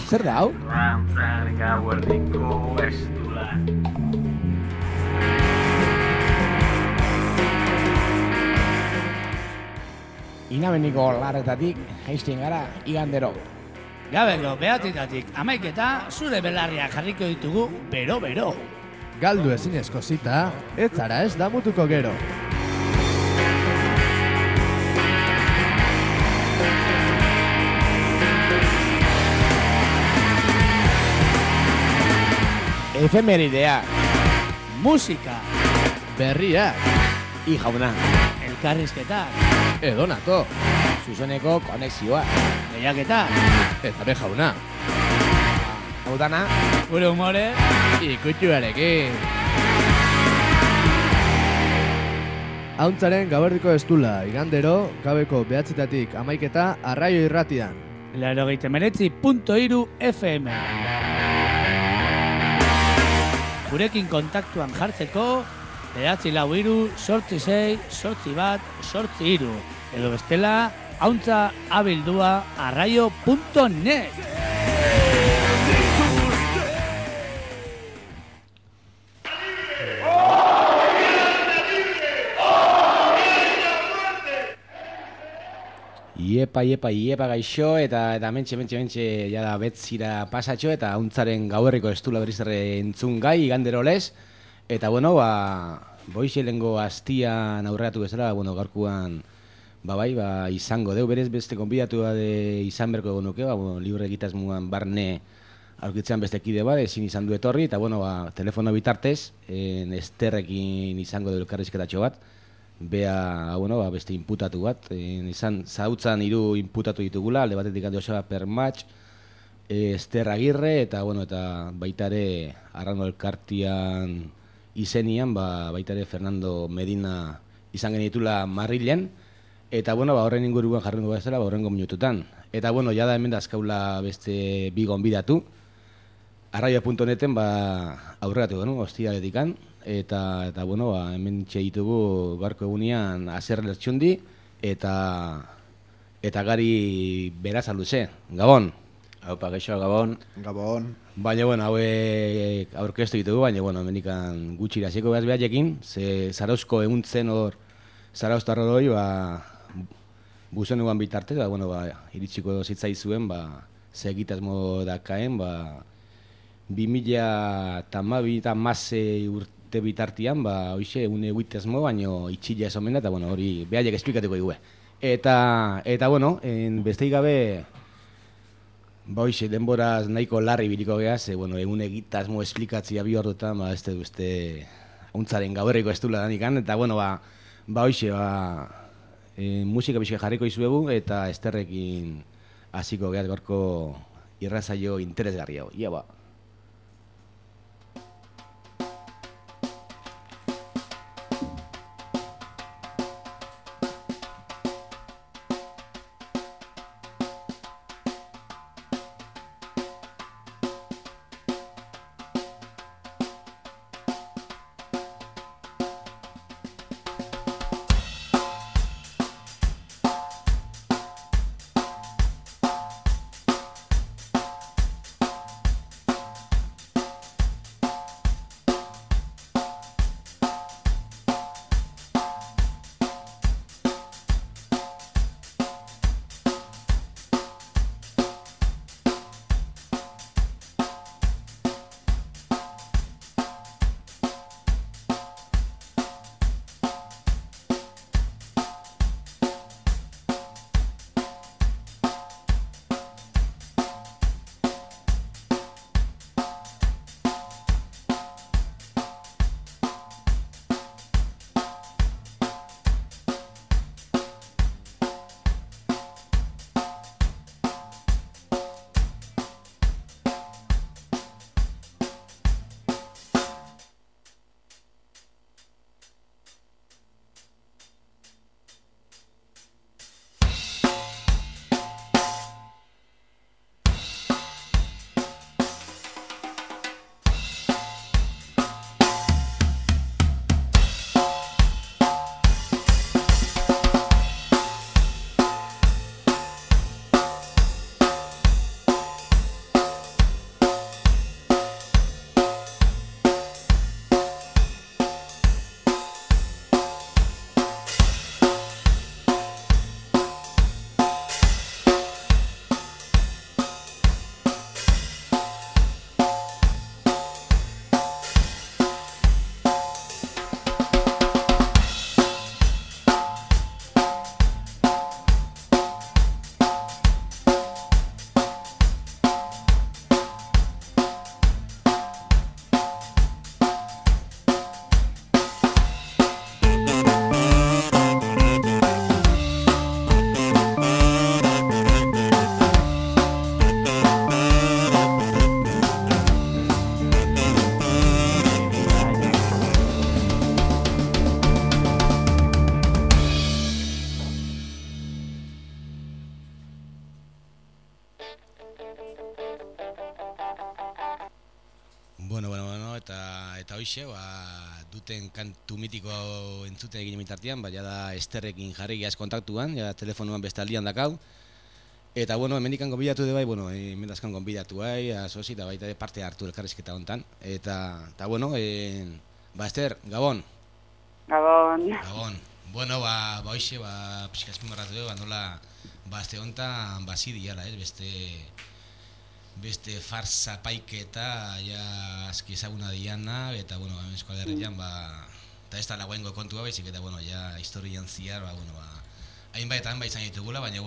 Zer da hau? Rantzaren gauerdiko estula. Inabeniko larretatik jaisten gara igandero. Gabeko behatitatik 11 zure belarriak jarriko ditugu bero-bero. Galdu ezinezko zita, ez zara ez damutuko gero. Efemeridea, Musika, Berriak, i jauna, elkarrizketak, edonato, zuzoneko konexioa. lehiaketak, eta be jauna, Hau dana, gure humore, ikutxuarekin. Hauntzaren gauerdiko estula, igandero, gabeko 9 11 Arraio Irratian. 89.3 FM. Gurekin kontaktuan jartzeko 943-868-1 edo bestela hauntza@arraio.net. Iepa gaixo eta mentxe jada betzira pasatxo eta hauntzaren gauerriko estula berriz ere entzun gai igandero lez. Eta bueno, boixe lengo hastian aurreatu bezala, gaurkuan izango deu berez beste konbidatua de izan berko egon nuke, libre egitasmuan barne aurkitzean beste kide ezin izan du etorri, eta telefono bitartez, Esterrekin izango deu elkarrizketatxo bat. Bea, beste inputatu bat, izan zautzan 3 inputatu ditugula, alde batetik Joseba Permatx, Ester Agirre, eta baitare Arrano Elkartian izenian, baitare Fernando Medina izan genitula Marrilen, eta horren inguruan jarrengo bezala, horrengo minututan. Eta jada hemen dazkaula beste bi gonbidatu, arraio.neten aurregatu genu, hostialetikan, eta hemen ditugu gaurko egunean Aser Lertxundi eta Gari Berasaluze. Gabon. Haupa, geixo, Gabon. Gabon. Baina, hauek aurkeztu ditugu, baina, hemenikan gutxira hasiko behaz behatekin, ze Zarauzko eguntzen hor, Zarauztarro doi, buzen eguan bitartez, iritsiko zitzaizuen, ze egitasmo dakaen, 2012 urte bitartian, hoxe, egitasmo, baina itxila esomena, eta, hori behaiek esplikatuko dugu. Eta, besteik gabe, hoxe, denboraz nahiko larri biliko geaz, egun egitasmo esplikatzia bi ordutan, ez duzte, hauntzaren gauerriko estula danikan, eta, hoxe, musika bizka jarriko izuegu, eta Esterrekin hasiko geaz gorko irrazaio interesgarri hau. Ia, hoxe, duten kantu mitiko entzuten egin mitartean, da Esterrekin jarri geaz kontaktuan, telefonuan beste aldian dakau. Eta, hemendikan gonbidatu de bai, emendazkan gonbidatu bai, asosi, eta baita parte hartu elkarrizketa hontan. Eta, Ester, Gabon. Gabon. Hoxe, pixka azpimarratu dugu, nola, azte hontan, diala, beste farsa paiketa, aski ezaguna diana, eta, Euskal Herrian, eta ez da laguengo kontua baizik, eta, historian ziar, hainbat izan ditugula, baina,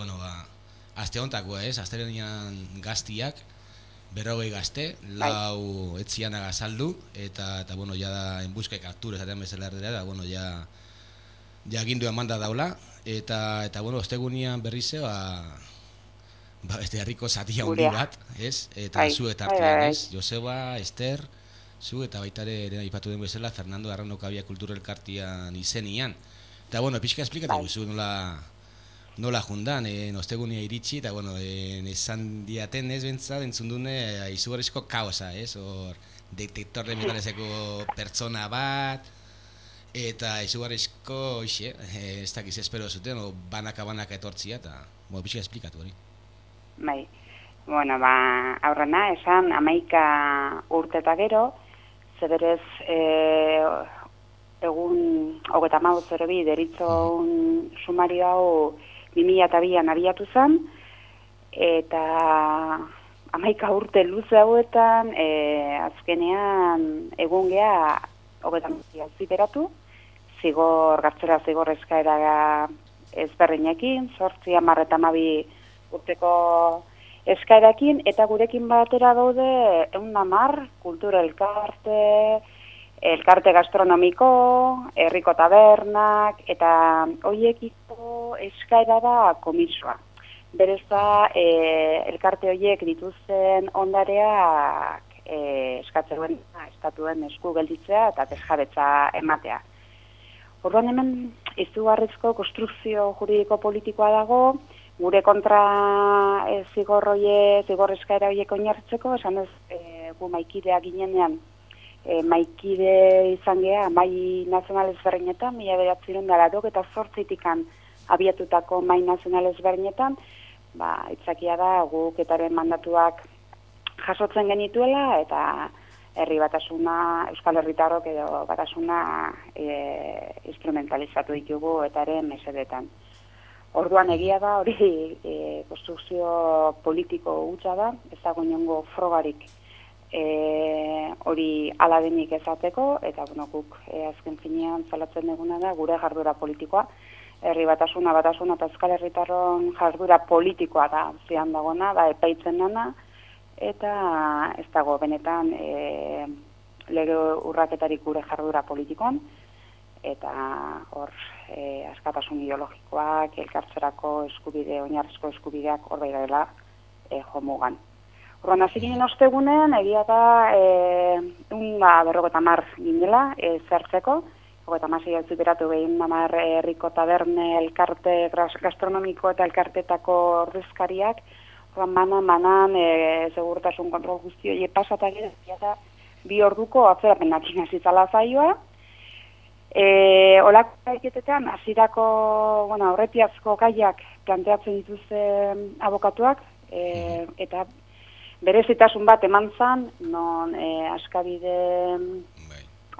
azte hontako, azterenean gaztiak, 40 gazte, 4 etzianak azaldu, eta, da, enbuska kaptura esaten bezala erdera, eta, agindu emanda daula, eta, ostegunian berrize, beste herriko zatia handi bat, eta zu eta artean, Joseba, Ester, zu eta baitare ere aipatu den bezala Fernando Arrano Kabia Kultura Elkartian izenian. Eta, pixka esplikatu guzu nola jundan, ostegunia iritsi, eta, esan diaten bentsat, entzundune, izugarrizko kaosa, hor, detektor de metalezeko pertsona bat, eta izugarrizko, ez dakiz espero zuten, banaka etortzia, eta, pixka esplikatu hori. Bai, aurrena, esan 11 urte eta gero, zeberez egun 32 deritzon sumario hau 2002an abiatu zen, eta 11 urte luze hauetan, azkenean egun geha 30 ziberatu, gartzera zigor eskaera ezberdinekin, 8, 10 eta 12 urteko eskaerakin, eta gurekin batera daude 110 kultura elkarte gastronomiko, herriko tabernak, eta hoiekiko eskaera da komisoa. Berez da, elkarte horiek dituzten ondareak eskatzen estatuen esku gelditzea eta desjabetza ematea. Orduan hemen izugarrizko konstrukzio juridiko politikoa dago, gure kontra zigor eskaera horiek oinarritzeko, esan ez gu maikidea ginenean, maikide izan geha, mai nazional ezberdinetan, 1988an abiatutako mai nazional ezberdinetan, itzakia da guk etaren mandatuak jasotzen genituela, eta herri batasuna, Euskal Herritarrok edo batasuna instrumentalizatu ditugu etaren mesedetan. Orduan egia da, hori konstrukzio politiko hutsa da, ez dago inongo frogarik hori aladenik ezateko, eta guk azken finean zalatzen duguna da gure jardura politikoa, herri batasuna eta Euskal Herritarron jardura politikoa da zian dagona, da epaitzen dana, eta ez dago benetan lege urraketarik gure jardura politikoan, eta hor askatasun ideologikoak, elkartzerako eskubide, oinarrizko eskubideak hor bai dela jomugan. Horren hasi ginen ostegunen, egia da 50 ginela zertzeko, 56 zuberatu behin 10 herriko taberne elkarte gastronomiko eta elkartetako ordezkariak, manan segurtasun kontrol guzti hori pasatak eta 2 orduko atzerapenak zitzala zaioa. Olako gaiketetan, hasierako aurretiazko gaiak planteatzen dituzten abokatuak, eta berezitasun bat eman zan, non Askabide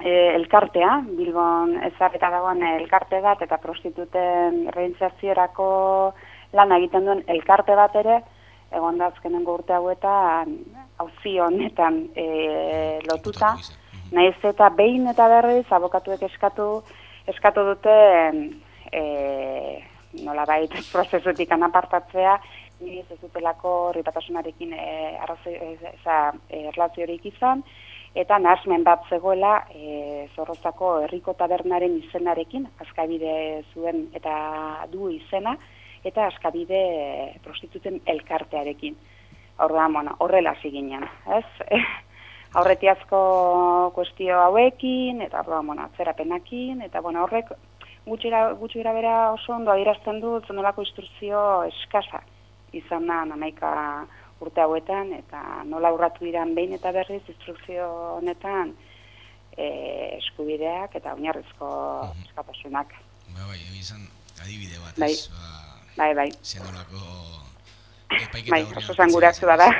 elkartea, Bilbon ezarreta dagoen elkarte bat, eta prostituten reinserziorako lan egiten duen elkarte bat ere, egon da azkenengo urte hauetan, auzi honetan lotuta, nahiz eta behin eta berriz abokatuek eskatu duten nolabait prozesutik anapartatzea, nire ez dutelako ripatasunarekin erlaziorik izan, eta nahasmen bat zegoela Zorrozako herriko tabernaren izenarekin, Askabide zuen eta du izena, eta Askabide prostituten elkartearekin. Horrela ziginen, ez? Aurretiazko kuestio hauekin, eta atzerapenakin, eta horrek gutxira bera oso ondo adierazten du zenolako instrukzio eskasa izan da 11 urte hauetan, eta nola urratu diran behin eta berriz instrukzio honetan eskubideak eta oinarrizko askatasunak. Bai, izan adibide bat, Bai. ez? Bai. Zenolako epaiketa Bai, horrean oso zanguratsua da.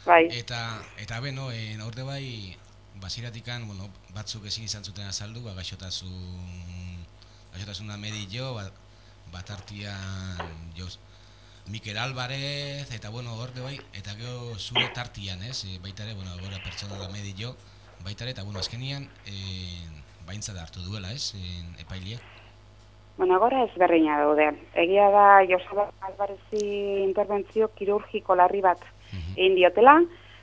Bai. Eta beno, aurte bai, basiratikan, bueno, batzuk ezin izan zuten azaldu, gaixotasuna medio, bat artian Mikel Álvarez, eta bueno, horte bai, eta gero zure tartian, ez? Baita ere, bueno, gora pertsona da medio, baita ere, eta bueno, azkenian, baintzat hartu duela, ez? Epaileak. Bueno, agora ezberdina daude. Egia da Joseba Alvarezi interbentzio kirurgiko larri bat egin diotela,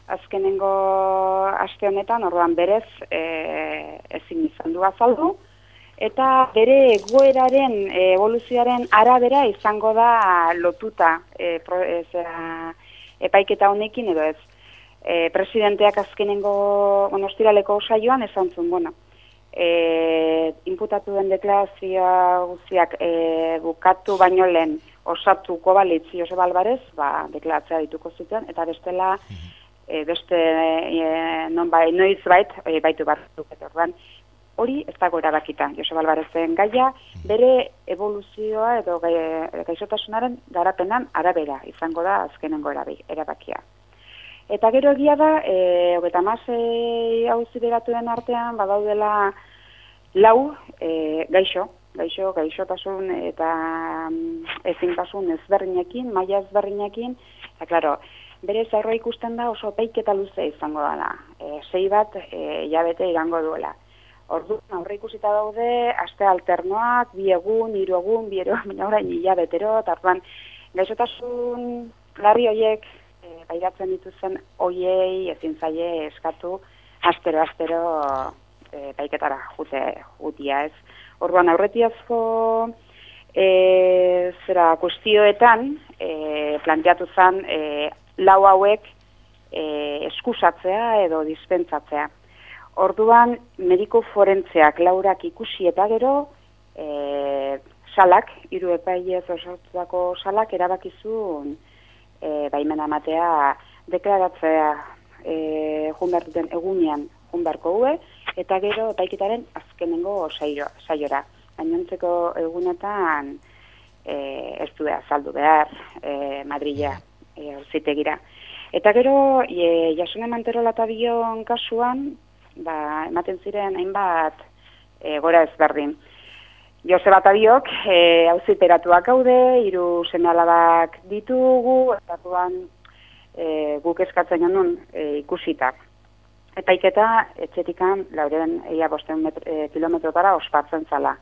azkenengo aste honetan, orduan berez ezin izan du azaldu, eta bere egoeraren evoluzioaren arabera izango da lotuta epaiketa honekin edo ez. Presidenteak azkenengo ostiraleko saioan esan zuen, bueno, inputatu den deklarazioa guztiak bukatu baino lehen osatuko balitz Joseba Alvarez, deklaratzea dituko zuten, eta bestela beste noiz baitu batzuk, eta orduan hori ez dago erabakita. Joseba Alvarezen gaia bere evoluzioa edo gaixotasunaren garapenan arabera izango da azkenengo erabakia. Eta gero egia da, 36 auziperatuen artean badaudela 4 gaixotasun eta ezintasun ezberdinekin, maila ezberdinekin, eta klaro, bere aurre ikusten da oso epaiketa luze izango dela, 6 bat hilabete irango duela. Orduan aurre ikusita daude, aste alternoak, 2 egun, 3 egun, 2 egun, baina orain hilabetero, eta orduan gaixotasun larri horiek pairatzen dituzen hoiei ezin zaie eskatu astero paiketara jutia ez. Orduan aurretiazko kuestioetan planteatu zen 4 hauek eskusatzea edo dispentsatzea. Orduan mediku forentzeak 4ak ikusi eta gero salak, 3 epailez osatutako salak erabakizun baimena matea deklaratzea junbertuten egunean junberko hue, eta gero epaiketaren azkenengo saiora. Gainontzeko egunetan ez du azaldu behar Madrila auzitegira. Eta gero Jasone Manterola eta Bion kasuan ematen ziren hainbat gora ezberdin. Joseba Tabiok auziperatuak gaude, 3 seme-alabak ditugu, estatuan guk eskatzen genuen ikusita. Epaiketa etxetikan 405 kilometrotara ospatzen zala.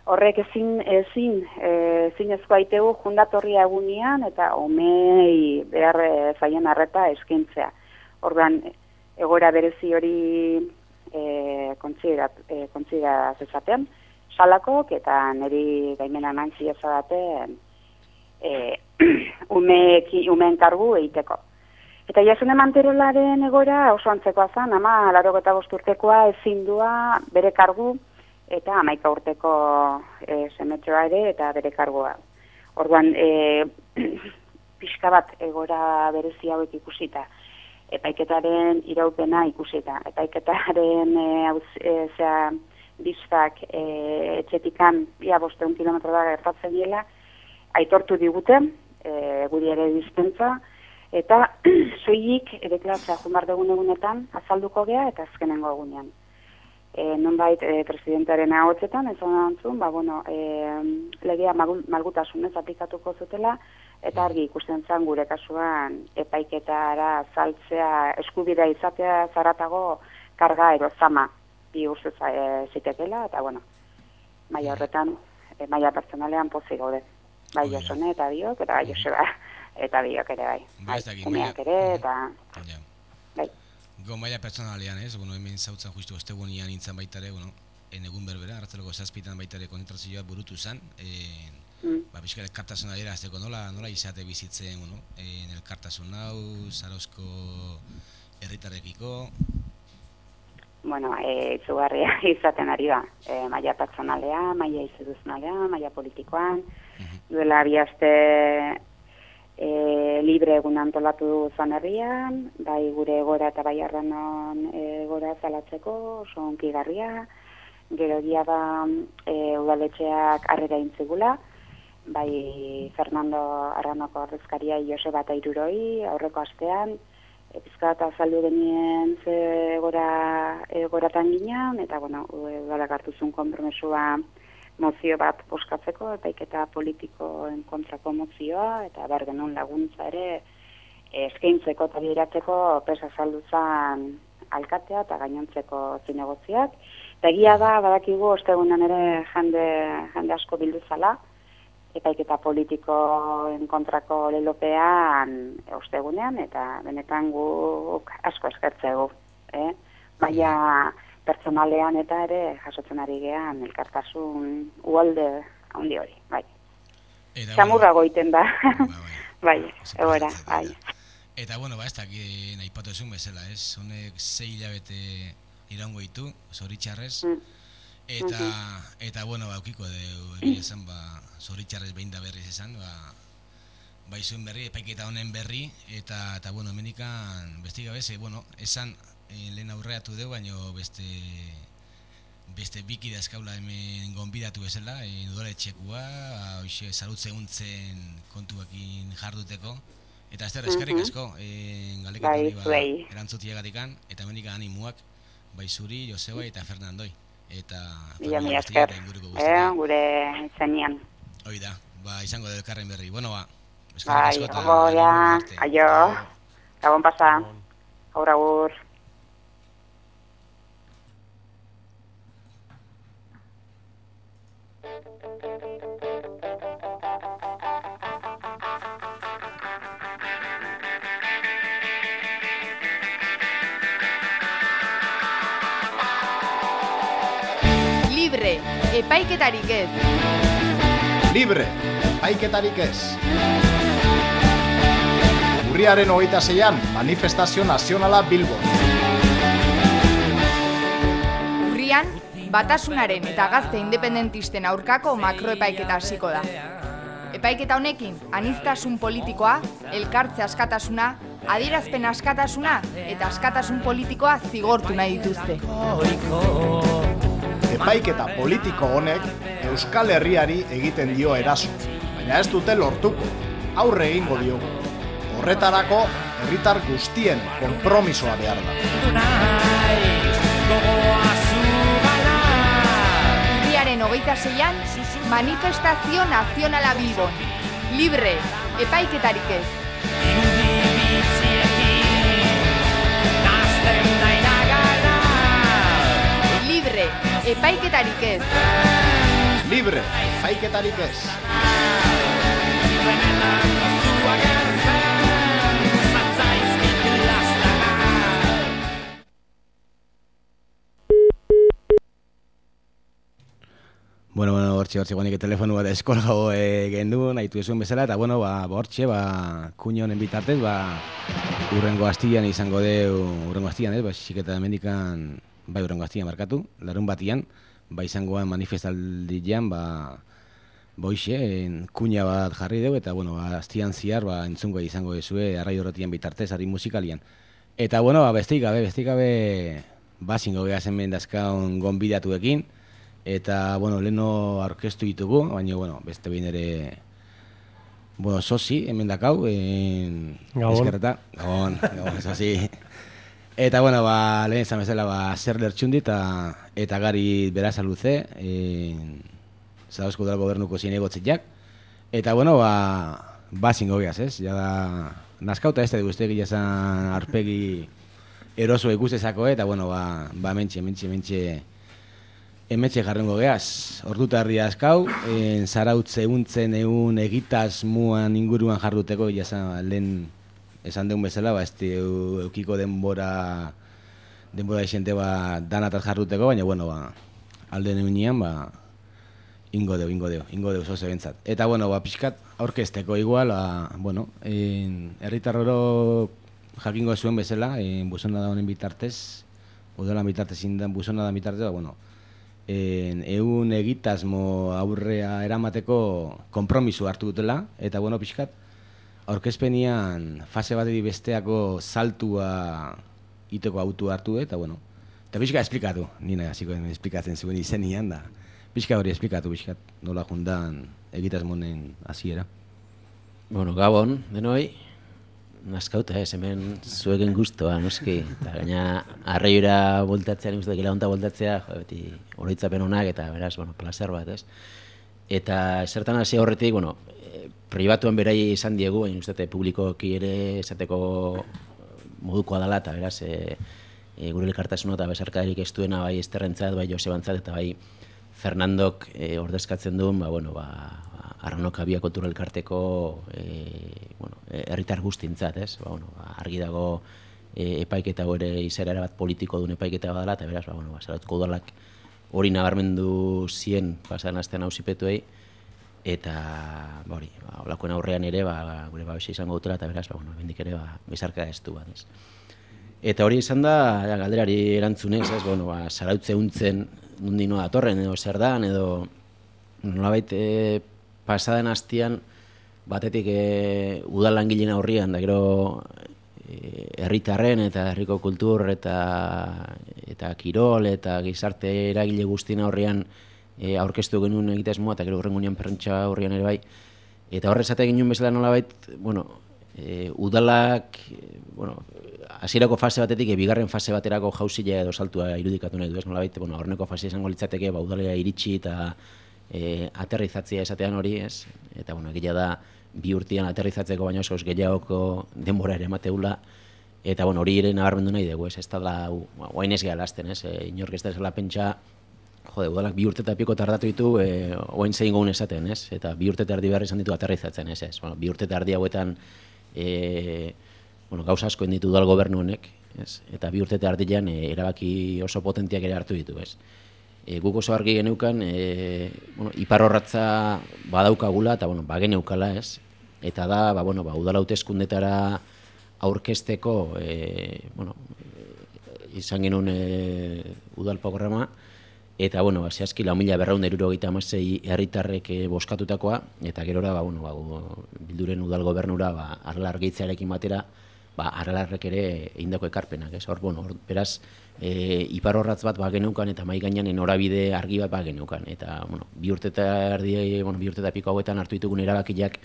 Horrek ezinezko aitegu jundatorria egunean eta omei behar zaien arreta eskintzea. Orduan, egoera berezi hori kontzidera zezaten, salakok eta niri gaimena eman ziezadaten umeen kargu egiteko. Eta Jasone Manterolaren egoera oso antzekoa zen, 85 urtekoa ezindua bere kargu eta 11 urteko semetxoa ere eta bere kargua. Orduan, pixka bat egoera berezi hauek ikusita, epaiketaren iraupena ikusita, epaiketaren biztak etxetikan 500 kilometro da gertatzen diela, aitortu diguten, guri ere dispentsa, eta soilik deklaratzea junbar dugun egunetan azalduko gea eta azkenengo egunean. Nonbait presidentearen ahotsetan, ez onantzun, legea malgutasunez aplikatuko zutela, eta argi ikusten zen gure kasuan epaiketara saltzea eskubidea izatea zaratago karga erozama bihurtu zitekela, eta maila horretan, maila pertsonalean pozik gaude. Bai Jasone eta Biok, eta Joseba eta Biok ere bai. Umeak ere, eta... Bai. Go maila pertsonalean, ez? Hemen zautzen justu ostegunean nintzen baitare, egun berbera, arratzaleko 7 baitare kontratazioa burutu zen, pixka elkartasun adera azteko nola izate bizitzen, elkartasun hau, Zarauzko herritarrekiko? Itzugarria izaten ari da, maila pertsonalea, maila instituzionalea, maila politikoan, duela 2 aste libre egun antolatu dugu Zan Herrian, bai gure egora eta bai Arranon egora zalatzeko, oso onkigarria, gero egia da udaletxeak harrera intzigula, bai Fernando Arranoko ordezkaria Joseba eta Iruroi aurreko astean, pizkat azaldu genien ze egoratan ginen, eta udalak hartu zuen konpromesua mozio bat boskatzeko, epaiketa politikoen kontrako mozioa, eta behar genuen laguntza ere eskaintzeko eta bideratzeko presa saldu zen alkatea eta gainontzeko zinegotziak. Eta egia da, badakigu, ostegunan ere jende asko bildu zala, epaiketa politikoen kontrako lelopean ostegunean, eta benetan guk asko eskertzegu. Baina pertsonalean eta ere jasotzen ari gehan elkartasun uholde handi hori, bai. Txamurra goiten da, bai, egora, bai. Eta, ez dakit nahi patozun bezala, honek 6 hilabete iraungo ditu, zoritxarrez, eta, aukiko egia esan, zoritxarrez behin da berriz esan, bai zuen berri, epaiketa honen berri, eta, menikan, besti gabez, esan, lehen aurreatu dugu, baina beste biki dazkaula hemen gonbidatu bezala, udaletxekua, salutze untzen kontuakin jarduteko, eta ez eskerrik asko, galdeketan hori erantzutiagatikan, eta hemenik animuak, bai zuri, Joseba eta Fernandoi, eta familia guztia eta inguruko guztia. Gure izenian. Hoi da, izango dut elkarren berri. Eskerrik asko eta aio, gabon pasa, agur. Libre, epaiketarik ez. Libre, epaiketarik ez. Urriaren 26an, manifestazio nazionala Bilbon. Urrian, Batasunaren eta gazte independentisten aurkako makroepaiketa hasiko da. Epaiketa honekin, aniztasun politikoa, elkartze askatasuna, adierazpen askatasuna eta askatasun politikoa zigortu nahi dituzte. Epaiketa politiko honek Euskal Herriari egiten dio eraso, baina ez dute lortuko, aurre egingo diogu. Horretarako, herritar guztien konpromisoa behar da. Urriaren 26an, manifestazio nazionala Bilbon. Libre, epaiketarik ez. Libre, epaiketarik ez. Libre, epaiketarik ez. Hortxe guanik telefonu bat eskolgago gendu, nahitu ezuen bezala, eta hortxe, kuño honen bitartez, urrengo astian izango deu, urrengo astian, xiketa mendikan, urrengo astian markatu, larun batian, izangoan manifestaldian, boixe, kuña bat jarri deu, eta astian ziar, entzungo izango ezue, arrai horretian bitartez, ari musikalian. Eta, bestik gabe, zingo geha zen mendazkaun gonbidatuekin, eta, leheno aurkeztu ditugu, baina, beste behin ere, sozi, hemen dakau, eskerreta. Gabon, sozi. Eta, lehen izan bezala, zer lertxundi eta gari beraz aluze, Zarauzko Udal Gobernuko zinegotziak. Eta, zingo gehaz, ez? Jada, nazkauta ez da guzti egia zan arpegi eroso ikustezako, eta, Hemetxe jarrengo gehaz, orduta herria azkau, zarautze untzen egun egitaz muan inguruan jarduteko, lehen esan deun bezala, eukiko denbora esente danataz jarduteko, baina, alde neunian, ingo deu, zoze bentzat. Eta, pixkat, aurkezteko igual, herritarroro jakingo zuen bezala, buzona da honen bitartez, udalan bitartez indan buzona da bitartez, egun egitasmo aurrea eramateko konpromiso hartu dutela, eta pixkat, aurkezpenian fase batetik besteako saltua iteko autu hartu, eta bueno, eta pixka esplikatu, nina hasiko esplikatzen zuen izenian, da pixka hori esplikatu, pixka nola jundan egitasmonen hasiera. Bueno, Gabon, denoi, naskauta hemen zuegen guztua, noski, eta gaina arraioira voltatzea, nik uste dut honta voltatzea, beti oroitzapen honak, eta beraz, bueno, placer bat, ez? Eta zertan hasi horretik, bueno, pribatuan berai izan diegu, baina uste publikoki ere esateko modukoa dela, eta beraz, gure elkartasuna eta besarkadarik ez duena bai Esterrentzat, bai Josebantzat, eta bai Fernandok ordezkatzen duen, Arranok Abia Kultura Elkarteko herritar guztintzat, ez? Argi dago epaiketa ere izaera bat politiko duen epaiketa badala, eta beraz, Zarautzeko udalak hori nabarmendu zien pasan astean auzipetuei, eta holakoen aurrean ere gure babesa izango dutela, eta beraz, bendik ere bizarka ez du bat, ez? Eta hori izan da, galderari erantzunez, ez? Zarautze untzen nundino datorren, edo zer dan, edo nolabait pasaden hastian batetik udal langileen aurrian, da gero herritarren eta herriko kultur eta kirol eta gizarte eragile guztien aurrian aurkeztu genuen egitasmoa, eta gero horrengunean perrentxa aurrian ere bai. Eta horre esate genuen bezala nolabait, udalak, hasierako fase batetik, bigarren fase baterako jauzilea edo saltua irudikatu nahi du, ez nolabait, horneko fase izango litzateke, udalera iritsi eta aterrizatzea esatean hori, ez? Eta, egia da, 2 urtean aterrizatzeko baino oso gehiagoko denbora ere emateula, eta, hori ere nabarmendu nahi dugu, ez? Ez da, oain ez gehalazten, ez? Inork ez da esela pentsa, udalak 2 urte eta piko tardatu ditu, oain zein gogun esaten, ez? Eta 2 urte eta erdi behar izan ditu aterrizatzen, ez? 2 urte eta erdi hauetan, gauza asko inditu udal gobernu honek, ez? Eta 2 urte eta erdian erabaki oso potentiak ere hartu ditu, ez? Guk oso argi geneukan, iparrorratza badaukagula, eta bageneukala, ez? Eta da, udal hauteskundetara aurkezteko, izan genuen udal programa, eta, zehazki 4.476 herritarrek boskatutakoa, eta gerora, bilduren udal gobernura, arla argitzearekin batera, aralarrek ere egindako ekarpenak, ez? Beraz, iparrorratz bat bageneukan eta mai gainean norabide argi bat bageneukan. Eta, 2 urte eta erdi, 2 urte eta piko hauetan hartu ditugun erabakiak,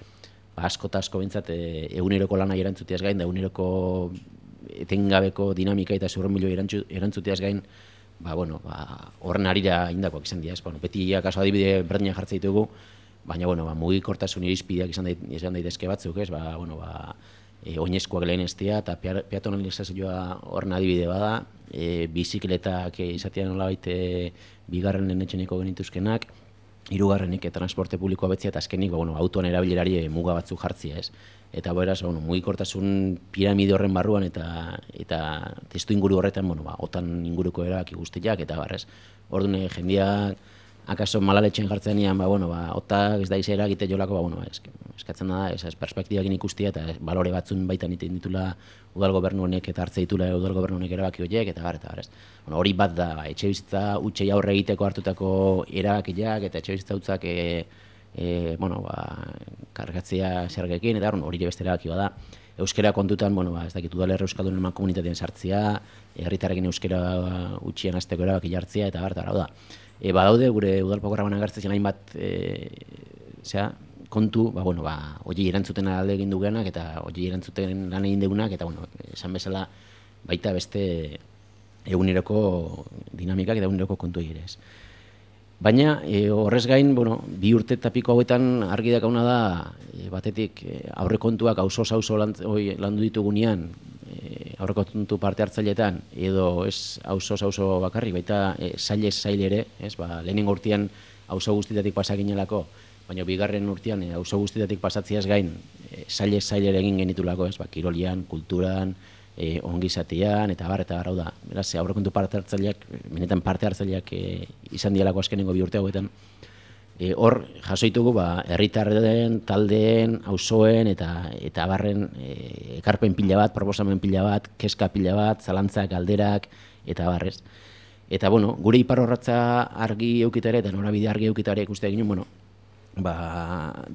asko eta asko bintzat, eguneroko lanai erantzuteaz gain, da eguneroko etengabeko dinamika eta zurrumilo erantzuteaz gain, horren arira indakoak izan dira, ez? Beti kaso adibide berdinak jartzen ditugu, baina, mugikortasun irizpideak izan daitezke batzuk, ez? Oinezkoak lehen estia eta peatonalizazioa horren adibide bada, bizikletak izatean nolabait bigarrenen etxeneko genituzkenak, 3. transporte publikoa betzia, eta azkenik autoan erabilerari muga batzuk jartzia, ez? Eta beraz, mugikortasun piramide horren barruan eta testu inguru horretan, otan inguruko erabaki guztiak, eta barrez. Orduan, jendeak akaso malaletxen jartzen nian, otak ez da izera egite jolako, eskatzen da, ez perspektibakin ikustia, eta balore batzun baitan iten ditula udal gobernu honek eta hartze ditula udal gobernu honek erabaki horiek, eta barrez. Hori bat da, etxe bizitza utxei aurre egiteko hartutako erabakiak, eta etxe bizitza utzak kargatzea zergekin, eta hori ere beste erabaki bada. Euskera kontutan, ez dakit udalerra euskaldunen eman komunitatean sartzea, herritarrekin euskera utxien hasteko erabaki jartzea, eta hau da. Badaude, gure udal programan agertzen hainbat kontu, hori erantzuten alde egin dugenak, eta hori erantzuten lan egin dugunak, eta esan bezala baita beste eguneroko dinamikak eta eguneroko kontu egirez. Baina, horrez gain, 2 urte eta piko hauetan argi dakauna da, batetik aurrekontuak auzo landu ditugunean, aurrekontu parte hartzailetan, edo ez auzo bakarrik, baita saile ere, lehenengo urtean auzo guztietatik pasaginelako, baina bigarren urtean auzo guztietatik pasatziaz gain, saile egin genitulako, kirolian, kulturan, ongizatean, eta hau da. Beraz, aurrekontu parte hartzaileak, benetan parte hartzaileak izan dialako azkenengo 2 urte hauetan, hor jasoitugu herritarren, taldeen, auzoen eta barren ekarpen pila bat, proposamen pila bat, kezka pila bat, zalantzak, galderak eta barrez. Eta gure iparrorratza argi eukitare eta norabide argi eukitare ikuste egin,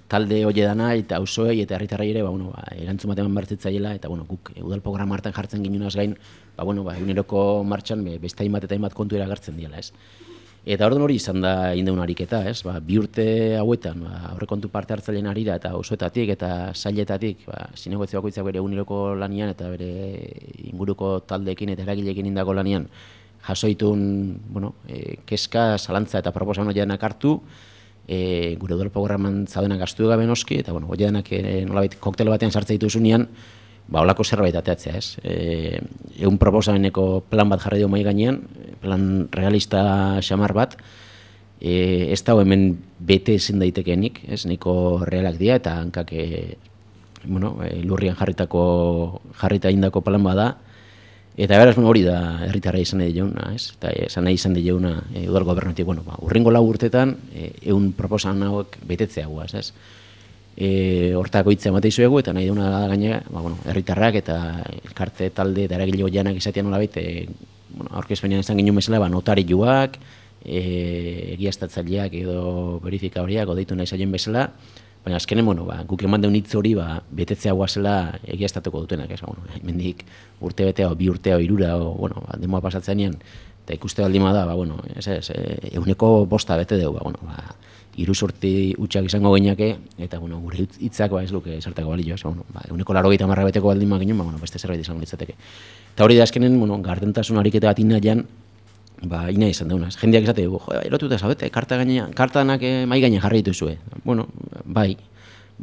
talde hori dana eta auzoei eta herritarrei ere erantzun bat eman bertzitzaiela eta guk udal programa hartan jartzen ginunaz gain eguneroko martxan beste hainbat eta hainbat kontu eragartzen diela, ez? Eta orduan hori izan da indeun ariketa, ez? 2 urte hauetan aurrekontu parte hartzaileen arira eta auzoetatik eta sailetatik zinegotzi bakoitzak bere eguneroko lanian eta bere inguruko taldeekin eta eragileekin indako lanian jasoitun kezka, zalantza eta proposamen horianak hartu, gure udal programan zaudenak gastu gabe noski, eta horianak nolabait koktel batean sartzen dituzunean, holako zerbait ateatzea, ez? Egun proposameneko plan bat jarri dugu mahai gainean, plan realista xamar bat, ez dago hemen bete ezin daitekenik, ez? Nahiko realak dira, eta hankak lurrian jarrita indako plan bada, eta beraz hori da herritarra izan nahi diona, ez? Eta izan nahi izan diona udal gobernutik, urrengo 4 urtetan, egun proposamen hauek betetzea guaz, ez? Hortako hitza emate izuegu, eta nahi duna da gaina, herritarrak eta elkarte talde eta eragile hoianak izatean nolabait, aurkezpenean izan ginen bezala, notarioak, egiaztatzaileak edo verifikadoreak deitu nahi zaien bezala, baina azkenen, guk eman deun hitz hori betetzea guazela egiaztatuko dutenak, ez? Mendik urte betea, 2 urtea, 3 demoa pasatzenean, eta ikuste baldin da, eguneko 5 bete dugu, 3 urte utxak izango geinake, eta gure hitzak ez luke zertako balio, eguneko 80 beteko baldin maginen, beste zerbait izango litzateke. Eta hori da azkenen, gardentasun ariketa bat inaian, ina izan daunaz. Jendeak esate dugu, erotuta zabete, kartanak mai gainean jarri dituzue. Bai,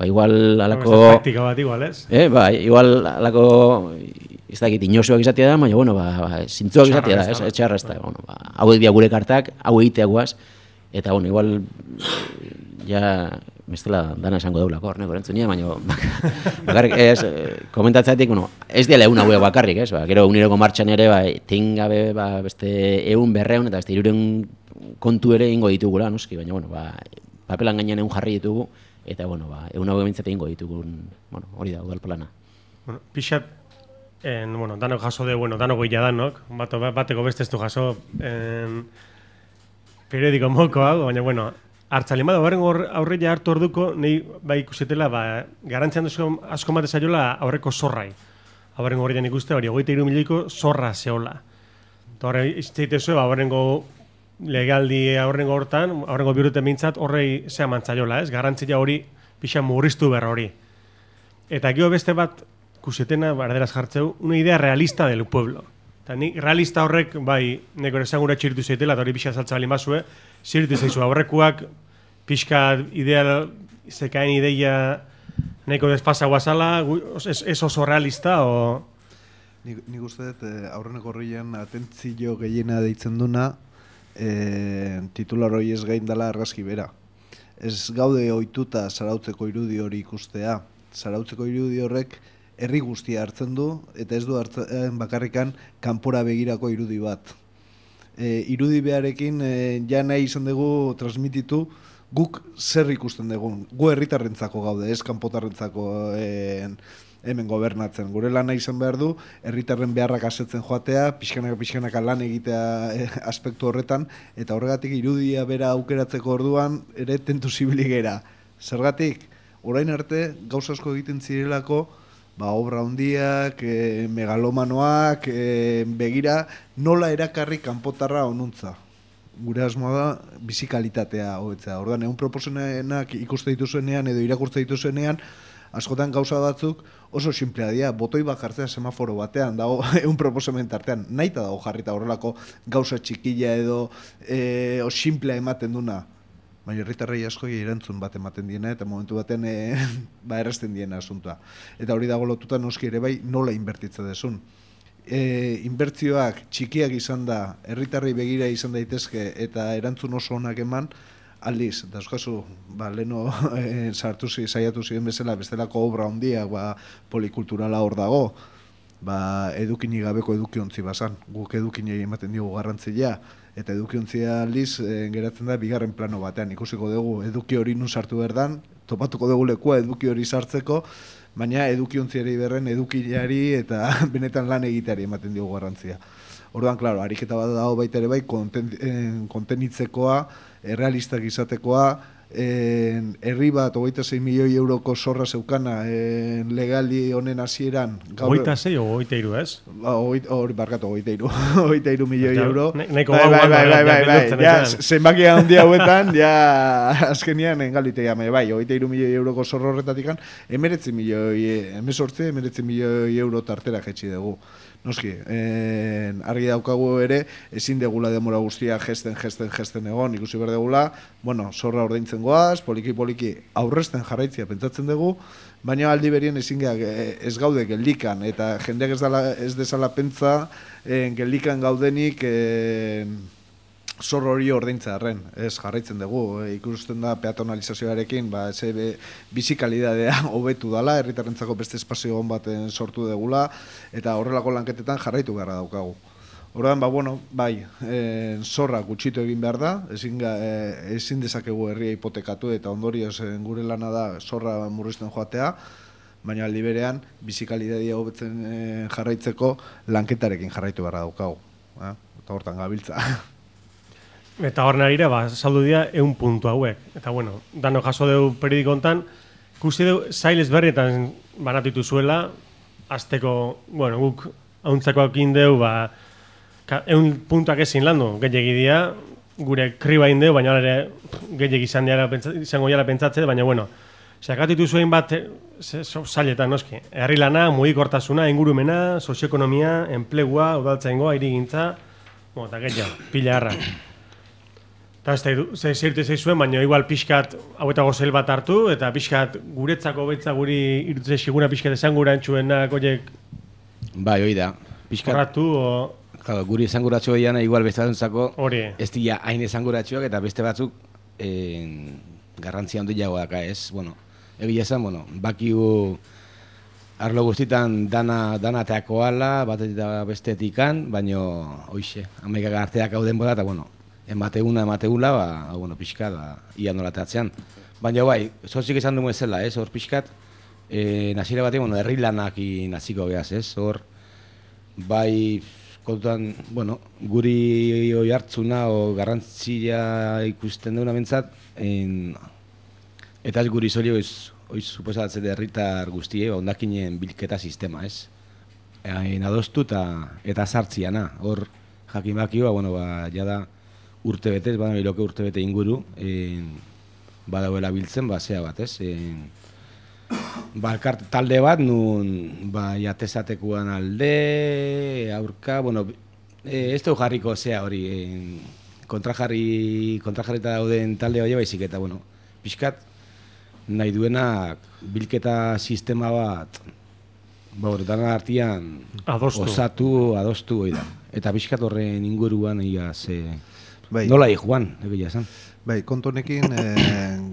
igual alako... Praktika bat igual, ez? Igual alako, ez dakit, inosuak izatea da, baina, zintzuak izatea da, ez? Etxarra ez da, hauek dira gure kartak, hau egiteagoaz, eta, igual, ja, bestela dana esango daulako, horneko erantzunia, baina, bakarrik, komentatzeatik, ez dela egun hauek bakarrik, ez? Gero eguneroko martxan ere, tengabe, beste egun 200 eta beste 300 kontu ere ingo ditugula, noski, baina, papelan gainean egun jarri ditugu, eta, egun hauek bintzate ingo ditugun, hori da, udal plana. Pixat, danok jaso de, danok goila danok, bateko beste ez du jaso, periodiko moko hau, baina, hartzalin bada, aurreia hartu orduko, nahi ikusetela, garantzian asko mate zaiola aurreko zorrai. Aurrengo horrean ikuste, hori 23 milioiko zorra zehola. Eta horre, izteitezue, aurrengo legaldi aurrengo hortan, aurrengo birute mintzat, horrei zea mantzaiola, ez? Garantzia hori, pixa murriztu berra hori. Eta gero beste bat, kusetena, barderaz jartzeu, una idea realista del pueblo. Eta nik realista horrek, neko esangura txiritu zeitela, eta hori pixa saltza balin bazue, ziritu zaizu aurrekuak, pixka ideal, zekaen ideia neko desfasa guazala, ez oso realista, o... Nik uste dut, aurreneko horrean atentzio gehiena deitzen duna, titular hori ez gain dela argazki bera. Ez gaude ohituta zarautzeko irudi hori ikustea. Zarautzeko irudi horrek herri guztia hartzen du, eta ez du hartzen bakarrikan kanpora begirako irudi bat. Irudi beharekin ja nahi izan dugu transmititu guk zer ikusten dugun. Gu herritarrentzako gaude, ez kanpotarrentzako hemen gobernatzen. Gure lana izan behar du, herritarren beharrak asetzen joatea, pixkanaka lan egitea aspektu horretan, eta horregatik irudia bera aukeratzeko orduan ere tentu zibili gera. Zergatik, orain arte gauza asko egiten zirelako, obra handiak, megalomanoak, begira, nola erakarri kanpotarra onuntza. Gure asmoa da, bizi kalitatea hobetzea. Orduan, egun proposenak ikuste dituzuenean edo irakurtze dituzuenean, askotan gauza batzuk oso simplea dira, botoi bat jartzea semaforo batean, dago egun proposamen tartean, nahita dago jarrita horrelako gauza txikila edo simplea ematen duna. Baina herritarrei askoi erantzun bat ematen diena eta momentu baten errazten diena asuntua. Eta hori dago lotuta noski ere bai nola inbertitza desun. Inbertzioak txikiak izan da, herritarrei begira izan daitezke eta erantzun oso onak eman, aldiz, eta euskazu, leno saiatu ziren bezala, bestelako obra handiak, polikulturala hor dago, edukini gabeko edukiontzi bazan, guk edukinei ematen diogu garrantzia, eta edukiontzia aldiz geratzen da bigarren plano batean, ikusiko dugu eduki hori nun sartu berdan, topatuko dugu lekua eduki hori sartzeko, baina edukiontziari berren edukiari eta benetan lan egiteari ematen diogu garrantzia. Orduan, klaro, ariketa bat dago baita ere bai, kontenitzekoa, errealistak izatekoa, herri bat 26 milioi euroko zorra zeukana legali honen hasieran. 26 o 23, ez? Hori barkatu, 23 milioi euro. Neko zenbakia handi hauetan, ja azkenian engalitea, bai, 23 milioi euroko zorro horretatik 19 milioi euro tartera jetxi dugu. Noski, argi daukagu ere, ezin degula demora guztia gesten egon, ikusi behar degula, bueno, zorra ordaintzen goaz, poliki aurrezten jarraitzia pentsatzen dugu, baina aldi berien ez gaude geldikan, eta jendeak ez dezala pentsa geldikan gaudenik zor hori ordaintza arren, ez jarraitzen dugu, ikusten da peatonalizazioarekin, bizikalidadea hobetu dala, herritarrentzako beste espazio on baten sortu degula, eta horrelako lanketetan jarraitu beharra daukagu. Orduan, zorra gutxitu egin behar da, ezin dezakegu herria hipotekatu, eta ondorioz gure lana da zorra murrizten joatea, baina aldi berean, bizikalidadea hobetzen jarraitzeko lanketarekin jarraitu beharra daukagu. Eta hortan gabiltza. Eta hor narira, saldu dira 100 puntu hauek. Eta bueno, dano jaso dugu periodiko hontan, ikusi dugu zail ezberdinetan banatitu zuela, azteko, bueno, guk hauntzako indeu, 100 puntuak ezin landu, gehiagi dira, gure kriba indeu, baina ere gehiagi izango jala pentsatze, baina bueno, sakatitu zuen bat zailetan, noski, herri lana, mugikortasuna, ingurumena, sozioekonomia, enplegua, udaltzaingoa, hirigintza, eta gehiago, pila harra. Eta ez zirte zuen, baina igual pixkat hauetako zel bat hartu, eta pixkat guretzako betza guri irutze siguna pixkat esangurantxuenak oiek... Bai, hoi da. Horratu, guri esanguratxo diana igual beste batzuntzako ez dira hain esanguratxoak, eta beste batzuk garrantzia handiagoak, ez? Bueno, egia esan, bakigu arlo guztitan dana teakoala, batetik da bestetikan, baina hoixe, amaikak arteak hau denbora, eta emategula, pixkat, ia nola teatzean. Baina bai, zozik esan dugu ezela, ez, hor pixkat, nazire batean, herri lanak naziko behaz, ez, hor, bai, kontuan, guri hoi hartzuna o garrantzia ikusten duguna bentsat, eta ez guri zoli hoi suposatzen herritar guztie, ondakinen bilketa sistema, ez. Adostu eta sartziana, hor jakin bakio, jada urtebetez, biloke urtebete inguru, badauela biltzen, zea bat, ez. Talde bat, nun jatezatekuan alde, aurka, ez dugu jarriko zea hori, kontrajarrita dauden talde hori baizik, eta, pixkat, nahi duenak bilketa sistema bat, dana artian adostu hori da. Eta pixkat horren inguruan, nola Juan, egia esan. Bai, kontu honekin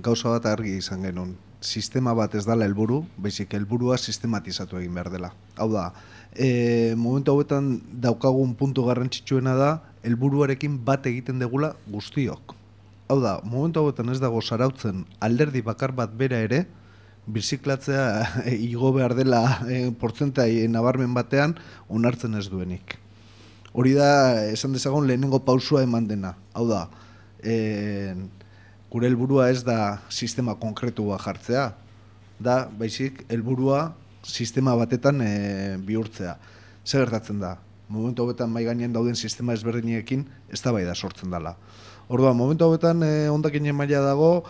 gauza bat argi izan genuen. Sistema bat ez dala helburu, baizik helburua sistematizatu egin behar dela. Hau da, momentu hauetan daukagun puntu garrantzitsuena da, helburuarekin bat egiten degula guztiok. Hau da, momentu hauetan ez dago zarautzen alderdi bakar bat bera ere, birziklatzea igo behar dela portzentai nabarmen batean onartzen ez duenik. Hori da, esan dezagun lehenengo pausua eman dena. Hau da, gure helburua ez da sistema konkretua jartzea, da, baizik, helburua sistema batetan bihurtzea. Zer gertatzen da? Momentu hauetan mai gainean dauden sistema ezberdinekin eztabaida sortzen dela. Orduan, momentu hauetan hondakinen maila dago,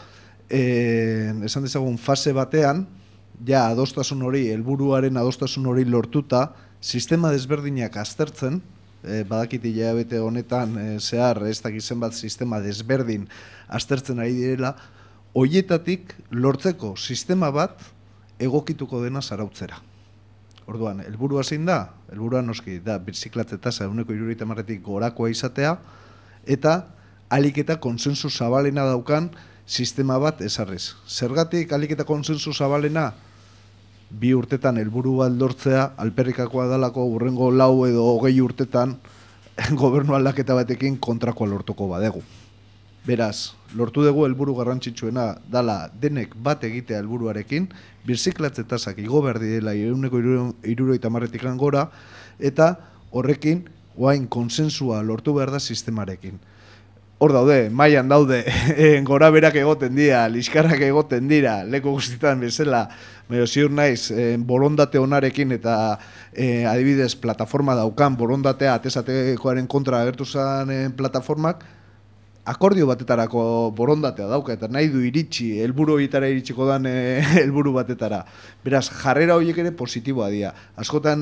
esan dezagun fase batean, ja adostasun hori, helburuaren adostasun hori lortuta, sistema desberdinak aztertzen, badakit hilabete honetan zehar ez dakizen bat sistema desberdin aztertzen ari direla, hoietatik lortzeko sistema bat egokituko dena zarautzera. Orduan, helburua zein da? Helburua noski da birziklatze tasa 1,70tik gorakoa izatea, eta ahalik eta konsensu zabalena daukan sistema bat ezarriz. Zergatik ahalik eta konsensu zabalena? 2 urtetan helburu bat lortzea alperrikakoa dalako hurrengo 4 edo 20 urtetan gobernu aldaketa batekin kontrakoa lortuko badegu. Beraz, lortu dugu helburu garrantzitsuena dala denek bat egitea helburuarekin, birziklatze tasak igo behar direla 170tik gora, eta horrekin oain konsensua lortu behar da sistemarekin. hor daude, mailan daude, gora berak egoten dira, liskarrak egoten dira, leku guztietan bezala, baina ziur naiz, borondate onarekin eta adibidez plataforma daukan, borondatea atesatekoaren kontra agertu zen plataformak, akordio batetarako borondatea dauka, eta nahi du iritsi, helburu horietara iritsiko dan helburu batetara. Beraz, jarrera horiek ere positiboa dira. Askotan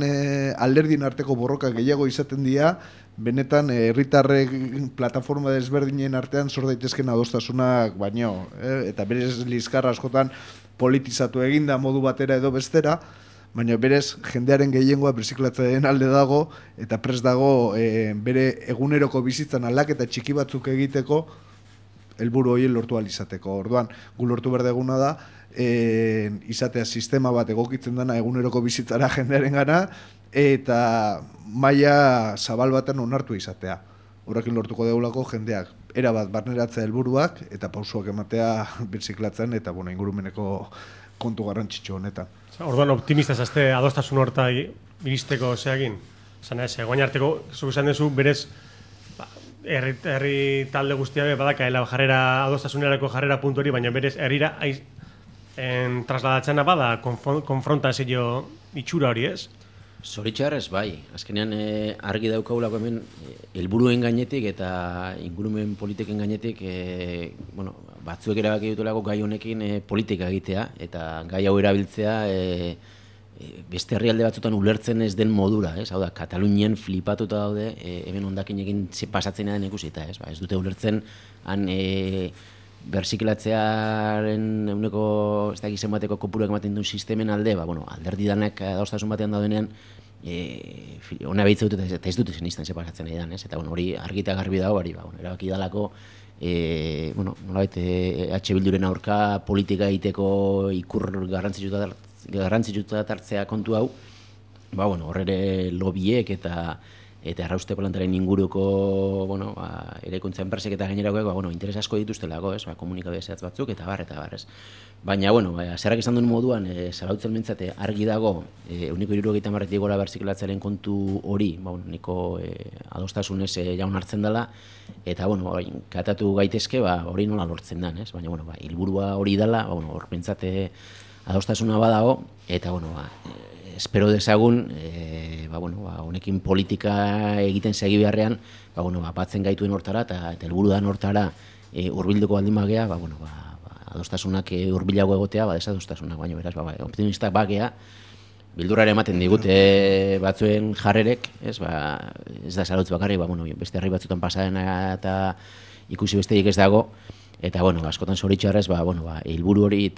alderdien arteko borroka gehiago izaten dira, benetan herritarrek plataforma desberdinen artean sor daitezken adostasunak baino, eta berez liskarra askotan politizatu eginda modu batera edo bestera, baina berez jendearen gehiengoa birziklatzaren alde dago eta prest dago bere eguneroko bizitzan aldaketa txiki batzuk egiteko helburu horiek lortu ahal izateko. Orduan, gu lortu behar deguna da izatea sistema bat egokitzen dena eguneroko bizitzara jendearen gana, eta maila zabal baten onartu izatea. Horrekin lortuko deulako jendeak erabat barneratzea helburuak eta pausuak ematea birziklatzen eta ingurumeneko kontu garrantzitsu honetan. Orduan optimista zazte adostasun horta iristeko zeagin? Zan ez, guain arteko, zuk esan dezu, berez, herri talde guztia badakaela jarrera adostasunerako jarrera puntu hori, baina berez herrira trasladatzena bada konfrontazio itxura hori, ez? Zoritxarrez, bai. Azkenean argi daukagulako hemen helburuen gainetik eta ingurumen politiken gainetik batzuek erabaki dutulako gai honekin politika egitea eta gai hau erabiltzea beste herrialde batzutan ulertzen ez den modura, ez? Hau da, Katalunian flipatuta daude hemen hondakinekin pasatzen den ikusita, ez? Ez dute ulertzen han bersiklatzearen eguneko ez dakit zenbateko kopuruak ematen duen sistemen alde, alderdi danak adostasun batean daudenean ona behitza dut eta ez dut zen izten pasatzen nahi dan, ez? Eta hori argita garbi dago, erabaki dalako nolabait H Bilduren aurka politika egiteko ikur garrantzitsuta tartzea kontu hau, horre lobiek eta errauste plantaren inguruko eraikuntza enpresek eta gainerakoek interes asko dituztelako, komunikabide zehatz batzuk eta bar, ez. Baina, zerrak izan duen moduan, zarautzen mentzate argi dago, uniko 70 gora berziklatzearen kontu hori, niko adostasunez jaun hartzen dela, eta, katatu gaitezke, hori nola lortzen den, ez. Baina, helburua hori dela, hor mentzate adostasuna badago, eta, espero dezagun, honekin politika egiten segi beharrean, batzen gaituen hortara eta helburu dan hortara hurbilduko baldin bagea, adostasunak hurbilago egotea, desadostasunak, baina beraz, optimistak bagea, bildurrare ematen digute batzuen jarrerek, ez da zarautz bakarri, beste herri batzutan pasarena eta ikusi besteik ez dago, eta, askotan zoritxarrez, helburu hori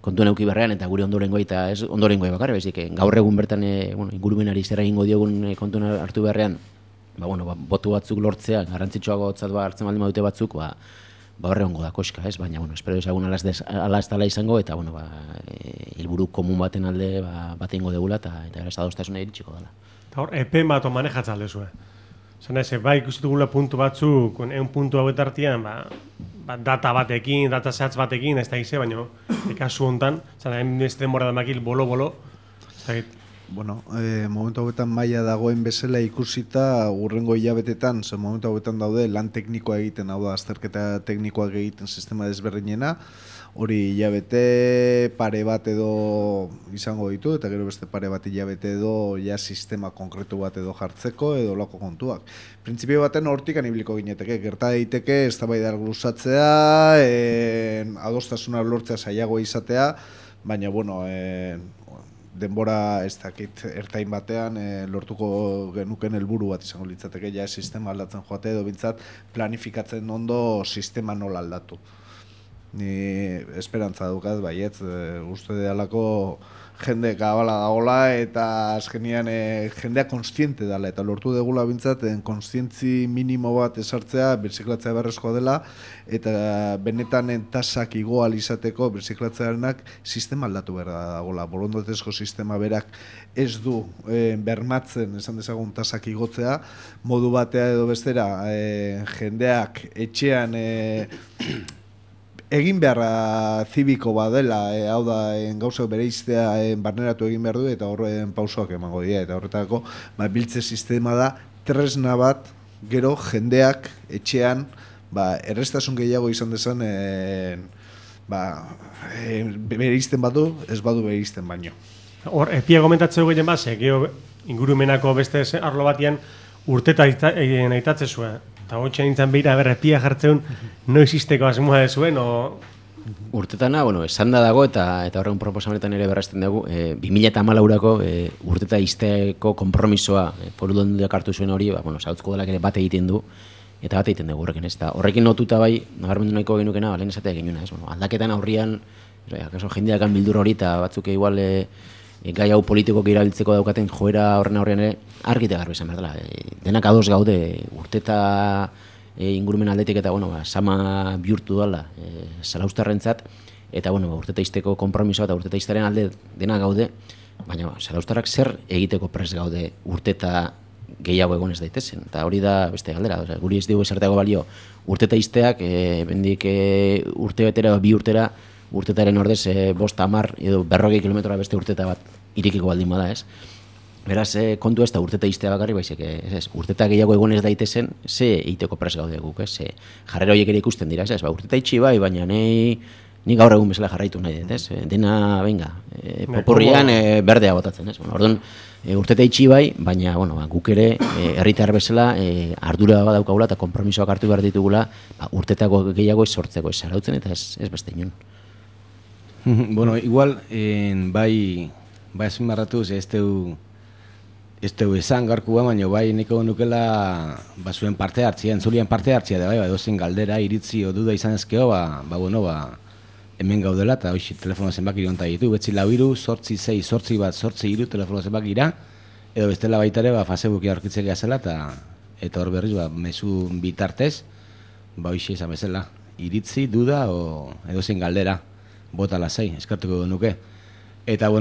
kontuen euki berrean eta gure ondorengoa eta ez ondorengoa bakarri, bezik, gaur egun bertan ingurumenari zer egingo diogun kontuen hartu beharrean, botu batzuk lortzea, garrantzitsuago hartzen baldin badute batzuk, horre hongo da koska, ez? Baina, espero ezagun ala ez dala izango, eta, helburu komun baten alde bat egingo degula, eta beraz adostasuna iritsiko dela. Eta hor, epe bat manejatzen aldezue. Zena ez, ikusitugula puntu batzuk, puntu hauet artean, data batekin, data zehatz batekin, ez da gize, baina kasu hontan, zena, ez denbora damakil bolo-bolo, ez da git. Momentu hauetan maila dagoen bezala ikusita urrengo hilabetetan, momentu hauetan daude lan teknikoa egiten, hau da, azterketa teknikoak egiten sistema desberdinena, hori hilabete pare bat edo izango ditu, eta gero beste pare bat hilabete edo sistema konkretu bat edo jartzeko edo lako kontuak. Printzipio baten hortik anibiliko gineteke, gerta daiteke eztabaida luzatzea, adostasuna lortzea zailagoa izatea, baina, denbora ez dakit ertain batean lortuko genuken helburu bat izango litzateke, sistema aldatzen joate edo bintzat planifikatzen ondo sistema nola aldatu. Ni esperantza dukat, baietz, uste dealako jende kabala dagoela eta azkenian jendea konstiente dela eta lortu degula bintzat konstientzi minimo bat esartzea birziklatzea beharrezkoa dela eta benetan tasak igo ahal izateko birziklatzearenak sistema aldatu behar dagoela. Borondatezko sistema berak ez du bermatzen esan dezagun tasak igotzea, modu batea edo bestera jendeak etxean egin beharra zibiko badela, hau da, gauzak bereiztea barneratu egin behar du eta horren pausoak emango dira. Eta horretako, biltze sistema da, tresna bat, gero jendeak etxean errestasun gehiago izan dezan, bereizten badu, ez badu bereizten baino. Hor, epia komentatzeu gehien base, geho ingurumenako beste arlo batian urteta aitatze zuen. Eta hotxe nintzen behira, epia jartzeun, noiz izteko asmoa dezuen, o... Urtetana, esan da dago eta horren proposamenetan ere berrazten dugu, 2014ko urteta izteko konpromisoa Foru Aldundiak hartu zuen hori, Zarauzko Udalak ere bat egiten du, eta bat egiten dugu horrekin, ez da. Horrekin lotuta bai, nabarmendu nahiko genukena, lehen esatea genuna, ez? Aldaketan aurrian, akaso jendeakan bildur hori, eta batzuk igual gai hau politikok erabiltzeko daukaten joera horren aurrean ere, argite garbi esan behar dela. Denak ados gaude urteta ingurumen aldetik eta sama bihurtu dela zarauztarrentzat, eta urteta izteko konpromisoa eta urteta iztaren alde dena gaude, baina zarauztarrak zer egiteko prest gaude urteta gehiago egon ez daitezen, eta hori da beste galdera, guri ez dugu esarteago balio urteta izteak, bendik urte betera, bi urtera, urtetaren ordez 5, 10 edo 40 kilometroa beste urteta bat irikiko baldin bada, ez? Beraz, kontu ez da urteta iztea bakarri, baizik, urteta gehiago egon ez daitezen, ze egiteko prest gaude guk, ez? Jarrera horiek ere ikusten dira, ez? Urteta itxi bai, baina ni gaur egun bezala jarraitu nahi dut, ez? Dena, venga, popurrian berdea botatzen, ez? Orduan, urteta itxi bai, baina, guk ere, herritar bezala, ardura badaukagula eta konpromisoak hartu behar ditugula, urtetako gehiago ez sortzeko, ez zarautzen eta ez beste inon. Igual, bai azpimarratuz, ez teu esan garkua, baina bai niko nukela zuen parte hartzia, entzulien parte hartzia da, edozen galdera, iritzi o duda izan ezkeo, hemen gaudela, eta hoxi telefono zenbaki onta ditu, betzi 4 8 6 8 1 8 3 telefono zenbakira, edo bestela baitare, Facebooki aurkitzen gazela, eta hor berriz, mezu bitartez, hoxi esan bezala, iritzi, duda, edozen galdera, bota lasai, eskartuko nuke. Eta,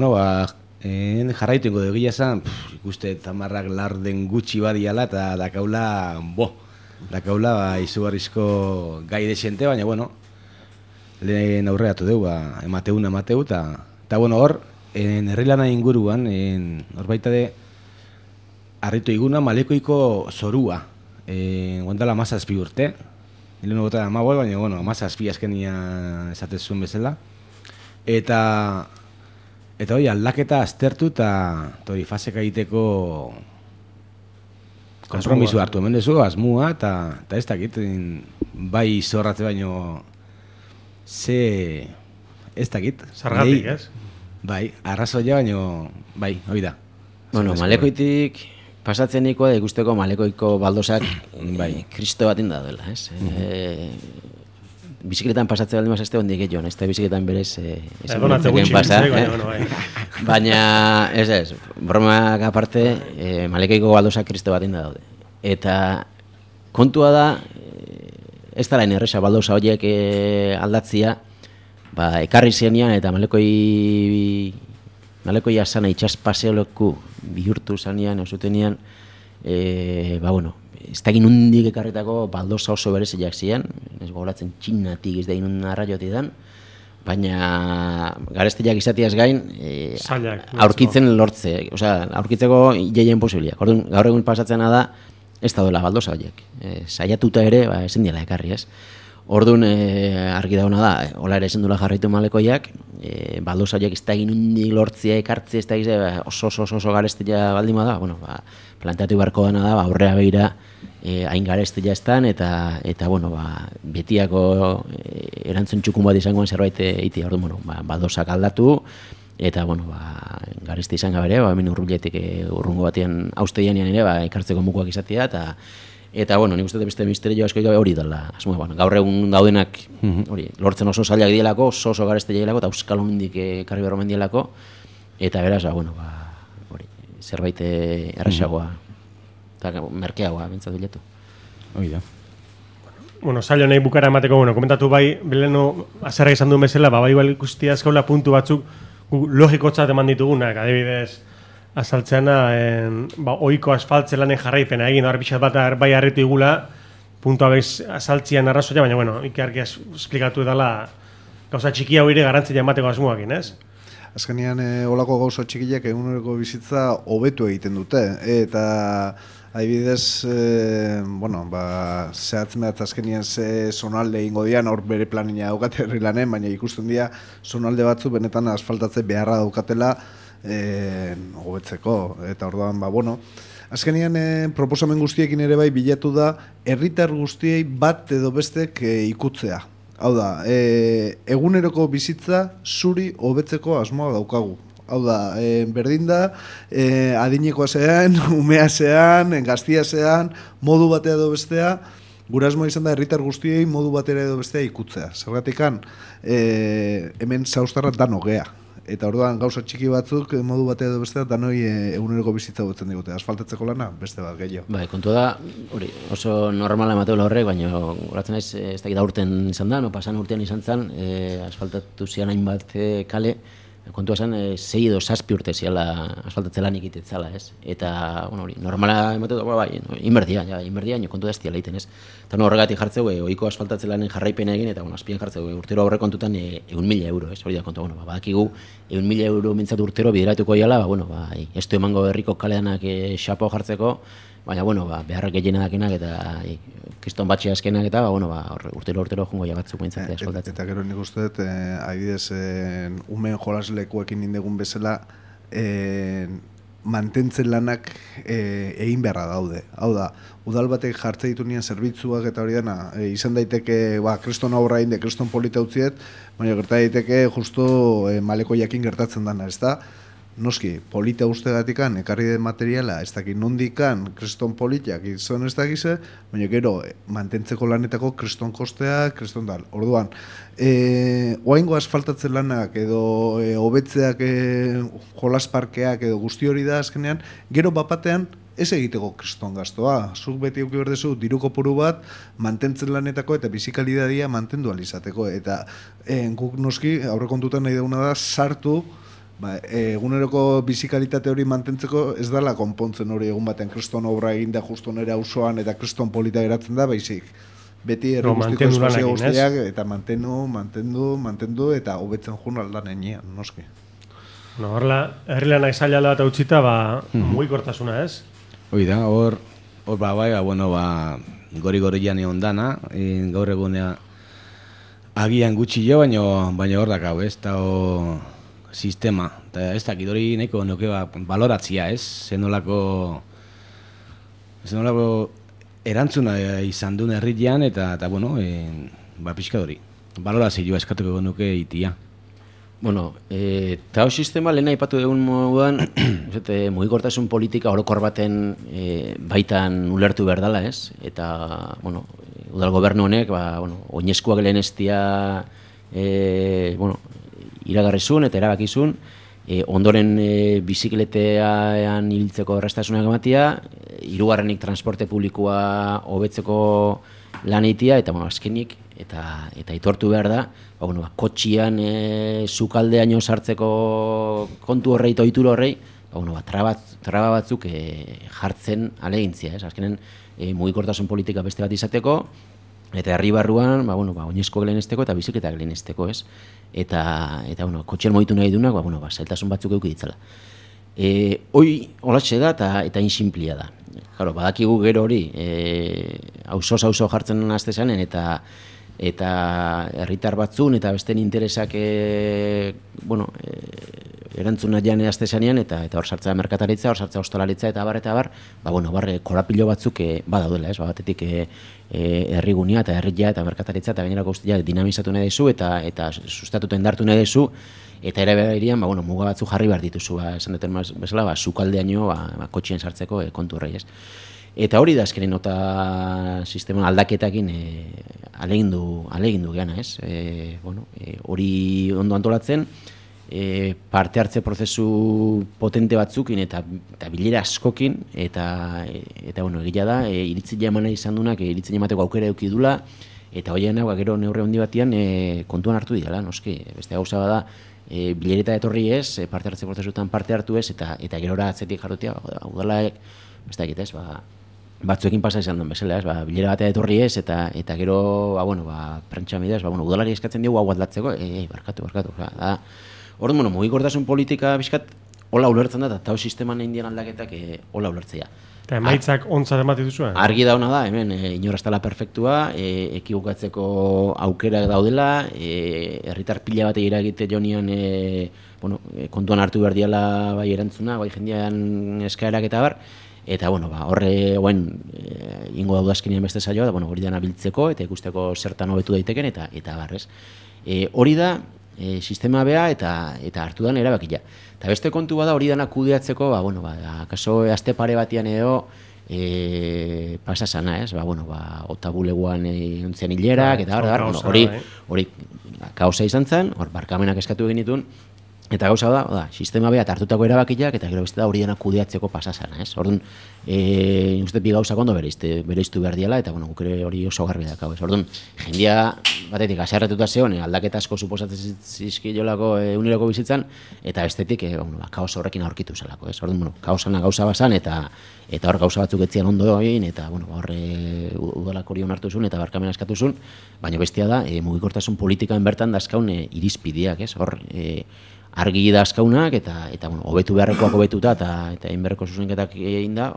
jarraitu ingo dugu esan, ikuste tamarrak larden gutxi badiala eta dakaula izugarrizko gai desente, baina, lehen aurreatu dugu, emateu, eta, hor, herrilana inguruan, hor baita de, harritu iguna Malekoiko zorua, guantala 17 urte, nilen gota da baina, 17 azkenia esatezun bezala, Eta hori, aldaketa aztertu eta hori faseka egiteko konpromiso hartu. Hemen dezu, asmua eta ez dakit, bai zorratze baino ez dakit. Zargatik, ez? Bai, arrazoia baino, bai, hori da. Malekoitik pasatzen nikoa da ikusteko Malekoiko baldosak kristo bat inda dela, ez? Bizikletan pasatzen baldin mazazte hondik egin, ez da bizikletan berez pasa. Baina, ez, bromak aparte, Malekoiko baldosak kristo bat inda daude. Eta kontua da, ez da lain erresa baldosa horiek aldatzia, ekarri zenean eta Malekoi asana itxaspaseoloku bihurtu zanean, osutenian, ez da ginundik ekarretako baldosa oso bereziak ziren, ez gogoratzen Txinatik ez da ginun arraiotik dan, baina garestiak izatiaz gain, aurkitzen lortze, aurkitzeko jeien posibiliak. Gaur egun pasatzena da, ez da dola baldosa horiek. Saiatuta ere, ezin dela ekarri, ez? Orduan, argi dauna da, hola ere ezin dula jarraitu Malekoiak, baldosa horiek ez da ginundik lortzea ekartze, ez da oso garestia baldin bada, planteatu beharko dena da, aurrea behira hain garestia estan, eta betiako erantzun txukun bat izangoen zerbait eitea, orduan, baldosak aldatu, eta, garesti izan gabere, hemen urruletik urrungo batean hausteian ere, ekartzeko mukuak izatea, eta, nik uste beste misterio asko hori dela. Gaur egun daudenak lortzen oso zailak dielako, oso garesti dielako, eta euskal homendik karri berromen dielako, eta beraz, zerbait errasagoa, eta merkeagoa bintzat biletu. Hoi da. Zailo nahi bukara emateko, komentatu bai, beleno azerra izan duen bezala, bai ikusti azkaula puntu batzuk logikotzat eman ditugunak, adibidez, azaltzeana, oiko asfaltzelanen jarraipena egin, pixat bat bai harritu igula, puntua behiz azaltzian arrazoia, baina, ikarki esplikatu edala gauza txiki hau ere garantzia emateko asmuakin, ez? Azkenean, olako gauza txikiak eguneroko bizitza hobetu egiten dute, eta Adibidez, bueno, zehatz mehatz azkenien ze zonalde ingo dian, hor bere planina daukate herri lanen, baina ikusten dira zonalde batzu benetan asfaltatze beharra daukatela hobetzeko. Eta orduan, bueno, azkenien proposamen guztiekin ere bai bilatu da herritar guztiei bat edo bestek ikutzea. Hau da, eguneroko bizitza zuri hobetzeko asmoa daukagu. Hau da, berdin da, adinekoa zean, umea zean, gaztia zean, modu batea edo bestea, gure asmoa izan da herritar guztiei modu batera edo bestea ikutzea. Zergatikan, hemen zaustarra dano gea. Eta orduan gauza txiki batzuk modu batea edo bestea danoi eguneroko bizitza gutzen digute. Asfaltatzeko lana, beste bat gehiago. Bai, kontu da, hori, oso normala emateola horrek, baina horatzen naiz, ez dakit aurten izan da, pasan urtean izan zen, asfaltatu zian hainbat kale, kontua zen, 6 edo 7 urte ziala asfaltatze lanik itetzala, ez? Eta, bueno, hori, normala emateko, bai, inberdia, kontu da ez diala egiten, ez? Eta horregatik jartzeu, ohiko asfaltatze lanen jarraipena egin, eta, azpian jartzeu, urtero aurre kontutan 100.000 euro, ez? Hori da kontua, badakigu, 100.000 euro mintzat urtero bideratuko iala, ez du emango herriko kaleanak xapo jartzeko, baina, beharrak gehiena dakenak eta kriston batxe azkenak eta, urtero jungo jagatzuk mintzatea asfaltatzen. Eta gero nik uste dut, adibidez, umen jolaslekuekin indegun bezala, mantentzen lanak egin beharra daude. Hau da, udal batek jartze ditu nien zerbitzuak eta hori dena, izan daiteke, kriston aurra inde, kriston polita utziet, baina gerta daiteke justo maleko jakin gertatzen dana, ez da? Noski, polita ustegatikan, ekarri den materiala, ez dakit nondikan, kriston politak izan ez dakize, baina gero, mantentzeko lanetako kriston kostea, kriston dal. Orduan, oaingo asfaltatzen lanak edo hobetzeak jolasparkeak edo guzti hori da azkenean, gero bapatean ez egiteko kriston gaztoa. Zuk beti euki berdezu diru kopuru bat mantentzen lanetako eta bizikalidadia mantendu alizateko. Eta guk noski, aurrekontutan nahi duguna da, sartu, eguneroko bizikalitate hori mantentzeko ez dela konpontzen hori egun batean kriston obra egin da justo nire auzoan eta kriston polita geratzen da, baizik. Beti herri guztiko espazio guztiak eta mantendu eta hobetzen jun aldan enean, noski. Horrela, herri lanak zaila bat utzita, mugikortasuna, ez? Hoi da, hor gori egon dana, gaur egunea agian gutxi jo, baina hor dakau, ez da sistema, eta ez dakit hori nahiko nuke baloratzia, ez? Zenolako erantzuna izan duen herrian eta pixka hori. Balorazioa eskatuko nuke itia. Eta sistema lehena aipatu dugun moduan, mugikortasun politika orokor baten baitan ulertu behar dela, ez? Eta, udal gobernu honek, oinezkoak lehen estia, iragarrizun eta erabakizun, ondoren bizikletean ibiltzeko errastasunak ematia, hirugarrenik transporte publikoa hobetzeko lan egitea, eta azkenik, eta itortu behar da, kotxian sukaldeaino sartzeko kontu horrei eta ohitura horrei, traba batzuk jartzen alegintzia, ez? Azkenen mugikortasun politika beste bat izateko, eta herri barruan, oinezkoak lehenesteko eta bizikletak lehenesteko, ez? Eta kotxean mogitu nahi dunak, zailtasun batzuk eduki ditzala. Hoi, holatxe da eta insinplia da. Badakigu gero hori, auzo jartzen azte zanen, eta herritar batzun, eta besten interesak erantzuna jane azte zanean, eta hor sartza merkataritza, hor sartza ostalaritza, eta bar, korapilo batzuk badaudela, ez? Batetik herrigunia eta herria eta merkataritza eta gainerako guztia dinamizatu nahi dezu eta sustatuta indartu nahi dezu, eta ere behirian muga batzu jarri behar dituzu, esan duten bezala, sukaldeaino kotxien sartzeko kontu horrei, ez? Eta hori da azkenen nota sistema aldaketakin alegindu geana, ez? Hori ondo antolatzen, parte hartze prozesu potente batzukin eta bilera askokin, eta egila da, iritzia emana izan dunak, iritzia emateko aukera eduki dula, eta hoienak gero neurre handi batian kontuan hartu dira, noski, beste gauza bada, bilereta etorri ez, parte hartze prozesutan parte hartu ez, eta gerora atzetik jardutia, udalaek, beste dakit ez, batzuekin pasa izan duen bezala, bilera batea etorri ez, eta gero, prentsa midez, udalari eskatzen diogu hau atlatzeko, barkatu. Orduan, mugikortasun politika bizkat hola ulertzen da, eta tau sisteman egin dien aldaketak hola ulertzea. Eta emaitzak ontzat ematen duzua? Argi dauna da, hemen, inor ez dela perfektua, ekibukatzeko aukerak daudela, herritar pila bat eragite jonian, kontuan hartu behar diala bai erantzuna, bai jendean eskaerak eta bar, eta horre ingo dauda azkenean beste saioa, da hori dana biltzeko eta ikusteko zertan hobetu daiteken eta barrez. Hori da, sistema bea eta hartu dan erabakia. Eta beste kontu bada hori dana kudeatzeko, kaso aste pare batian edo pasa sana, ez? Otabuleguan ontzian hilerak, eta hori kausa izan zen, hor barkamenak eskatu egin ditun, eta gauza da, sistema behat hartutako erabakiak, eta gero beste da hori dena kudeatzeko pasa sana, ez? Orduan, uste bi gauzak ondo bereiztu behar diala, eta guk ere hori oso garbi dakau, ez? Orduan, jendia batetik aserretuta zeon, aldaketa asko suposatzen zizkilolako eguneroko bizitzan, eta bestetik, kaos horrekin aurkitu zelako, ez? Orduan, kaosana gauza bazan, eta hor gauza batzuk etzian ondo egin, eta horre udalak hori onartu zuen, eta barkamen askatu zuen, baina bestia da, mugikortasun politikan bertan dazkaun irizpideak, ez? Hor, argi da azkaunak, eta hobetu beharrekoak hobetuta, eta egin beharreko zuzenketak egin da,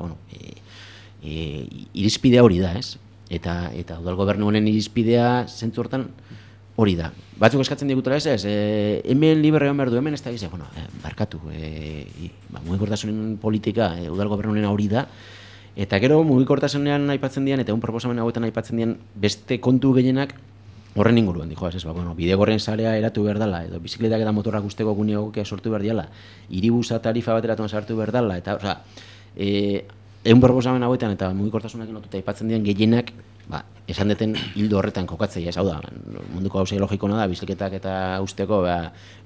irizpidea hori da, ez? Eta udal gobernu honen irizpidea zentzu hortan hori da. Batzuk eskatzen digutela ez, hemen libre egon behar du, hemen ez da gize, barkatu, mugikortasunen politika udal gobernu honen hori da, eta gero mugikortasunean aipatzen dian, eta egun proposamen hauetan aipatzen dian beste kontu gehienak, horren inguruan, bidegorren sarea eratu behar dela, edo bizikletak eta motorrak usteko gune egokia sortu behar diala, hiribusa tarifa bateratuan sartu behar dela, eta, egun proposamen hauetan eta mugikortasunekin lotuta aipatzen dian gehienak, esan deten hildo horretan kokatzea, ez hau da, munduko gauzei logikona da, bizikletak eta usteko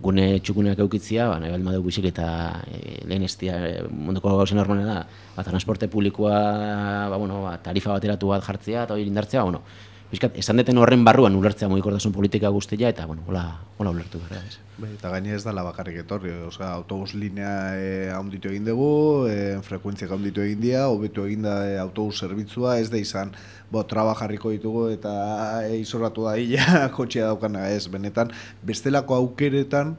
gune txukuneak eukitzia, nahi baldin badeu bizikleta lehen estia munduko gauzen hormonena da, transporte publikoa, tarifa bateratu bat jartzea eta hori indartzea, Bizkat, esan deten horren barruan ulertzea mugikortasun politika guztia, eta, hola ulertu behar da. Eta gaine ez dala bakarrik etorri, autobus linea haunditu egin dugu, frekuentziak haunditu egin dira, hobetu egin da autobus zerbitzua, ez da izan, traba jarriko ditugu eta izorratu da hila kotxea daukana, ez, benetan, bestelako aukeretan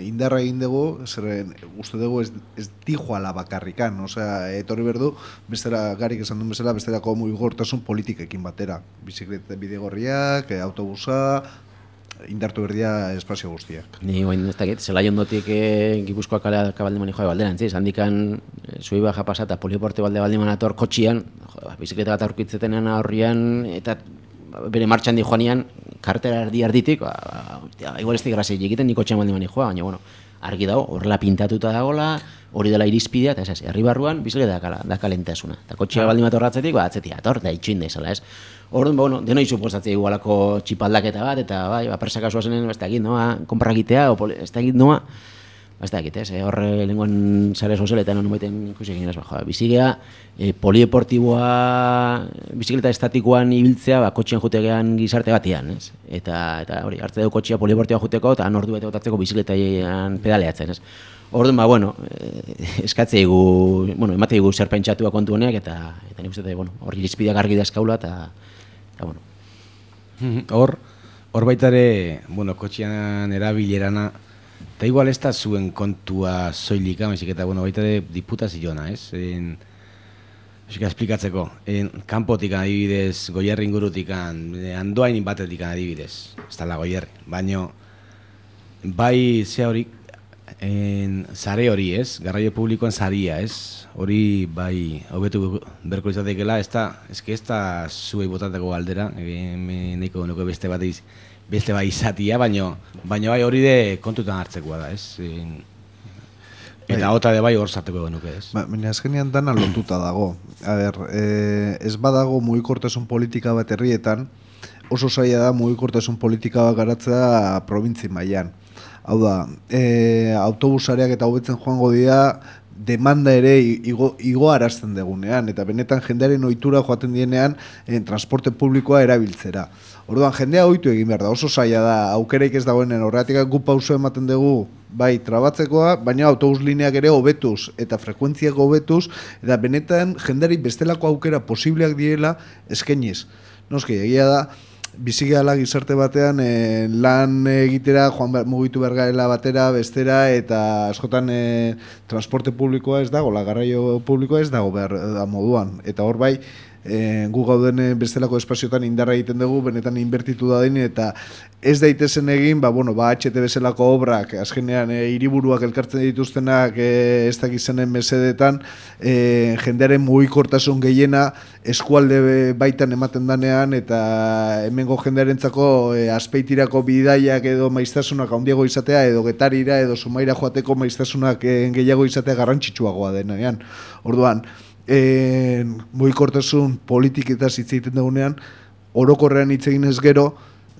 indarra egin dugu, zer uste dugu ez dijoala bakarrikan, etorri berdu, bestela, garik esan duen bezala, bestelako mugikortasun politikekin batera, bizikleta bidegorriak, autobusa, indartu berdia espazio guztiak. Ni guain ez dakit, zelai ondotik Gipuzkoa kalea Kabaldemani joa balderantziz, handikan zui baja pasata polioporte Baldemani ator kotxian, bizikleta bat aurkitzetenean horrian, eta bere martxan di joanian, kartera erditik, igual ez digrazi egiten ni kotxean Baldemani joa, baina, argi dago, horrela pintatuta dagoela, hori dela irizpidea, eta herri barruan bizikleta da kalentasuna. Eta kotxea baldin bat horratzetik, atzetik ator, da itxuin da izala, ez? Orduan, denoi suposatzea igualako txipaldaketa bat, eta presaka zuazenen, ez da egit, konpra egitea, ez da egit, ez da egit, horre lenguan sare sozialetan honu baiten ikusi egin, bizigea, polieportiboa, bizikleta estatikoan ibiltzea, kotxean jutegean gizarte batean, ez? Eta hori, hartze dugu kotxea polieportiboa juteko, eta nordu bete botatzeko bizikletan pedaleatzen, ez? Orduan, eskatze egu, emate egu zer pentsatua kontu honeak, eta nik uste, hori irizpideak argi dazkaula, eta Hor baitare, kotxean erabilerana, eta igual ez da zuen kontua zoilika, eta baitare diputazioana, ez? Esplikatzeko, kanpotik adibidez, Goierri ingurutik, Andoain batetik adibidez, ez da la Goierri, baina bai ze hori, sare hori, ez? Garraio publikoan saria, ez? Hori bai hobetu berko izatekeela, ez da zuei botatako galdera, nahiko nuke beste bai izatia, baina bai hori de kontutan hartzekoa da, ez? Eta hota de bai hor sarteko nuke, ez? Baina azkenean dana lotuta dago. Ez badago mugikortasun politika bat herrietan, oso zaila da mugikortasun politika bat garatzea probintzi mailan. Hau da, autobusareak eta hobetzen joango dira, demanda ere igo arazten degunean, eta benetan jendearen ohitura joaten dienean transporte publikoa erabiltzera. Orduan, jendea ohitu egin behar da, oso zaila da, aukereik ez dagoenen horretik gu pauso ematen dugu, bai, trabatzekoa, baina autobus lineak ere hobetuz, eta frekuentziak hobetuz, eta benetan jendeari bestelako aukera posibleak direla eskainiz. Noski, egia da, bizigala gizarte batean lan egitera mugitu behar garela batera, bestera, eta askotan transporte publikoa ez dago, garraio publikoa ez dago behar da moduan. Eta hor bai, gu gauden bestelako espazioetan indarra egiten dugu, benetan inbertitu da den, eta ez daitezen egin, HT bezalako obrak, azkenean hiriburuak elkartzen dituztenak ez dakizenen mesedetan, jendearen mugikortasun gehiena eskualde baitan ematen danean, eta hemengo jendearentzako azpeitirako bidaiak edo maiztasunak handiago izatea, edo Getarira edo Zumaira joateko maiztasunak gehiago izatea garrantzitsuagoa denean. Orduan, mugikortasun politiketaz hitz egiten dugunean, orokorrean hitz egin ez gero,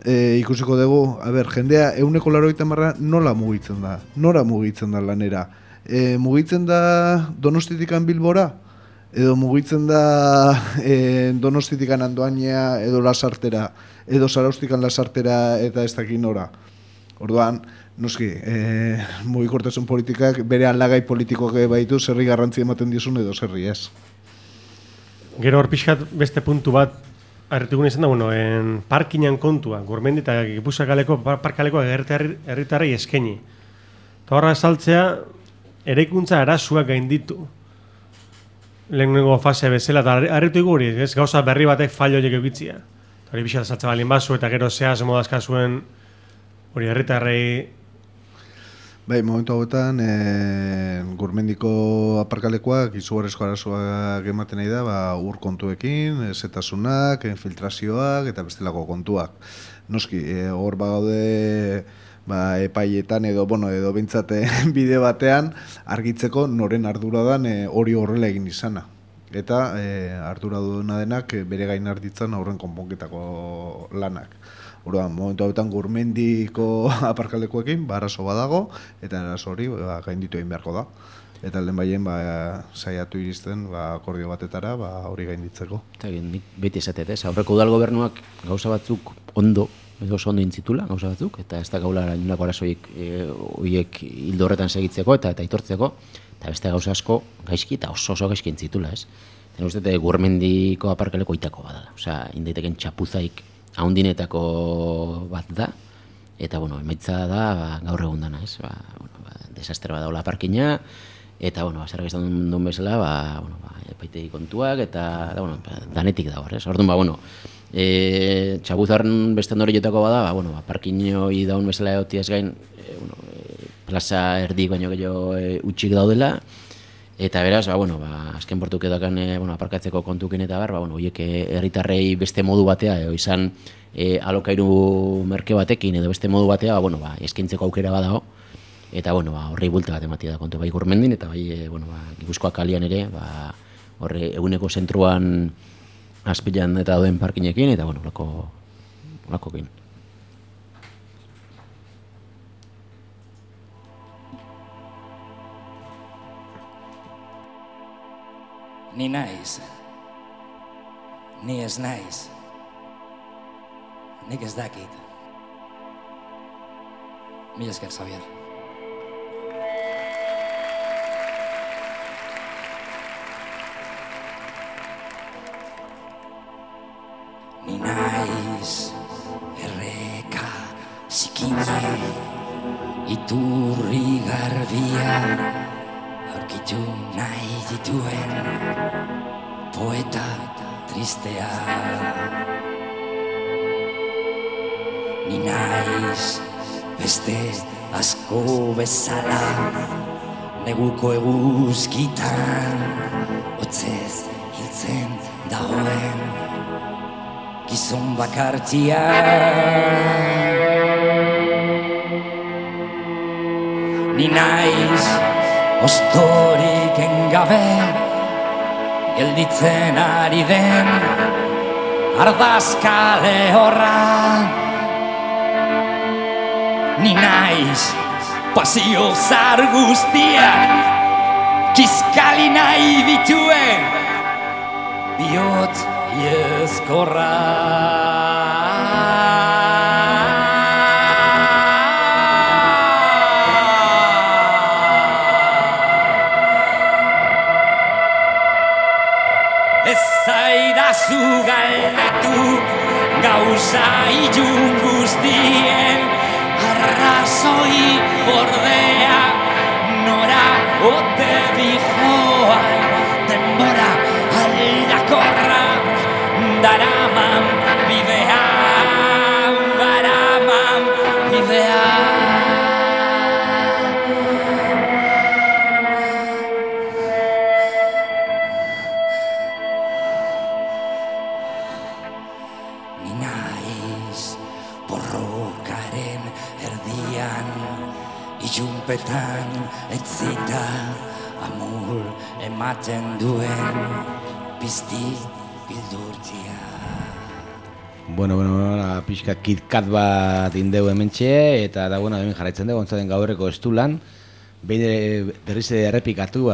ikusiko dugu, jendea 180 nola mugitzen da? Nora mugitzen da lanera? Mugitzen da Donostitikan Bilbora? Edo mugitzen da Donostitikan Andoainea edo Lasartera? Edo Zaraustikan Lasartera eta ez dakin nora? Orduan, noski, mugikortasun politikak bere aldagai politikoak baitu, zerri garrantzi ematen dizun edo zerri ez. Gero hor pixkat beste puntu bat harritugun izan da, parkinan kontua, Gurmendi eta Gipuzkoako parkaleko herritarrei eskaini. Eta horra saltzea, eraikuntza arazoak gainditu. Lehenengo fase bezala, eta harritu hori, gauza berri batek fallo horiek eukitzia. Hori pixkat saltza balin bazu, eta gero zehaz modazka zuen hori herritarrei. Bai, momentu hauetan, Gurmendiko aparkalekoak izugarrizko arazoak ematen nahi da, ur kontuekin, zetasunak, infiltrazioak eta bestelako kontuak. Noski, hor bagaude epaietan edo bintzat bide batean argitzeko noren ardura dan hori horrela egin izana. Eta ardura duena denak bere gain hartitzan aurren konponketako lanak. Orduan, momentu hauetan Gurmendiko aparkalekuekin arazo badago, eta arazo hori gainditu egin beharko da. Eta lehen baien saiatu iristen akordio batetara hori gainditzeko. Eta nik beti esatet, aurreko udal gobernuak gauza batzuk ondo intzitula, gauza batzuk, eta ez da gaula inolako arazoik horiek hildo horretan segitzeko eta aitortzeko, eta beste gauza asko gaizki eta oso gaizki intzitula, ez? Eta uste Gurmendiko aparkaleko itako badala, indaiteken txapuzaik haundinetako bat da, eta, emaitza da gaur egun dana, ez? Desastre bat daula parkina, eta, zerrak ez duen bezala, epaitegi kontuak, eta, danetik dago, ez? Orduan, txabuzaren beste ondorioetako bada, parkinoi daun bezala egotiaz gain, plaza erdik baino gehiago utxik daudela, eta beraz, azken portuk edokan aparkatzeko kontukin eta horiek herritarrei beste modu batea, izan alokairu merke batekin edo beste modu batea, eskaintzeko aukera badago, eta horrei bulta bat ematia da kontu bai Gurmendin, eta bai Gipuzkoak kalian ere, horre eguneko zentruan azpilan eta doen parkinekin, eta lakokin. Ni naiz, ni ez naiz, nik ez dakit. Mila esker, Xavier. Ni naiz, erreka, zikine, iturri garbia, aurkitu nahi dituen poeta tristea. Ni naiz beste asko bezala, neguko eguzkitan hotzez hiltzen dagoen gizon bakartia. Ni naiz ostorik engabe gelditzen ari den ardazkale horra. Ni naiz pasio zar guztiak kiskali nahi dituen bihotz iezkorra. Ez zaidazu galdetu gauza ilun guztien arrazoi ordea nora ote dijoan denbora aldakorra daraman bidean baraman bidean. Ni naiz borrokaren erdian ilunpetan etzita amur ematen duen pizti bildurtia. Bueno, pixka KitKat bat indeu hementxe, eta da, bueno, hemen jarraitzen dugu, ontzaten gaurreko estulan, behin berriz errepikatu,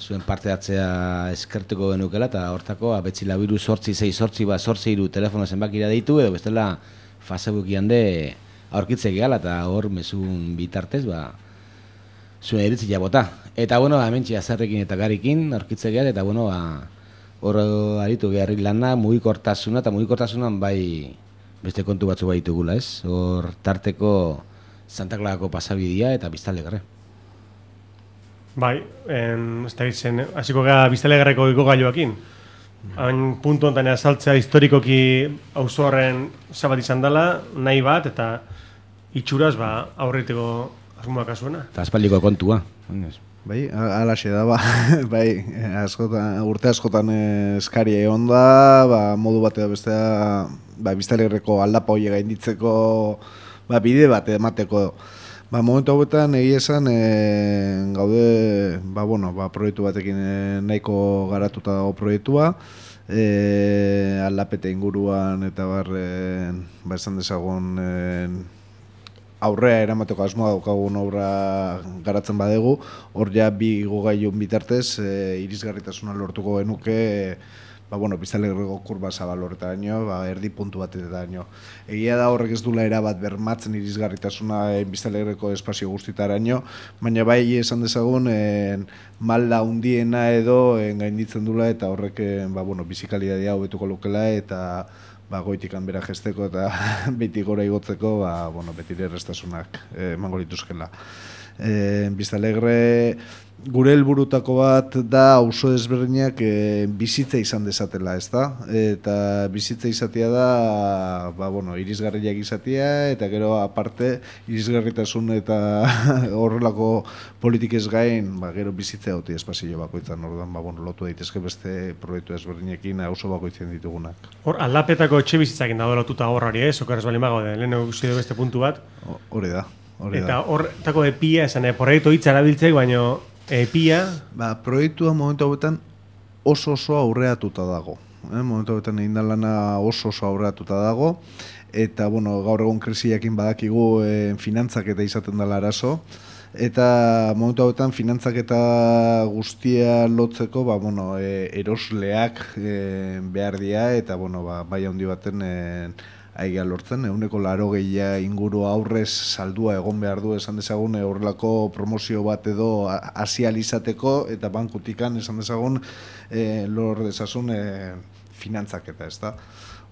zuen parte hartzea eskertuko genukela, eta hortako, betzi labiru 868 telefono zenbakira deitu, edo bestela Facebookian de aurkitzek gala, eta hor mezun bitartez, zuen iritzi jabota. Eta, bueno, hementxe azarrekin eta garikin aurkitzek gala, eta, bueno, hor aritu geharri lana, mugikortasuna, eta mugikortasunan bai beste kontu batzu baitugula, ez? Hor tarteko Santa Clarako pasabidia eta Biztanlegarre. Bai, ez da izen, hasiko gara Biztanlegarreko igogailuakin. Hain puntu honetan azaltzea historikoki auzo horren zabat izan dela, nahi bat, eta itxuraz aurriteko asmoak azuena. Eta aspaldiko kontua. Bai, alaxe da, bai, urte askotan eskaria egon da, modu bat edo bestea, Biztanlegarreko aldapa hori gainditzeko bide bat emateko. Momentu hauetan egia esan gaude, proiektu batekin nahiko garatuta dago proiektua, aldapete inguruan eta esan dezagun aurrea eramateko asmoa daukagun obra garatzen badegu, hor ja bi igogailun bitartez irisgarritasuna lortuko genuke Biztanlegarreko kurba zabal horretaraino, erdi puntu batetaraino. Egia da horrek ez dula erabat bermatzen irisgarritasuna Biztanlegarreko espazio guztitaraino, baina bai esan dezagun malda hundiena edo gainditzen dula eta horrek bizikalitatea hobetuko lukela eta goitikan bera jesteko eta beti gora igotzeko betire errestasunak emango lituzkela. Biztanlegarre gure helburutako bat da auzo ezberdinak bizitza izan dezatela, ezta? Eta bizitza izatea da irisgarriak izatea eta gero aparte irisgarritasun eta horrelako politikez gain gero bizitza hoti espazio bakoitzan, orduan lotu daitezke beste proiektu ezberdinekin auzo bakoitzen ditugunak. Hor aldapetako etxe bizitzakin dago lotuta horrari, okerrez bali mago den, lehen egusi beste puntu bat. Hori da. Eta horretako epia, esan, proiektu hitza erabiltzek, baina epia... Proiektua momentu hauetan oso aurreatuta dago. Momentu hauetan egin da lana oso aurreatuta dago. Eta, gaur egon krisiakin badakigu finantzaketa izaten dela arazo. Eta momentu hauetan finantzaketa guztia lotzeko, erosleak behar dira eta, bai handi baten aiga lortzen, 80% inguru aurrez saldua egon behar du esan dezagun horrelako promozio bat edo asializateko eta bankutikan esan dezagun lor dezazun finantzaketa, ez da.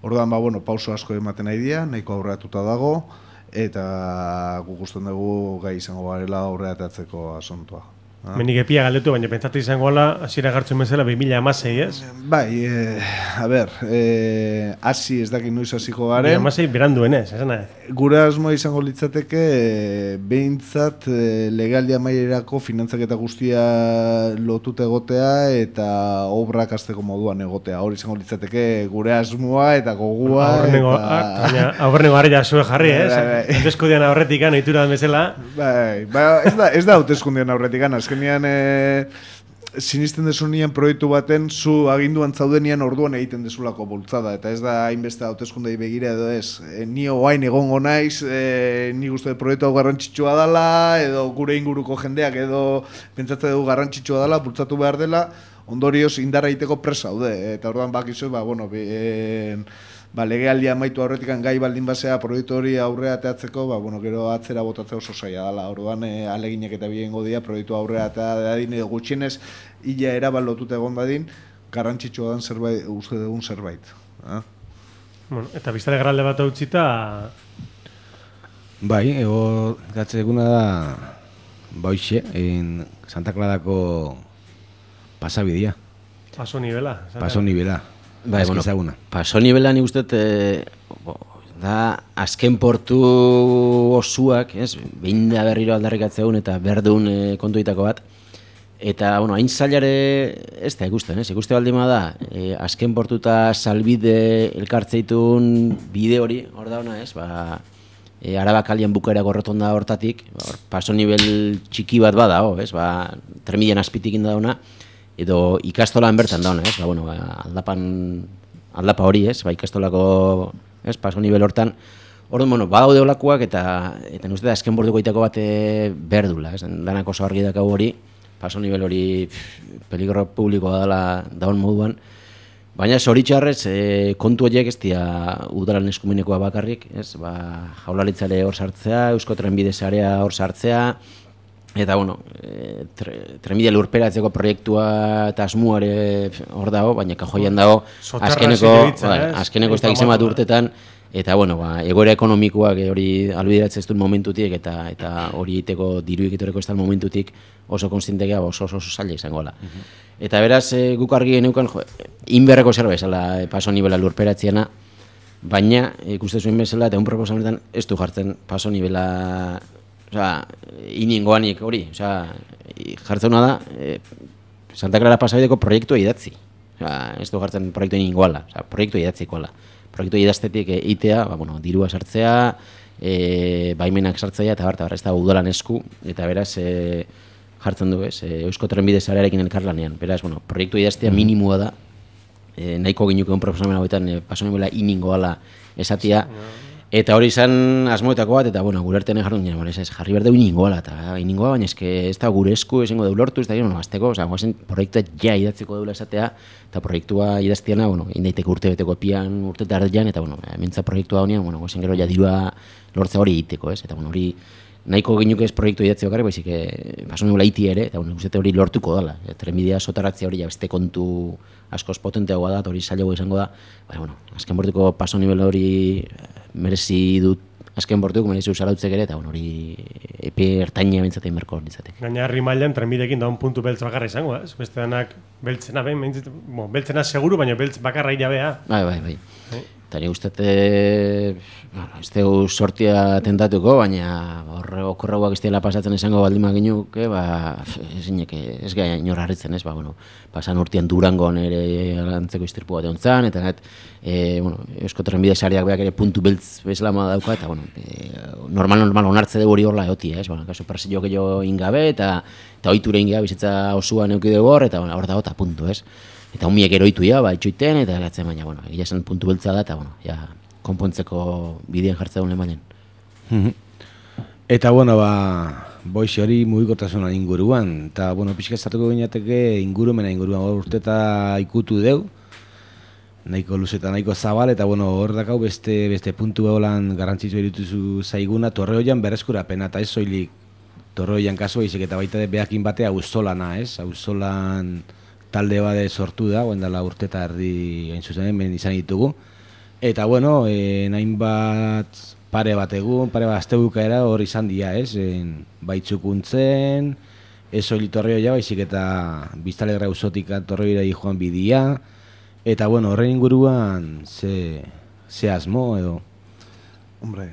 Orduan, pauso asko ematen nahi dira, nahiko aurreatuta dago eta guk usten dugu gai izango garela aurreatatzeko asuntoa. Menik epia galdetu, baina pentsatu izango ala, hasiera gartzen bezala 2016, ez? Bai, hasi ez dakit noiz hasiko garen. 2016 beranduen ez, esan nahi? Gure asmoa izango litzateke, behintzat legaldia mailerako finantzaketa guztia lotuta egotea eta obrak hasteko moduan egotea. Hor izango litzateke gure asmoa eta gogua. Aurrengo harria zuen jarri, ez? Hauteskundean aurretik ohitura den bezala. Bai, ez da hauteskundean aurretik azkenean sinisten desunean proiektu baten zu aginduan zaudenian orduan egiten dezulako bultzada eta ez da hainbeste hauteskundei begira edo ez. Ni oain egongo naiz, ni uste proiektu hau garrantzitsua dela edo gure inguruko jendeak edo pentsatzen dugu garrantzitsua dela, bultzatu behar dela, ondorioz indarra egiteko presa daude eta orduan bakizu, legealdia amaitu aurretik gai baldin basea proiektu hori aurrea ateatzeko, gero atzera botatzea oso zaila dela. Orduan aleginak eta biengo dira proiektu aurrea ateadin edo gutxienez ila erabat lotuta egon dadin, garrantzitsua den zerbait, uste dugun zerbait. Bueno, eta biztale garralde bat utzita... Bai, ego gatze eguna da bauxe, Santa Clarako pasabidea. Paso nivela. Paso nivela. Bai, bueno, paso nivela ni uste da azken portu osuak, ez? Behin da berriro aldarrikatzeun eta berdun kontuitako bat. Eta, bueno, hain zailare ez da ikusten, ez? Ikuste baldima da, azken portu eta salbide elkartzeitun bide hori, hor da ona, ez? Arabakalien bukaera gorrotonda hortatik, paso nivel txiki bat bada, ez? Tremidean azpitik inda dauna, edo ikastolan bertan dauna, ez? Aldapa hori, ez? Ikastolako, ez? Paso nivel hortan, orduan, badaude olakoak eta uste da azken borduko itako bat berdula, ez? Danak oso argi dakau hori, paso nivel hori peligro publikoa daun moduan, baina zoritxarrez kontu horiek ez dira udalan eskumenekoa bakarrik, ez? Jaurlaritzare hor sartzea, Eusko Trenbide Sarea hor sartzea, eta, bueno, trenbide lurperatzeko proiektua eta asmuare hor dago, baina kajoian dago azkeneko ez da gizem bat urtetan, eta, bueno, egoera ekonomikoak hori albideratzen ez duen momentutik, eta hori egiteko diru egitoreko ez da momentutik oso konstientekea oso zaila izango da. Eta beraz, guk argi geneukan, inberreko zerbait bezala paso nivela lurperatziena, baina, ikuste zuen bezala, eta un proposamenetan ez du jartzen paso nivela, iningoanik hori, jartzeuna da, Santa Clara pasabideko proiektua idatzi. Ez du jartzen proiektu iningoala, proiektua idatzikoala. Proiektu idaztetik itea, dirua sartzea, baimenak sartzea, eta ez da udalan esku, eta beraz, jartzen du, ez, Eusko Trenbide Sarearekin elkarlanean. Beraz, proiektu idaztea minimua da, nahiko ginuke un proposamen hauetan paso nivela iningoala esatia, eta hori izan asmoetako bat, eta gure artean jarrun ginen, jarri berdeu iningoala, eta iningoa, baina ez da gure esku esango deu lortu, ez da gero, azteko, proiektua ja idatzeko deula esatea, eta proiektua idaztiana, indaiteko urtebeteko epian, urte tardean, eta mintza proiektua honean, gozen gero ja dirua lortza hori egiteko, ez, eta hori nahiko ginuke ez proiektu idatzi bakarrik, baizik paso nivela iti ere, eta guztiete hori lortuko dela. Trenbidea sotaratzea hori beste kontu askoz potenteagoa da, hori zailagoa izango da, azken bortuko paso nivela hori merezi dut, azken bortuko merezi usarautzek ere, eta hori epe ertaina bentzatein berko ditzatek. Gaina herri mailan trenbideekin daun puntu beltz bakarra izango da, beste danak beltzena behin, beltzena seguru, baina beltz bakarra irabea. Bai. Eta nik uste, ez dugu sortia tentatuko, baina okorragoak ez dela pasatzen izango baldima ginuke, ez gai inor harritzen, ez, pasan urtean Durangon ere antzeko istirpu bat egon zan, eta Eusko Trenbide Sareak beak ere puntu beltz bezala dauka, eta normal onartze dugu hori horla egotia, ez, kaso persio gehiago ingabe, eta ohiture ingabe bizitza osuan euki dugu hor, eta hor dago eta puntu, ez. Eta humiek eroitu itxoiten, eta gatzen, baina, egia esan puntu beltza da, eta, konpontzeko bidean jartzea duen lehen. Eta, boixe hori mugikotasunaren inguruan, eta, pixka estartuko gineateke inguruan urteta ikutu deu, nahiko luzeta, nahiko zabal, eta, hor dakau beste puntu beholan garrantzitzu erituzu zaiguna, Torreoian berreskurapena, eta ez soilik Torreoian kasua, izek eta baita behakin batea auzolana, ez? Auzolan talde bade sortu da, dela urteta erdi hain zuzen hemen izan ditugu. Eta, nahin bat pare bat astebukaera hor izan dira, ez? Baitzukuntzen, ez soilik Torreoia, baizik eta Biztanleria auzotik Torreoira joan bidia. Eta, horren inguruan, ze asmo edo? Hombre,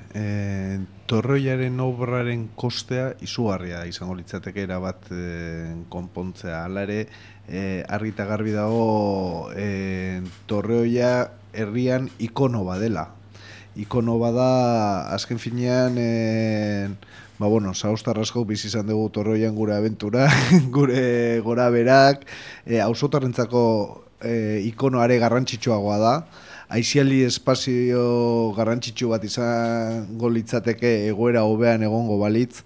Torreoiaren obraren kostea izugarria izango litzateke erabat konpontzea. Hala ere, argi eta garbi dago Torreoia herrian ikono badela. Ikono bada, azken finean, zauztar asko bizi izan dugu Torreoian gure abentura, gure gora berak, auzotarrentzako ikonoare garrantzitsuagoa da. Aiziali espazio garrantzitsu bat izango litzateke egoera hobean egongo balitz,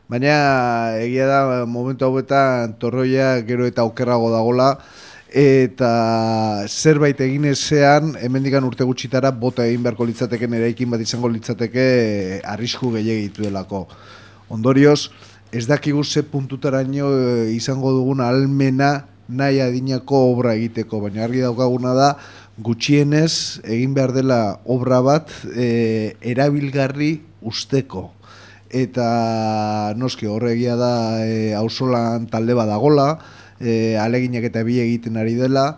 baina egia da momentu hauetan Torreoia gero eta okerrago dagola, eta zerbait egin ezean, hemendikan urte gutxitara bota egin beharko litzateken eraikin bat izango litzateke arrisku gehiagitu delako. Ondorioz, ez dakigu ze puntutaraino izango dugun ahalmena nahi adinako obra egiteko, baina argi daukaguna da, gutxienez egin behar dela obra bat erabilgarri usteko. Eta noski horregia da auzolan talde badagola, aleginak eta bi egiten ari dela,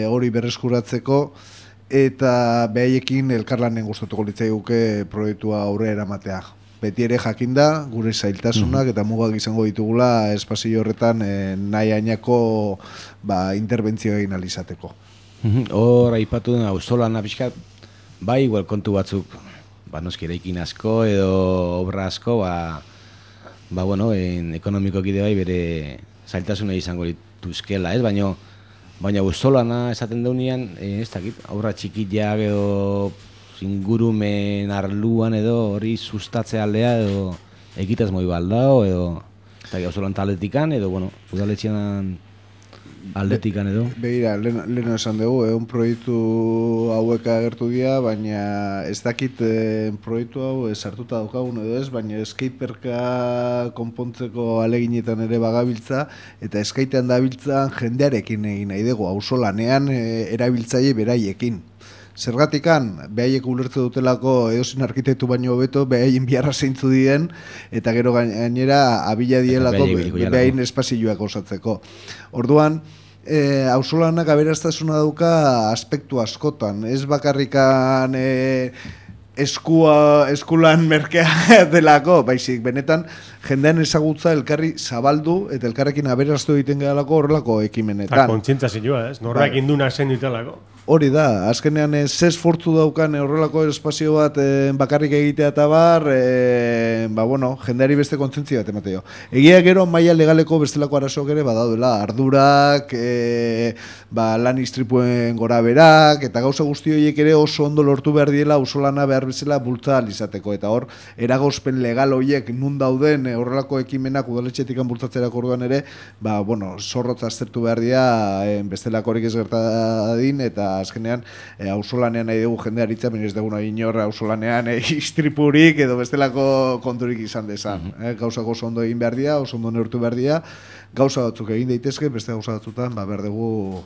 hori berreskuratzeko, eta behaiekin elkarlanen gustatuko litzaiguke proiektua aurrera eramatea. Beti ere jakinda, gure zailtasunak eta mugak izango ditugula espazio horretan nahi ainako interbentzio egin alizateko. Hor, aipatu den auzolana pixkat, bai, igual kontu batzuk, noski eraikin asko edo obra asko, bueno, ekonomikoki bai bere zailtasuna izango dituzkela, ez? Baina auzolana esaten daunean, ez dakit, obra txikiak edo ingurumen arluan edo hori sustatze aldea edo egitaz moi baldao edo auzolan taletikan edo, bueno, udaletxean aldetikan edo. Begira, leheno esan dugu, proiektu hauek agertu dira, baina ez dakit proiektu hau sartuta daukagun edo ez, baina skateparka konpontzeko aleginetan ere bagabiltza, eta skatean dabiltza jendearekin egin nahi dugu, auzolanean erabiltzaile beraiekin. Zergatikan, behaiek ulertze dutelako edozin arkitektu baino hobeto, behaien biharra zeintzu dien, eta gero gainera abila dielako behaien espazioak osatzeko. Orduan, auzolanak aberastasuna dauka aspektu askotan, ez bakarrikan eskulan merkea delako, baizik, benetan jendean ezagutza elkarri zabaldu eta elkarrekin aberastu egiten gehalako horrelako ekimenetan. Eta kontzientzazioa, ez? Norrak induna zen ditelako. Hori da, azkenean ze esfortzu daukan horrelako espazio bat bakarrik egitea eta bar, bueno, jendeari beste kontzientzia bat emateo. Egia gero maila legaleko bestelako arazoak ere badaudela, ardurak, lan istripuen gora berak, eta gauza guzti horiek ere oso ondo lortu behar diela auzolana behar bezala bultza alizateko. Eta hor, eragozpen legal horiek nun dauden horrelako ekimenak udaletxetik bultzatzerako orduan ere, bueno, zorrotz aztertu behar dira bestelako horik ez gertadin, eta azkenean auzolanean nahi dugu jendea aritza, ez dugu nahi inor auzolanean istripurik edo bestelako konturik izan dezan. Gauzak oso ondo egin behar dira, oso ondo neurtu behar dira, gauza batzuk egin daitezke, beste gauza batzutan behar dugu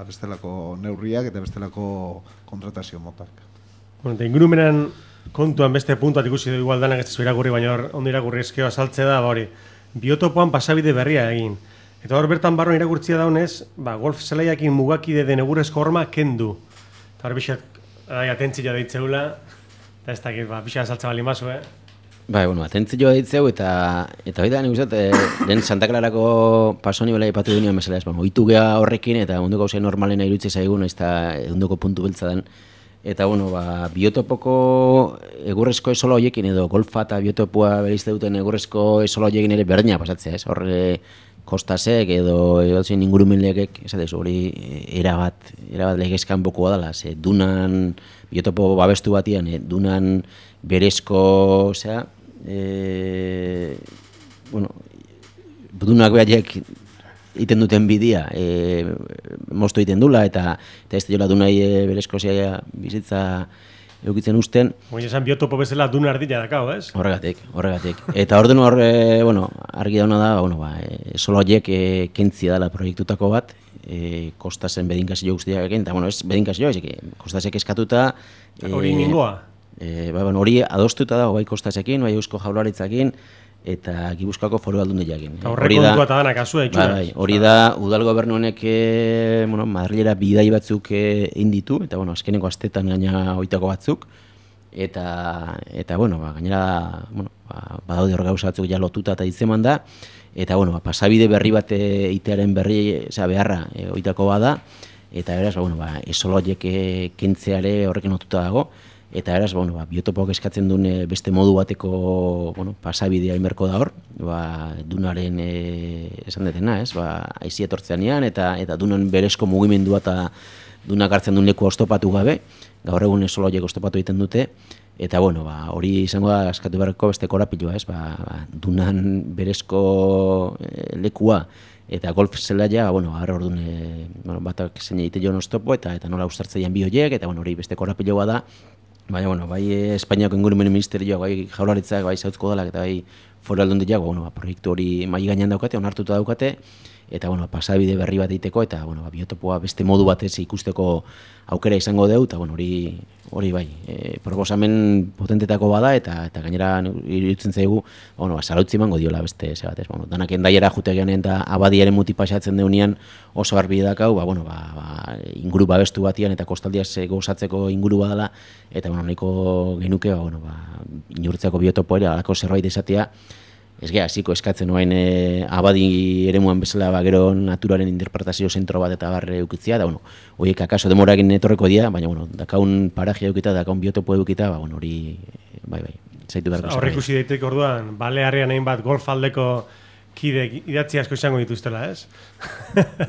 bestelako neurriak eta bestelako kontratazio motak. Eta ingurumenan kontuan beste puntuat ikusi du igual danak ez zu irakurri, baina ondo irakurri eskeo azaltze da, hori, biotopoan pasabide berria egin. Eta hor bertan barron irakurtzia daunez, golf zelaiakin mugakide den egurrezko horma kendu. Eta hor bixat, atentzioa deitzeula, eta ez dakit, bixat azaltza bali mazu, Bueno, atentzioa deitzeu, eta hori da, nik uste, den Santa Clarako pasoni bela ipatu dunean mesela, ohitu geha horrekin, eta munduko gauzea normalena irutze zaigun, ez da munduko puntu beltza den. Eta, bueno, biotopoko egurrezko esola horiekin, edo golfa eta biotopoa berizte duten egurrezko esola horiekin ere berdina pasatzea, ez? Horre, kostasek edo ingurumen legek, esatez, hori erabat legezkan bokoa dela, ze dunan, biotopo babestu batian, dunan berezko, dunak behaiek iten duten bidia, moztu iten dula, eta ez dela dunai berezko bizitza eukitzen usten. Oina esan biotopo bezala duna ardila dakao, ez? Horregatik. Eta orden hor, argi dauna da, solo horiek kentzia dela proiektutako bat, kostasen bedinkazio guztiak egin, eta, ez bedinkazio, kostasek eskatuta... Hori ningoa? Hori adostuta dago, bai kostasekin, bai Eusko Jaurlaritzakin, eta Gipuzkoako Foru Aldundiakin. Aurrekontua eta dana kasua itxuraz. Hori da, udal gobernu honek Madrilera bidai batzuk inditu, eta azkeneko astetan gaina hoitako batzuk, eta gainera badaude hor gauza batzuk ja lotuta eta hitzeman da, eta pasabide berri bat itearen berri beharra hoitako bada, eta beraz, esoloiek kentzeare horrekin lotuta dago, eta beraz, biotopoak eskatzen duen beste modu bateko pasabidea inberko da hor, dunaren esan detena, aizi etortzeanean, eta dunan berezko mugimendua eta dunak hartzen duen leku oztopatu gabe, gaur egun esoloiek oztopatu egiten dute, eta hori izango da eskatu beharko beste korapilua, dunan berezko lekua, eta golf zelaia, harra orduan batak zein egite joan oztopo, eta nola uztartzeian bi horiek, eta hori beste korapiloa da, bai Espainiako ingurumen ministerioak, bai Jaurlaritzak, bai Zautzko Udalak eta bai Foru Aldundiak, proiektu hori mai gainean daukate, onartuta daukate, eta bueno, pasabide berri bat egiteko, eta bueno, biotopoa beste modu batez ikusteko aukera izango deu, eta bueno, hori bai, proposamen potentetako bada, eta gainera iruditzen zaigu, bueno, zarautzi emango diola beste ze batez, bueno, danak endaiera jute genean eta abadiaren muti pasatzen deunean oso arbi dakau, inguru babestu batian eta kostaldiaz gozatzeko inguru badala, eta bueno, nahiko genuke, inurtzeko biotopo ere, alako zerbait izatea, ez geha, hasiko eskatzen oain abadi eremuan bezala gero naturaren interpretazio zentro bat eta barre eukitzia, da, bueno, horiek akaso demorakin etorreko dira, baina, bueno, dakaun paraje eukita, dakaun biotopo eukita, hori, bai, zaitu beharko zerbait. Horrekusi daiteke orduan, Balearrean hainbat golfaldeko kide idatzi asko izango dituztela, ez?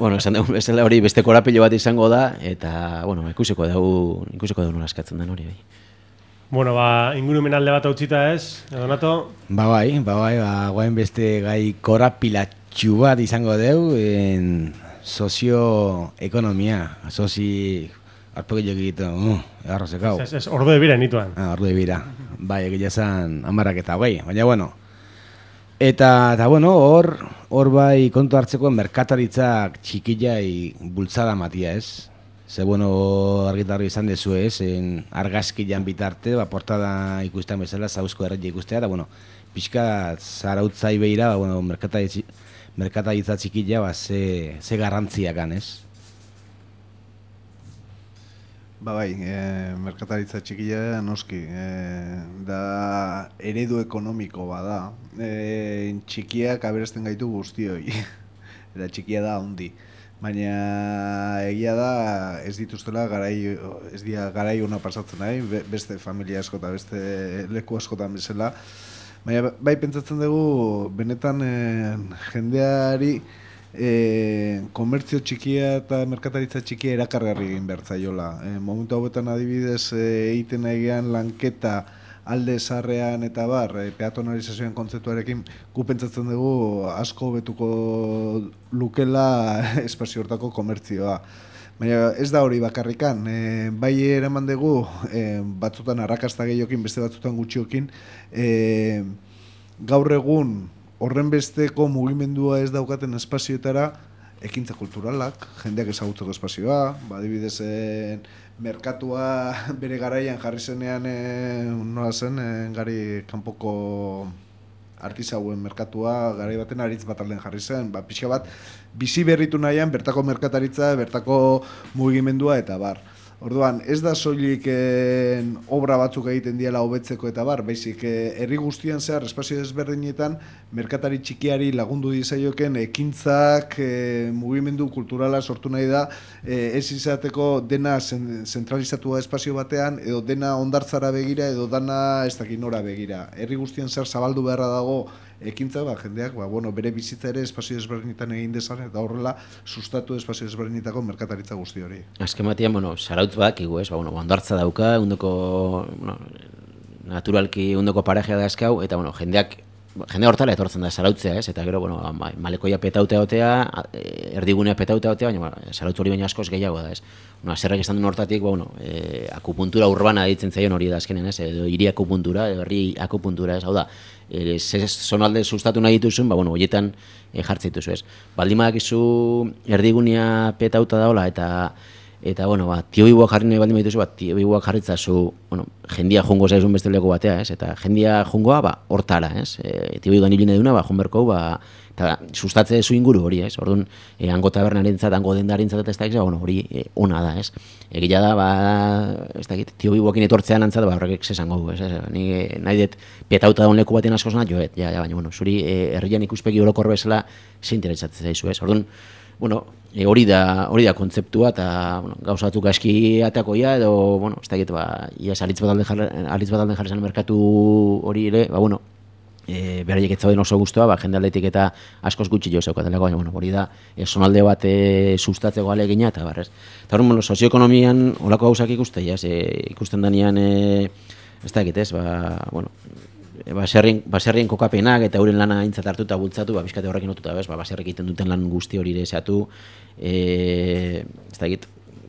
Bueno, esan dugu bezala hori beste korapilo bat izango da, eta, bueno, ikusiko dugu nola eskatzen den hori, bai. Bueno, ingurumen alde bat utzita ez, Donato? Bai, guain beste gai korapilatxu bat izango deu, sozioekonomia, arpegillo egiten, errozekau. Ez, ordu de bira nituan. Ordu de bira, bai, egia zan amarak eta bai, baina bueno. Eta bueno, hor bai kontu hartzeko merkataritzak txikillai bultzada matia ez. Ze bueno, argitarri izan dezu ez, argazkian bitarte, portada ikustean bezala, zauzko erretia ikustea, eta bueno, pixka zarautzai behira, merkataritza txikilla, ze garrantziakan ez? Merkataritza txikilla noski, da eredu ekonomiko bada, txikiak aberesten gaitu guztioi, eta txikia da handi. Baina egia da ez dituztela garai ona pasatzen nahi, beste familia asko eta beste leku askotan bezala. Baina bai pentsatzen dugu benetan jendeari komertzio txikia eta merkataritza txikia erakargarri egin behar zaiola. Momentu hauetan adibidez egiten nahian lanketa alde zarrean eta peatonalizazioen kontzeptuarekin gu pentsatzen dugu asko betuko lukela espazio hortako komertzioa. Baina ez da hori bakarrikan, bai eraman dugu batzutan arrakasta gehiokin, beste batzutan gutxiokin, gaur egun horren besteko mugimendua ez daukaten espazioetara ekintza kulturalak, jendeak ezagutzeko espazioa, adibidez merkatua bere garaian jarri zenean nola zen, gari kanpoko artisauen merkatua garai baten aritz bat alden jarri zen, pixka bat bizi berritu nahian bertako merkataritza, bertako mugimendua eta bar. Orduan, ez da soilik obra batzuk egiten diela hobetzeko eta baizik herri guztian zehar espazio desberdinetan merkatari txikiari lagundu dizaioken ekintzak, mugimendu kulturala sortu nahi da, ez izateko dena zentralizatua espazio batean, edo dena hondartzara begira, edo dena ez dakit nora begira. Herri guztian zehar zabaldu beharra dago ekintza, jendeak bere bizitza ere espazio desberdinetan egin dezan, eta horrela sustatu espazio desberdinetako merkataritza guzti hori. Azken batean, zarautz bakigu, ez, hondartza dauka, naturalki undoko parajea da eskau, eta jende hortala etortzen da zarautzea, ez, eta gero, malekoia petautea otea, erdigunea petautea otea, baina zarautz hori baina askoz gehiago da, ez. Zerrak izan duen hortatik, akupuntura urbana ditzen zaion hori da azkenen, ez, edo hiri akupuntura, edo herri akupuntura, ez, hau da, zonalde sustatu nahi dituzun, horietan jartzen dituzu, ez. Baldimadak izu erdigunea petauta daola, eta tiobibuak jarri nahi baldin badituzu, tiobibuak jarritzazu, jendia jungo zaizun beste leko batea, ez, eta jendia jungoa, hortara, ez, tiobibuan hiline duna, junberko, eta sustatze zu inguru hori, ez, orduan, hango tabernarentzat, hango dendarentzat, eta ez da, hori ona da, ez. Egila da, ez da, tiobibuakin etortzean antzat, horrek zesango du, ez, nahi dut petauta daun leku baten asko zena, joet, baina, zuri herrian ikuspegi olokor bezala, ze interesatzen zaizu, ez, orduan, hori da kontzeptua, eta gauzatuk aski atakoia, edo, ez da, iaz alitz bat alden jarri zen merkatu hori ere, beraiek ez zauden oso guztua, jende aldetik eta askoz gutxi jo zeukatelako, baina hori da, zonalde bat sustatzeko alegina, eta barrez. Eta hori, sozioekonomian olako gauzak ikusten danean, ez da egitez, baserrien kokapenak eta euren lana aintzat hartu eta bultzatu, bizkate horrekin otuta, baserrek egiten duten lan guzti hori ere zehatu, ez da egit,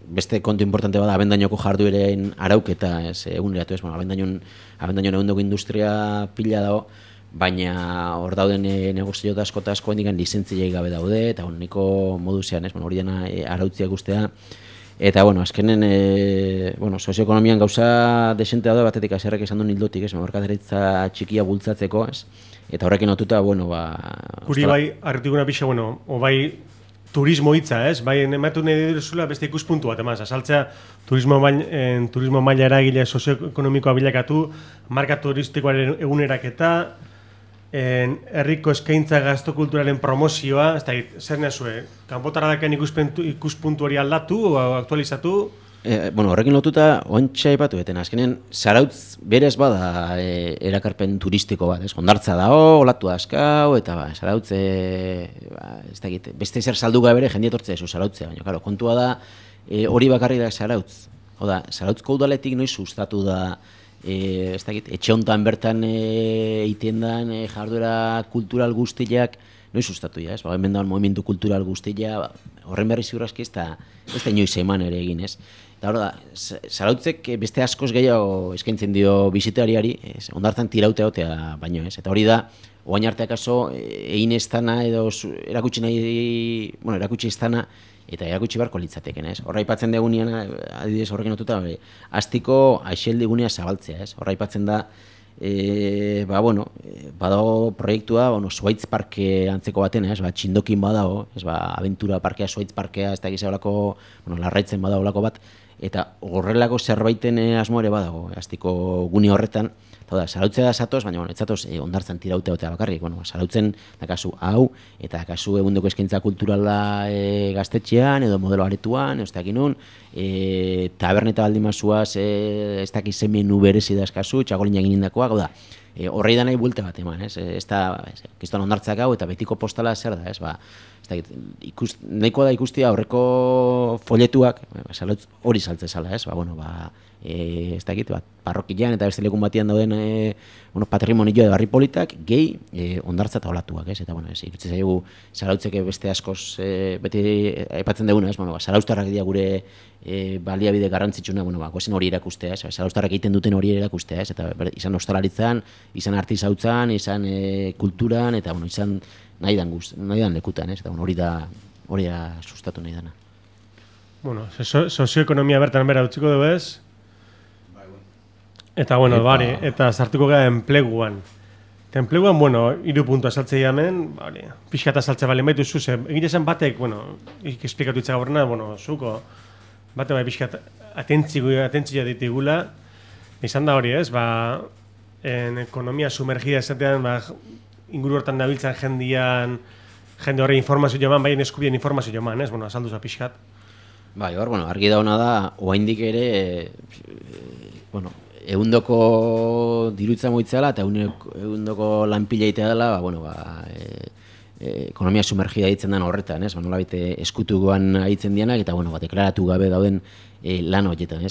beste kontu importante bada abendainoko jardueren arauketa, eguneratu ez, abendainoen egundoko industria pila dago, baina hor dauden negozio asko eta asko hendikan lizentziei gabe daude, eta niko modu zean, hori dena arautziak ustea. Eta, azkenen, sozioekonomian gauza desentea da batetik azerrek esan duen hildotik, merkataritza txikia bultzatzeko, eta horrekin notuta, Guri bai, arretikuna pixa, bai turismo hitza, bai, ematu nahi diruzula beste ikuspuntu bat, azaltzea turismo maila eragile sozioekonomikoa bilakatu, marka turistikoaren eguneraketa, herriko eskaintza gastokulturalen promozioa, zer nazue, kanpotara daken ikuspuntu hori aldatu o aktualizatu? Horrekin lotuta, ontsa ipatu beten, azkenen, Zarautz berez bada erakarpen turistiko bat, Hondartza dago, olatu askau, eta Zarautz, beste zer saldu bere jende etortzea zu Zarautzea, baina, kontua da, hori bakarri da Zarautz. Zarautzko udaletik noiz sustatu da, etxe hontan bertan egiten den jarduera kultural guztiak noiz sustatu ja, hemen dagoen movimendu kultural guztia, horren berri ziurazki ez da inoiz eman ere egin, Eta hori da, Zarautzek beste askoz gehiago eskaintzen dio bisitariari, Hondartzan tirautea otea baino, Eta hori da, oain arteak aso, egin ez dana edo erakutsi ez dana, eta erakutsi barko litzateken, Horra ipatzen degunean, adibidez horrekin notuta, astiko aixeldigunea zabaltzea, Horra ipatzen da, badago proiektua, Zuaitz Parke antzeko baten, txindokin badago, aventura parkea, Zuaitz Parkea, ez da gizaolako, larraitzen badago lako bat, eta horrelako zerbaiten asmo ere badago, astiko gune horretan, eta Zarautzea da zatoz, baina ez zatoz Hondartzan tirautea otea bakarrik, Zarautzen dakazu hau, eta dakazu egundoko eskaintza kulturala gaztetxean, edo modelo aretuan, ez dakin nun, taberneta baldin mazuaz, ez dakiz menu berezi dazkazu, txakolin egin indakoa, gau da, horrei da nahi buelta bat eman, ez da, kiston Hondartzak hau, eta betiko postala zer da, nahikoa da ikustia aurreko folletuak, hori saltze zala, ez dakit, parrokian eta beste lekun batian dauden patrimonio edo barri politak, gehi Hondartza eta olatuak, eta irutzen zaigu Zarautzeke beste askoz beti aipatzen duguna, Zarauztarrak dira gure baliabide garrantzitsuna, gozen hori erakustea, Zarauztarrak egiten duten hori erakustea, eta izan ostalaritzan, izan artizautzan, izan kulturan, eta izan nahi dan lekutan, eta hori da sustatu nahi dana. Sozioekonomia bertan bera utziko dugu ez? Eta, eta sartuko gara enpleguan. Eta enpleguan, 3 puntu asaltzea hemen, pixka asaltzea balen baitu zuze. Egite zen batek, esplikatu itzaga horrena, zuko, bate bai pixka atentzia ditigula, izan da hori ez, ekonomia sumergida esatean, inguru hortan nabiltzan jende horre informazio joman, baien eskubien informazio joman, ez, asaldu za pixkat. Argi dauna da, oaindik ere, egundoko dirutza moitzala eta egundoko lanpila itea dela, ekonomia sumergida ditzen den horretan, nolabait eskutukoan aitzen dianak, eta deklaratu gabe dauden lan horietan,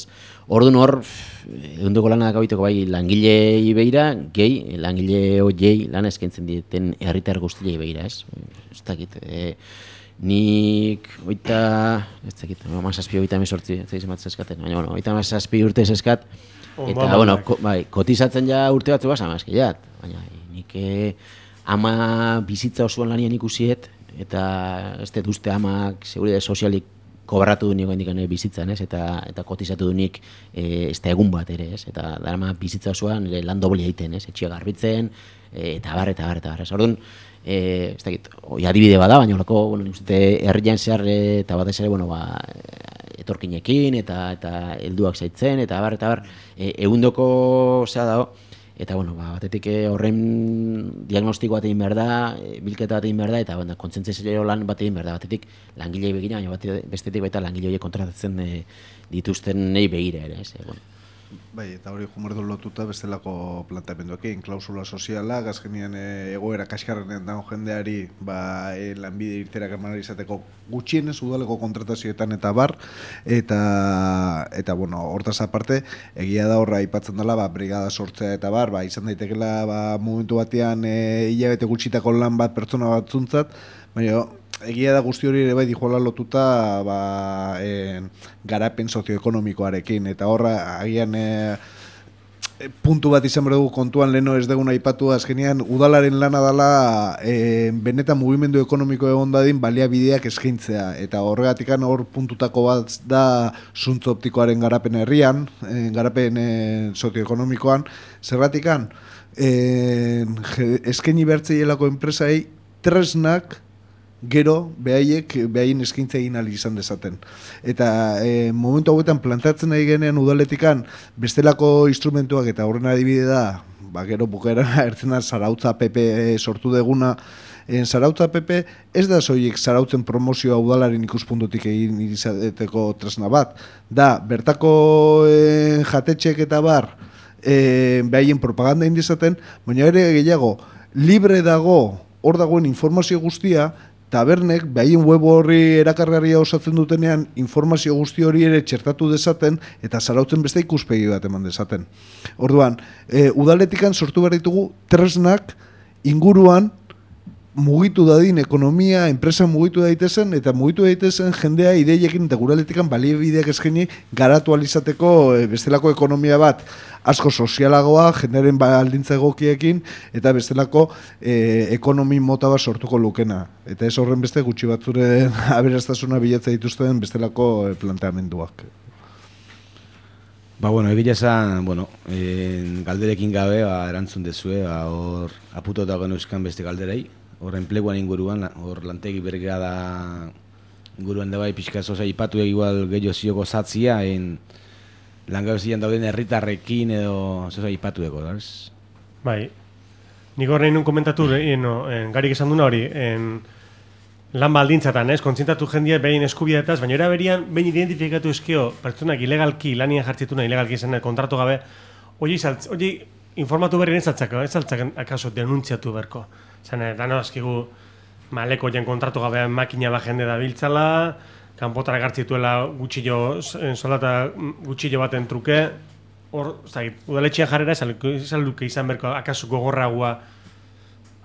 Orduan hor, egundoko lana dakabiteko bai langilei beira, gehi, langile horiei lan eskaintzen dieten herritar guztiei beira, ez dakit, nik mazazpi urte eskat, eta, kotizatzen ja urte batzu basa, baina nik ama bizitza osoan lanian ikusiet, eta ez dut uste amak seguridade sozialik kobratu du niko indikan bizitzan, eta kotizatu du nik ez da egun bat ere, eta darama bizitza osoan lan doblia egiten, etxia garbitzen, eta bar. Orduan, ez dakit, adibide bada, baina olako, herrian zehar, eta batez ere, etorkinekin, eta helduak zaitzen, eta bar, egundoko zea dago, eta, batetik horren diagnostiko bat egin behar da, bilketa bat egin behar da, eta kontzentzio lan bat egin behar da, batetik langilei begira, baina bestetik baita langile horiek kontratatzen dituzten nahi begira ere, Bai, eta hori jumerdu lotuta bestelako planteamenduekin, klausula soziala, gazkenian egoera kaskarrenean dago jendeari lanbide irterak eman izateko gutxienez udaleko kontratazioetan eta bar, eta hortaz aparte, egia da horra aipatzen dela, brigada sortzea eta bar, izan daitekela momentu batean hilabete gutxitako lan bat pertsona bat zuntzat, baina egia da guzti hori ere bai dijoala lotuta garapen sozioekonomikoarekin, eta horra agian puntu bat izan behar dugu kontuan leno ez deguna aipatu azkenean udalaren lana dela benetan mugimendu ekonomiko egon dadin baliabideak eskaintzea eta horregatikan hor puntutako bat da zuntz optikoaren garapen herrian, garapen sozioekonomikoan, zerratikan eskaini bertzeielako enpresai tresnak gero behaien eskaintza egin ahal izan dezaten. Eta momentu hauetan plantatzen nahi genean udaletikan bestelako instrumentuak eta horren adibide da, gero bukaeran ertzen da Zarautza PP sortu deguna. Zarautza PP ez da soilik zarautzen promozioa udalaren ikuspuntutik egin izateko tresna bat. Da, bertako jatetxek eta bar behaien propaganda indizaten, baina ere gehiago, libre dago, hor dagoen informazio guztia, tabernek, behaien web horri erakargarria osatzen dutenean, informazio guzti hori ere txertatu dezaten, eta zarautzen beste ikuspegi bat eman dezaten. Orduan, udaletikan sortu behar ditugu tresnak inguruan mugitu dadin ekonomia, enpresa mugitu daitezen, eta mugitu daitezen jendea ideiekin eta guraletikan baliebideak eskaini garatu alizateko bestelako ekonomia bat asko sozialagoa, jendearen baldintza egokiekin, eta bestelako ekonomi mota bat sortuko lukena. Eta ez horren beste gutxi batzuren aberastasuna bilatzea dituzten bestelako planteamenduak. Bueno, egia esan, galderekin gabe erantzun dezue, hor aputotako neuzkan beste galderei, hor enpleguan inguruan, hor lantegi bergada inguruan da bai pixka zoza ipatu igual gehiago zioko zatzia, langabezian dauden herritarrekin edo zoza ipatueko, ez? Bai, nik hor nahi nun komentatu, garik esan duna hori, lan baldintzatan, kontzientatu jendia behin eskubideetaz, baina era berian, behin identifikatu eskio, pertsonak ilegalki, lanian jartzituna ilegalki izan, kontratu gabe, hori informatu berri ez altzak akaso denuntziatu berko. Zene, dano azkigu maleko jen kontratu gabe makina bat jende da biltzala, kanpotara gartzituela gutxillo, soldata gutxillo baten truke, hor, udaletxean jarrera esalduke izan berko akaso gogorragua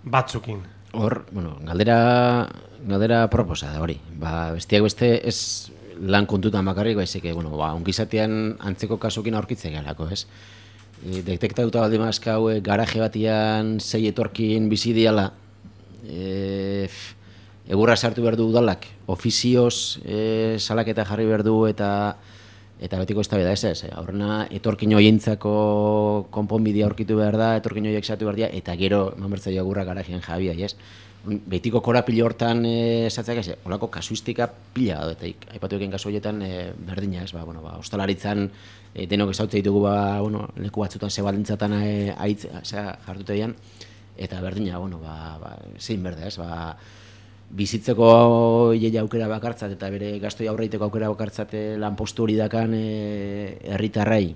batzukin. Hor, galdera proposa da hori. Bestiak beste ez lan kontutan bakarrik, baizik, ongizatean antzeko kasukin aurkitzen galako, ez? Detektatuta baldin mazka hau garaje batian 6 etorkin bizi diala, egurra sartu behar du udalak, ofizioz salaketa jarri behar du eta betiko eztabaida ez. Horrena etorkin hoientzako konponbidea aurkitu behar da, etorkin hoiek sartu behar dira, eta gero eman egurra garajean jabia, ez? Betiko korapilo hortan esatzak ez, holako kasuistika pila da, eta aipatu eken kasu horietan berdina, ez? Ostalaritzan denok ezautze ditugu leku batzutan zebaldintzatan jartute dian, eta berdina, zein berde, ez? Bizitzeko hileia aukera bakartzat eta bere gastoi aurreiteko aukera bakartzat lanpostu hori dakan herritarrai,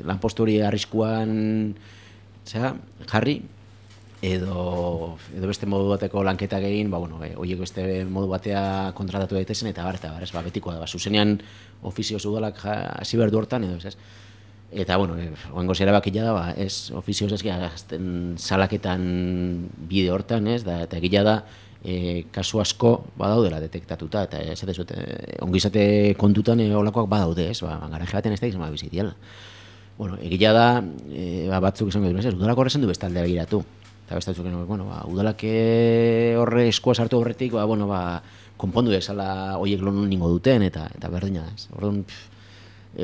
lanpostu hori arriskuan jarri, edo beste modu bateko lanketak egin, horiek beste modu batea kontratatu daitezen, eta betikoa da, zuzenean ofizioz udalak hasi behar du hortan, edo ez. Eta, oengo zera bakila da, ez ofizioz ez gazten salaketan bide hortan, ez, eta egila da, kasu asko badaudela detektatuta, eta ez dut, ongizate kontutan olakoak badaude, ez, garaje baten ez da izan bizitiala. Egila da, batzuk izan gaitu, ez, udalak horrezen du bestaldea begiratu. Eta bestatzuk, udalak horre eskua sartu horretik, konpondu desala horiek lon ningo duten, eta berdina, ez. Orduan,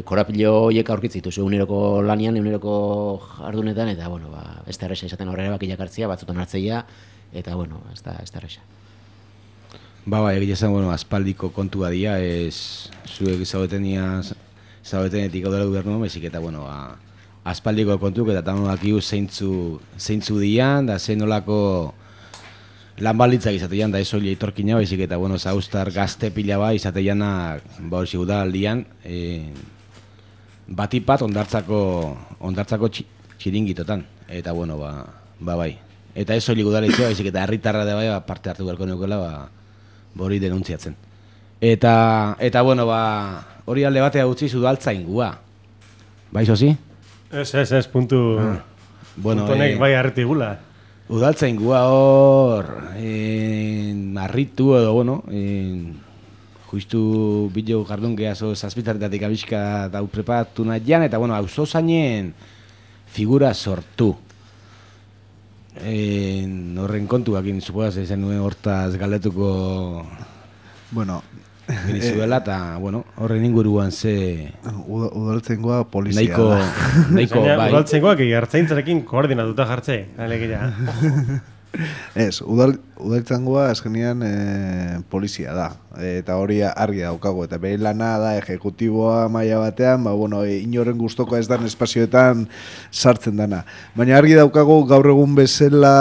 korapilo horiek aurkitzitu, eguneroko lanian, eguneroko jardunetan, eta, ez da erresa izaten horrela bakilak hartzia, batzutan hartzeia, eta, ez da erresa. Egia esan, aspaldiko kontua dira, zuek zaudetenetik gaudela gubernua, bezik eta, aspaldiko kontuk eta tanonakiu zeintzu dian, da zein nolako lan balitzak izatean, da ez hori etorkina, baizik eta, zauztar gazte pila bat izateanak, hori udaldian, batipat ondartzako txiringitotan, eta, bai. Eta ez hori udaletxea, baizik eta herritarra da bai, parte hartu beharko neukela, hori denuntziatzen. Eta, hori alde batea utziz udaltzaingua. Bai, zozi? Ez, puntu honek bai harretigula. Udaltzaingua hor, marritu edo, justu bideo jardunke azo zazpitaretatik abiska dau prepatu nahian, eta bueno, auzo zainen figura sortu. Horren kontuakin, supogaz, ezen nuen hortaz galdetuko Bueno, genizuela, eta bueno, horren inguruan ze... Udaltzaingoa polizia Nahiko, bai. Udaltzaingoak ertzaintzarekin koordinatuta jartze, alegia. Ez, udaltzaingoa azkenean polizia da, eta hori argi daukago, eta bere lana da ejekutiboa maila batean, inoren gustokoa ez dan espazioetan sartzen dana. Baina argi daukago gaur egun bezala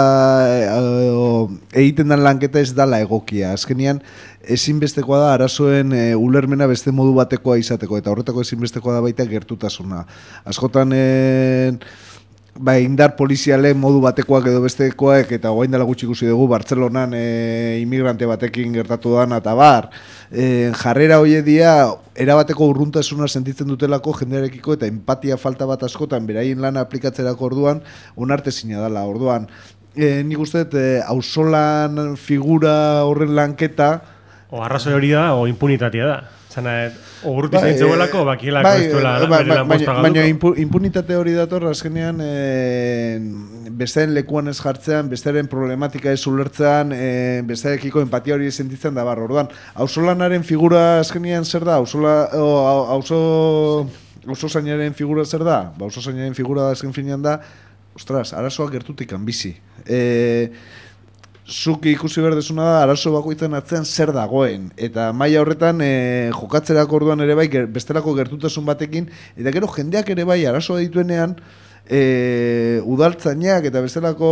egiten dan lanketa ez dala egokia, azkenean ezinbestekoa da arazoen ulermena beste modu batekoa izateko, eta horretako ezinbestekoa da baita gertutasuna. Askotan indar poliziale modu batekoak edo bestekoak, eta orain dela gutxi ikusi dugu Bartzelonan inmigrante batekin gertatu dana eta bar. Jarrera hoie dia erabateko urruntasuna sentitzen dutelako jendearekiko eta empatia falta bat askotan beraien lana aplikatzerako orduan onartezina dela. Orduan, nik uste auzolan figura horren lanketa o arrazoi hori da o impunitatea da. Ogurruti zaintzeguelako, bakielako ez duela bere lan posta galduko. Baina impunitate hori dator, azkenean bestearen lekuan ez jartzean, bestearen problematika ez ulertzean, bestearekiko empatia hori sentitzen da bar. Orduan, auzolanaren figura azkenean zer da? Auzozainaren figura zer da? Auzozainaren figura azken finean da, ostras, arazoak gertutikan bizi. Zuk ikusi behar desuna da, arazo bakoitzen atzean zer dagoen. Eta maila horretan jokatzerako orduan ere bai, bestelako gertutasun batekin, eta gero jendeak ere bai arazoa dituenean, udaltzainak eta bestelako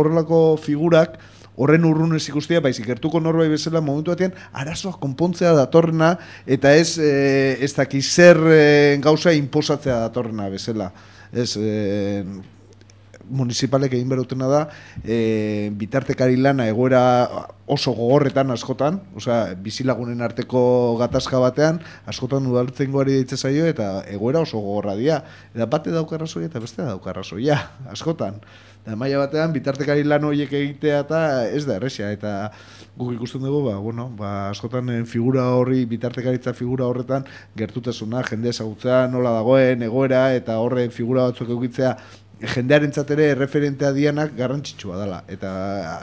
horrelako figurak horren urrunez ikustia, baizik gertuko norbait bezala momentu batean arazoak konpontzea datorrena, eta ez dakiz zer gauza inposatzea datorrena bezala. Ez... municipalek egin berutena da bitartekari lana egoera oso gogorretan askotan, bizilagunen arteko gatazka batean askotan udaltzaingoari deitze zaio eta egoera oso gogorra dira. Eta bate dauka arrazoia eta beste dauka arrazoia, askotan. Eta maila batean bitartekari lan horiek egitea eta ez da erresa, eta guk ikusten dugu, askotan figura horri, bitartekaritza figura horretan gertutasuna, jende ezagutzea nola dagoen, egoera, eta horren figura batzuk eukitzea jendearentzat ere referentea dianak garrantzitsua dela. Eta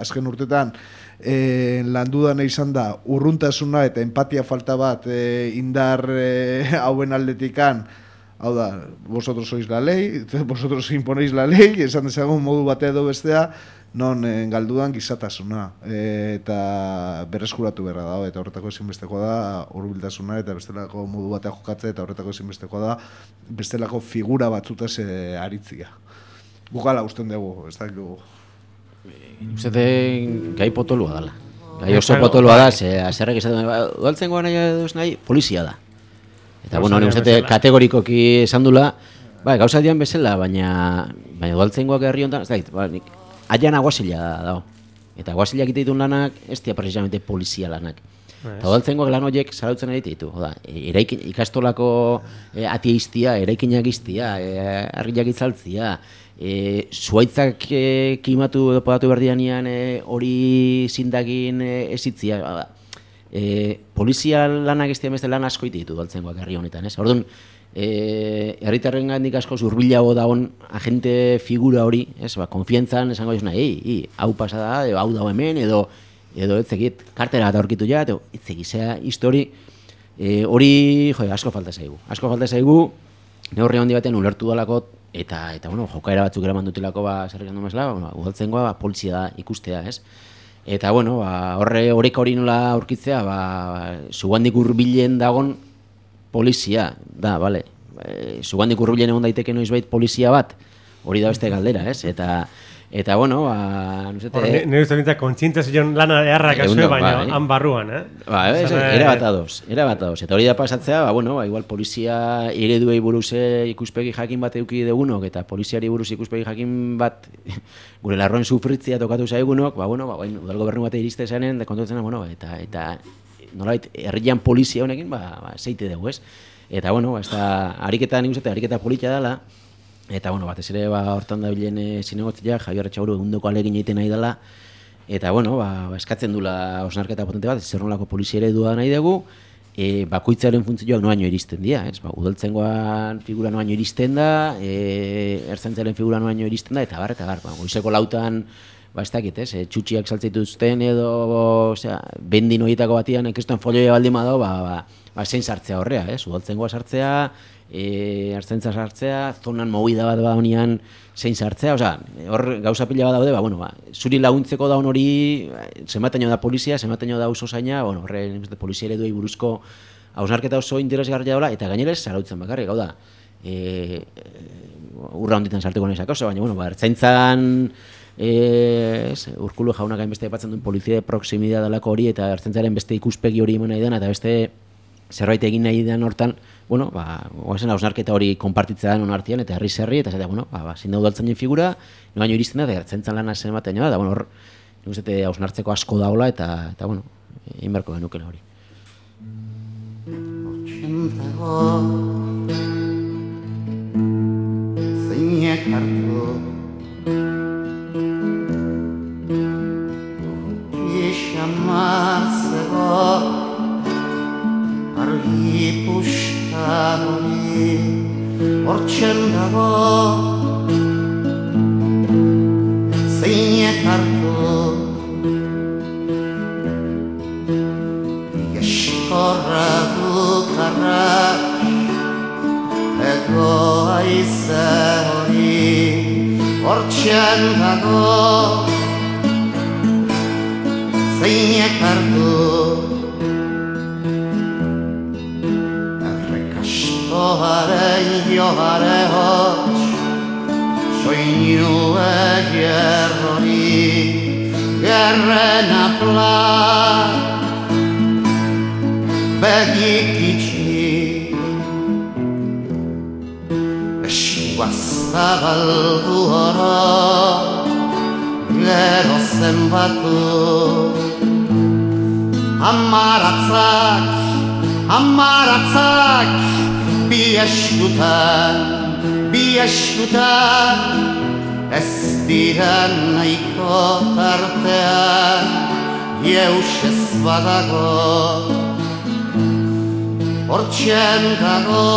azken urtetan landudan izan da urruntasuna eta empatia falta bat indar hauen aldetikan. Hau da, vosotros sois la ley, vosotros imponéis la ley, esan dezagun modu batea edo bestea, non galdudan gizatasuna eta berreskuratu beharra dago, eta horretako ezinbestekoa da hurbiltasuna eta bestelako modu batea jokatzea, eta horretako ezinbestekoa da bestelako figura batzutaz aritzia. Gukala usten dugu, ez da dugu. Uste gai potolua dela. Gai oso potolua da, zerrek esaten udaltzaingoa nahi, polizia da. Eta, uste kategorikoki esan dula, gauza dian bezala, baina udaltzaingoak herri honetan, ez da, aian aguazila dago. Eta aguazila egite ditun lanak, ez dira precisamente polizia lanak. Eta udaltzaingoak lan horiek zarautzen egite ditu. Ikastolako atia iztia, eraikinak iztia, argiak itzaltzia, zuaitzak kimatu edo podatu berdianean hori zindagin ezitzia. Polizia lanak ez dira beste lan asko egite ditu udaltzaingoak herri honetan. Orduan, herritarren gandik asko zurbilago dagoen agente figura hori, konfiantzan esango jozuna, hau pasada, hau dago hemen, edo ez zekit, kartera eta aurkitu ja, ez zekizea histori, hori asko falta zaigu. Asko falta zaigu, neurri handi batean ulertu dalako, eta jokaera batzuk eraman dutelako zerrik handu mesla, udaltzaingoa polizia da ikustea, ez? Eta, horrek hori nola aurkitzea, zugandik hurbilen dagon polizia, da, bale. Zugandik hurbilen egon daiteke noizbait polizia bat, hori da beste galdera, ez? Eta, nire uste bintzak kontzientziazioan lana eharrak azue, baina han barruan, Era bat adoz. Eta hori da pasatzea, igual polizia ereduei buruz ikuspegi jakin bat eduki dugunok, eta poliziari buruz ikuspegi jakin bat gure larroen sufritzia tokatu zaigunok, udal gobernu bate iriste zanen, dekontuetzen, eta nolabait, herrian polizia honekin, zeite dugu, ez? Eta, ariketa nik uste, ariketa politia dela, eta, batez ere, hortan da bilen zinegotzea, Javier Etxaburu egundoko alegin egiten nahi dela, Eta, bueno, eskatzen dula hausnarketa potente bat, zer nolako polizia eredua nahi dugu, bakoitzaren funtzioak noaino iristen dira, ez? Udaltzaingoan figura noaino iristen da, ertzaintzaren figura noaino iristen da, eta bar, goizeko lautan, ez dakit, ez? Txutxiak saltzeituzten edo, osea, bendin horietako batian, ekestuen folioia baldin badao, zein sartzea horrea, ez? Udaltzaingoa sartzea, ertzaintza sartzea, zonan movida bat honian zein sartzea, osea, hor gauza pila bat daude, zuri laguntzeko daun hori, zenbateño da polizia, zenbateño da oso zaina, horren polizia ereduei buruzko hausnarketa oso interesgarria dola, eta gainera ez zarautzen bakarrik, hau da, urra honditan sartuko nezak oso, baina, ertzaintzan, Urkulu jaunak hainbeste aipatzen duen polizia de proximidad dalako hori, eta ertzaintzaren beste ikuspegi hori eman nahi den, eta beste zerbait egin nahi den hortan, oazen hausnarketa hori konpartitzea den onartian, eta herri, eta zein da udaltzainen figura, noaino iristen da, eta ertzaintzan lan zen ematen da, hor, nik uste hausnartzeko asko daula, eta egin beharko genukela hori. Zeinek hartu Ixamarzego argi pusta hori hortzen dago zeinek hartu igeskorra dukarra ego aize hori hortzen dago zeinek hartu errekastoaren johare hots soinu eger hori gerren apla begik itxi eskua zabaldu horo gero zenbatu Amaratzak bi eskutan ez diren nahiko tartean jeusez badago hortzen dago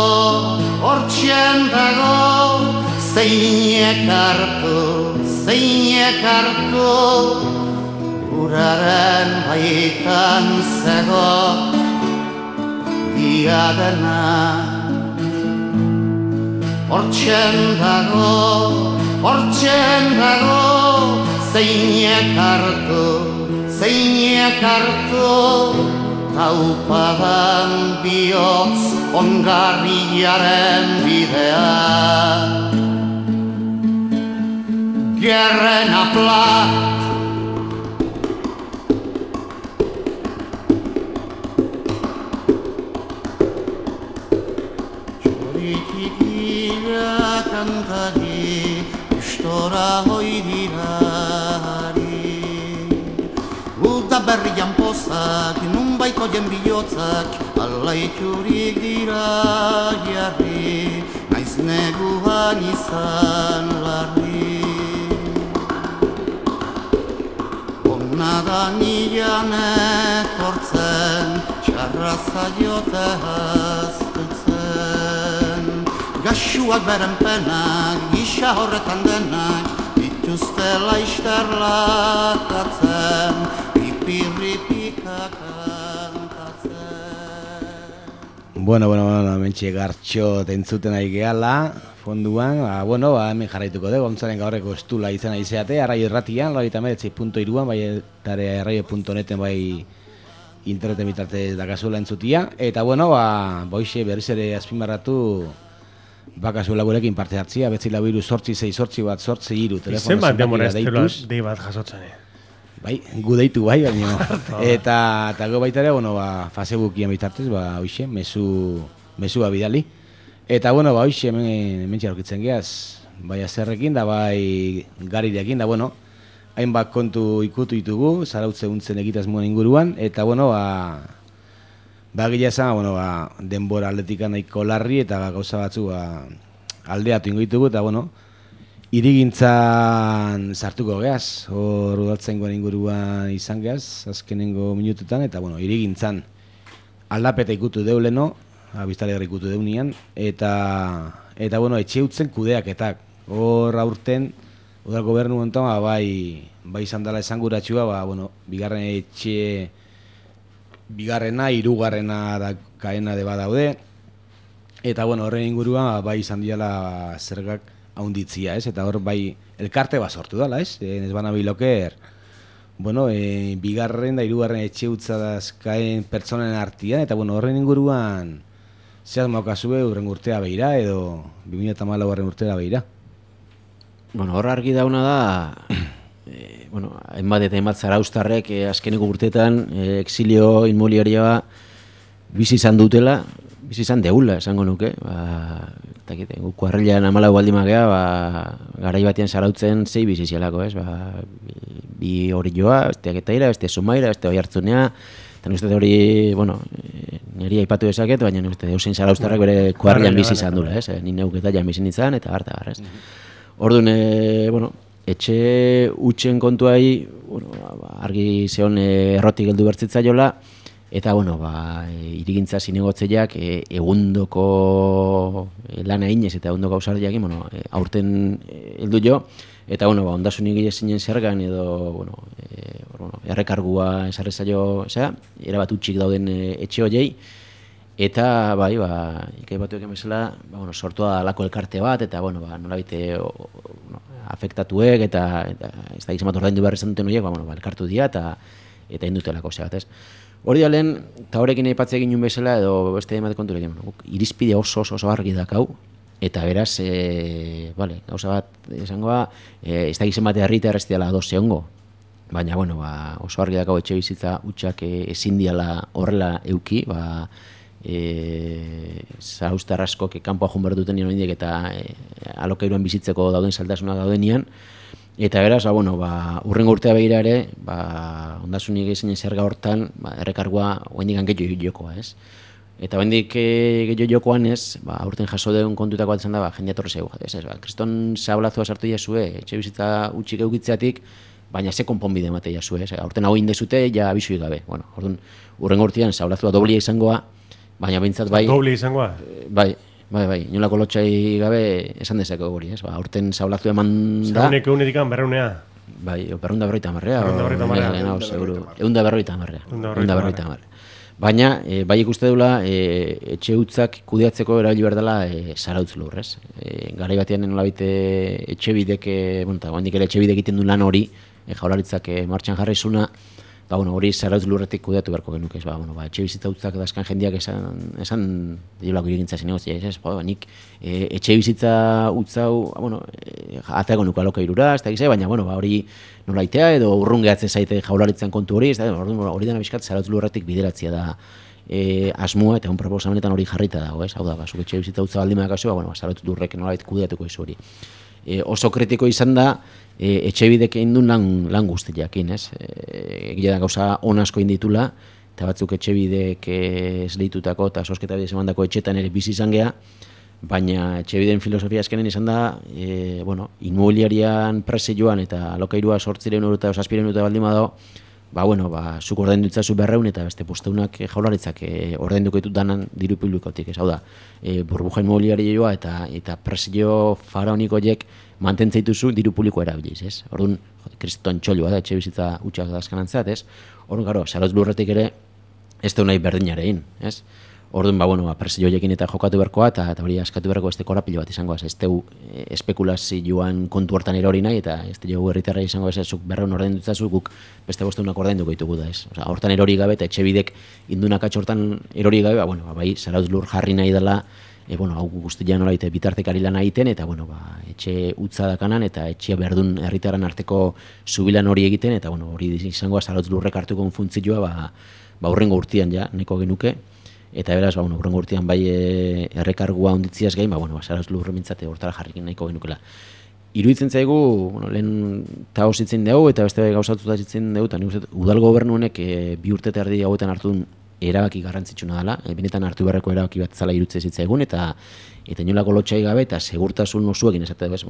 zeinek hartu uraren baitan zego diadena hortzen dago zeinek hartu taupadan bihotz ongarriaren bidea gerren apla kantari, istora hoidirari Uda berrian pozak, nunbaiko jenbilotzak alaiturik dira jarri Naiz neguan izan larri Ona da nian etortzen, txarra zaiote haztutzen Gaxuak beren penak, gisa horretan denak, dituzte laizter lakatzen, ripirripika kantatzen. Bueno, mentxe gartxo entzuten ari gehala, fonduan, hemen jarraituko dugu, ontzaren gaurreko estula izan aizeate, arraio erratian, 99.3.3an, bai etare arraio.neten bai interneten bitartez dakazula entzutia, eta boixe berriz ere azpimarratu, bakazuela gurekin parte hartzia, betzi lau iru sortzi, zei sortzi bat, sortzi iru, telefono zenbakira deituz. Dei bat jasotzen, Bai, gu deitu bai, baina. Eta go baita ere, Facebookien bitartez, hoxe, mesua bidali. Eta, hoxe, hemen txarrokitzen geaz, bai azerrekin, da bai garirekin, da, hainbat kontu ikutu ditugu, zarautze untzen egitazmoan inguruan, eta, gila esan, denbora atletikan nahiko larri, eta gauza batzu aldeatu ingo ditugu, eta, Irigintzan sartuko geaz, hor udaltzaingoan inguruan izan geaz, azkenengo minututan, eta bueno, irigintzan aldapeta ikutu deuleno, biztanlegarri ikutu deunian, eta bueno, etxe utzen kudeaketak. Hor aurten, udal gobernu honetan, bai izan dela esanguratxua, bueno, bigarrena, hirugarrena da kaena de badaude, eta bueno, horren inguruan, bai izan diala zergak haunditzia, ez? Eta hor bai elkarte bat sortu dela, ez? Ez bana biloker, bueno, bigarren da hirugarren etxe utza dazkaen pertsonen artian, eta bueno, horren inguruan zehaz maukazue urren urtea behira, edo 2014 urtea behira. Bueno, hor argi dauna da, bueno, hainbat eta hainbat zarauztarrek azkeneko urteetan exilio inmobiliarioa bizi izan dutela, bizi izan deula, esango nuke. Guk kuarrilean 14 baldin magea, garai batean zarautzen zei bizi zielako, ez? Bi hori joa, beste Aketaira, beste Zumaira, beste Oiartzunea, eta nik uste hori, bueno, niri aipatu dezaket, baina nik uste eusein zarauztarrak bere kuarrilean bizi izan dula, ez? Ni neuketa jan bizi nintzen, eta harta, ez? Orduan, bueno, etxe utxen kontuai, bueno, argi zeon errotik heldu bertzitzaiola, eta, bueno, irigintza zinegotzeiak egundoko lana inez eta egundoko ausardiak, bueno, aurten heldu jo, eta, bueno, ondasunik zinen zergan edo, bueno, errekargua esarri zaio, erabat utxik dauden etxe horiei, eta, ikai batuek emezela, sortua alako elkarte bat, eta, bueno, nolabite afektatuek, eta ez da gizan bat ordaindu behar izan duten horiek, elkartu dira, eta indutelako zebat, ez? Hori da lehen, eta horrekin aipatze egin nuen bezala, edo beste emate kontu egin, irizpide oso argi dakau, eta beraz, gauza bat esangoa, ez da gizan bat herritar ez dela ados zehongo, baina, bueno, oso argi dakau etxe bizitza utxak ezin diala horrela euki, zarauztar askok kanpoa joan behar duten nien horiek eta alokairuan bizitzeko dauden saltasunak daudenian, eta beraz, urrengo urtea behira ere, ondasunik ezinen zerga hortan, errekargua oendik gehiago jokoa, ez? Eta oendik gehiago jokoan ez, aurten jaso deun kontutako bat izan da, jendea torre zego, ez? Kriston zablazua sartu jasue, etxe bizitza utxik eukitzeatik, baina ze konponbide emate jasue, ez? Aurten hau indezute, ja abisuik gabe. Orduan, urrengo urtean zablazua doblia izangoa, baina bintzat bai... Doblia izangoa? Bai, inolako lotxai gabe esan dezako hori, ez? Aurten zablazua eman da... Zauneko unedikan berreunea? Bai, berreunda berroita marrea. Eunda berroita marrea. Baina, bai ikuste dula, etxe hutzak kudeatzeko erabili behar dela zarautz lur, ez? Garai batean nolabite etxebidek, handik ere etxebidek egiten du lan hori, jaurlaritzak martxan jarraizuna, hori zarautz lurretik kudeatu beharko genuke, etxe bizitza hutzak dazkan jendeak esan diolako irigintza zinegotzia, ez? Nik etxe bizitza hutzau, ateako nuko alokairura, ez da gize, baina hori nolaitea edo urrungeatzen zaite jaurlaritzan kontu hori, ez da, hori dena bizkat zarautz lurretik bideratzia da asmoa, eta un proposamenetan hori jarrita dago, ez? Hau da, zuk etxe bizitza hutza baldima kasua, zarautz lurrek nolait kudeatuko izu hori. Oso kritiko izan da, etxebidek egin duen lan guztiakin, ez? Egia da gauza on asko inditula, eta batzuk etxebidek esleitutako eta sosketa bidez emandako etxetan ere bizi izan geha, baina etxebideen filosofia azkenen izan da, inmobiliarian presioan eta alokairua 800 euro eta 700 euro baldin badago, zuk ordaindu ditzazu 200 eta beste posteunak jaurlaritzak ordainduko ditut danan diru publikotik, ez? Hau da, burbuja inmobiliarioa eta presio faraonik horiek mantentzen dituzu diru publikoa erabiliz, ez? Orduan, kriston txolua da, etxe bizitza utxak dazkanantzat, ez? Orduan, zarautz lurretik ere, ez da nahi berdinarein, ez? Orduan, presio horiekin eta jokatu beharkoa, eta hori askatu beharko beste korapilo bat izangoaz, ez teu espekulazioan kontu hortan erori nahi, eta ez teu herritarra izango ez, zuk 200 ordaindu ditzazu, guk beste bosteunak ordainduko ditugu da, ez? Hortan erori gabe, eta etxe bidek indunak hortan erori gabe, bai, zarautz lur jarri nahi dela, hau guztia nola bitartekari lan egiten, eta etxe utza dakanan, eta etxea berdun herritarren arteko zubilan hori egiten, eta hori izangoa zarautz lurrek hartuko funtzioa, urrengo urtean ja, neko genuke, eta beraz, urrengo urtean bai errekargua onditziaz gain, zarautz lurre mintzate hortara jarrikin nahiko genukela. Iruditzen zaigu, lehen tao zitzen dugu, eta beste gauzatuta zitzen dugu, eta nik uste, udal gobernu honek 2 urte eta erdi hauetan hartu duen erabaki garrantzitsuna dela, benetan hartu beharreko erabaki bat zala irutze zitzaigun, eta inolako lotxai gabe, eta segurtasun osuekin esate bez,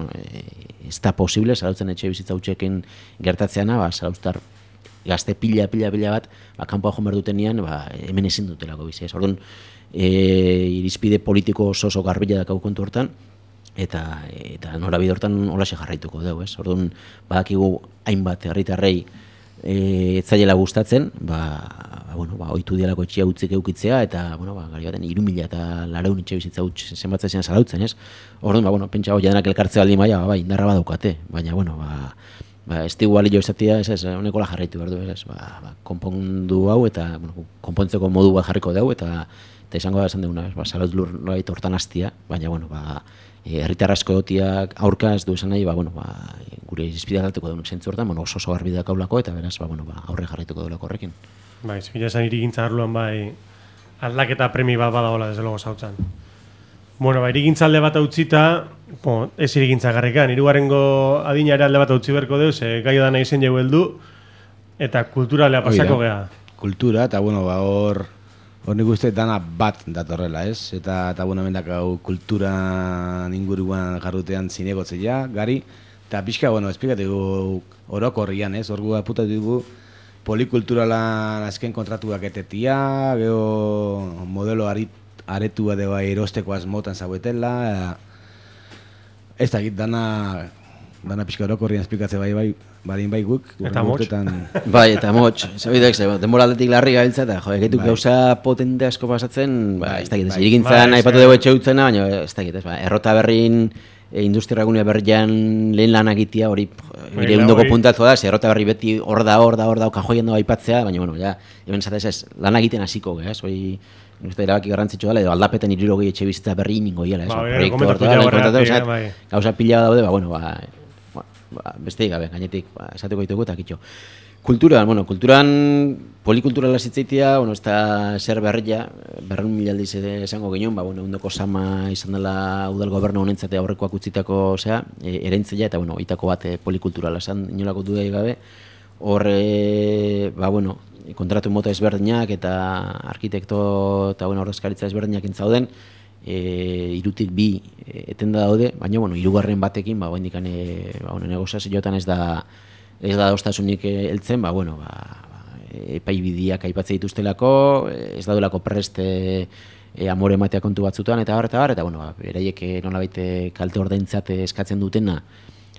ez da posible, zarautzen etxe bizitza hutsekin gertatzeana, zarauztar gazte pila bat, kanpoa joan behar dutenean, hemen ezin dutelako bizi, ez? Orduan, irizpide politiko oso garbila dakau kontu hortan, eta norabide hortan holaxe jarraituko dugu, ez? Orduan, badakigu hainbat herritarrei etzaiela gustatzen, ohitu dialako etxea utzik eukitzea, eta, gari baten, 3.400 etxe bizitza huts zenbatzen zian zarautzen, ez? Orduan, pentsa hori denak elkartzea aldi maia, indarra badaukate, baina, ez digu balio izatea, ez, honekola jarraitu behar du, ez, konpondu hau, eta, konpontzeko modu bat jarriko dugu, eta izango da esan duguna, zarautz lur nolait hortan hastia, baina, herritar asko egotiak aurka ez du esan nahi, gure irizpidea galteko dugu zentzu hortan, oso garbi dakaulako, eta beraz, aurre jarraituko dugu horrekin. Bai, zikila esan irigintza arloan, aldaketa premi bat badagoela, desde logo zautzen. Irigintza alde bat utzita, ez irigintza garrikan, hirugarrengo adina ere alde bat utzi beharko dugu, ze gai da nahi zen jau heldu, eta kulturalea pasako geha. Kultura, eta hor nik uste dana bat datorrela, ez? Eta mendak hau kultura inguruan jarrutean zinegotzea, gari, eta pixka, esplikategu orokorrian, ez? Hor gu aputatu dugu polikulturalan azken kontratuak etetia, geho modelo aretua deba erosteko asmotan zauetela, ez da, dana pixka orokorrian esplikatze badin bai guk. Eta motx. Bai, eta motx. Zabidek, denbora aldetik larri gabiltza, eta egituk gauza potente asko pasatzen, ez dakit, irigintzan aipatu dugu etxe utzena, baina ez dakit, errota berrin, industriagunea berrian lehen lan agitia, hori irundoko puntatzo da, errota berri beti hor da, kajoien dago aipatzea, baina, hemen zatez ez, lan egiten hasiko, ez, hori, erabaki garrantzitsua dela, edo aldapeten 60 etxe bizitza berri ningo hiela, gauza pila daude, besteik gabe, gainetik, esateko ditugu eta kitxo. Kulturan, polikulturala zitzaitia, ez da zer berria, 200.000 aldiz esango ginen, undoko sama izan dela udal gobernu honentzate aurrekoak utzitako, erentzia, eta, itako bat polikulturala esan, inolako dudai gabe, horre, kontratu mota ezberdinak eta arkitekto eta ordezkaritza ezberdinak intzauden, irutik bi etenda daude, baina, hirugarren batekin, negoziazioetan ez da adostasunik heltzen, epai bidiak aipatzen dituztelako, ez daudelako prest amore ematea kontu batzutan, eta beraiek nolabait kalte ordaintzat eskatzen dutena,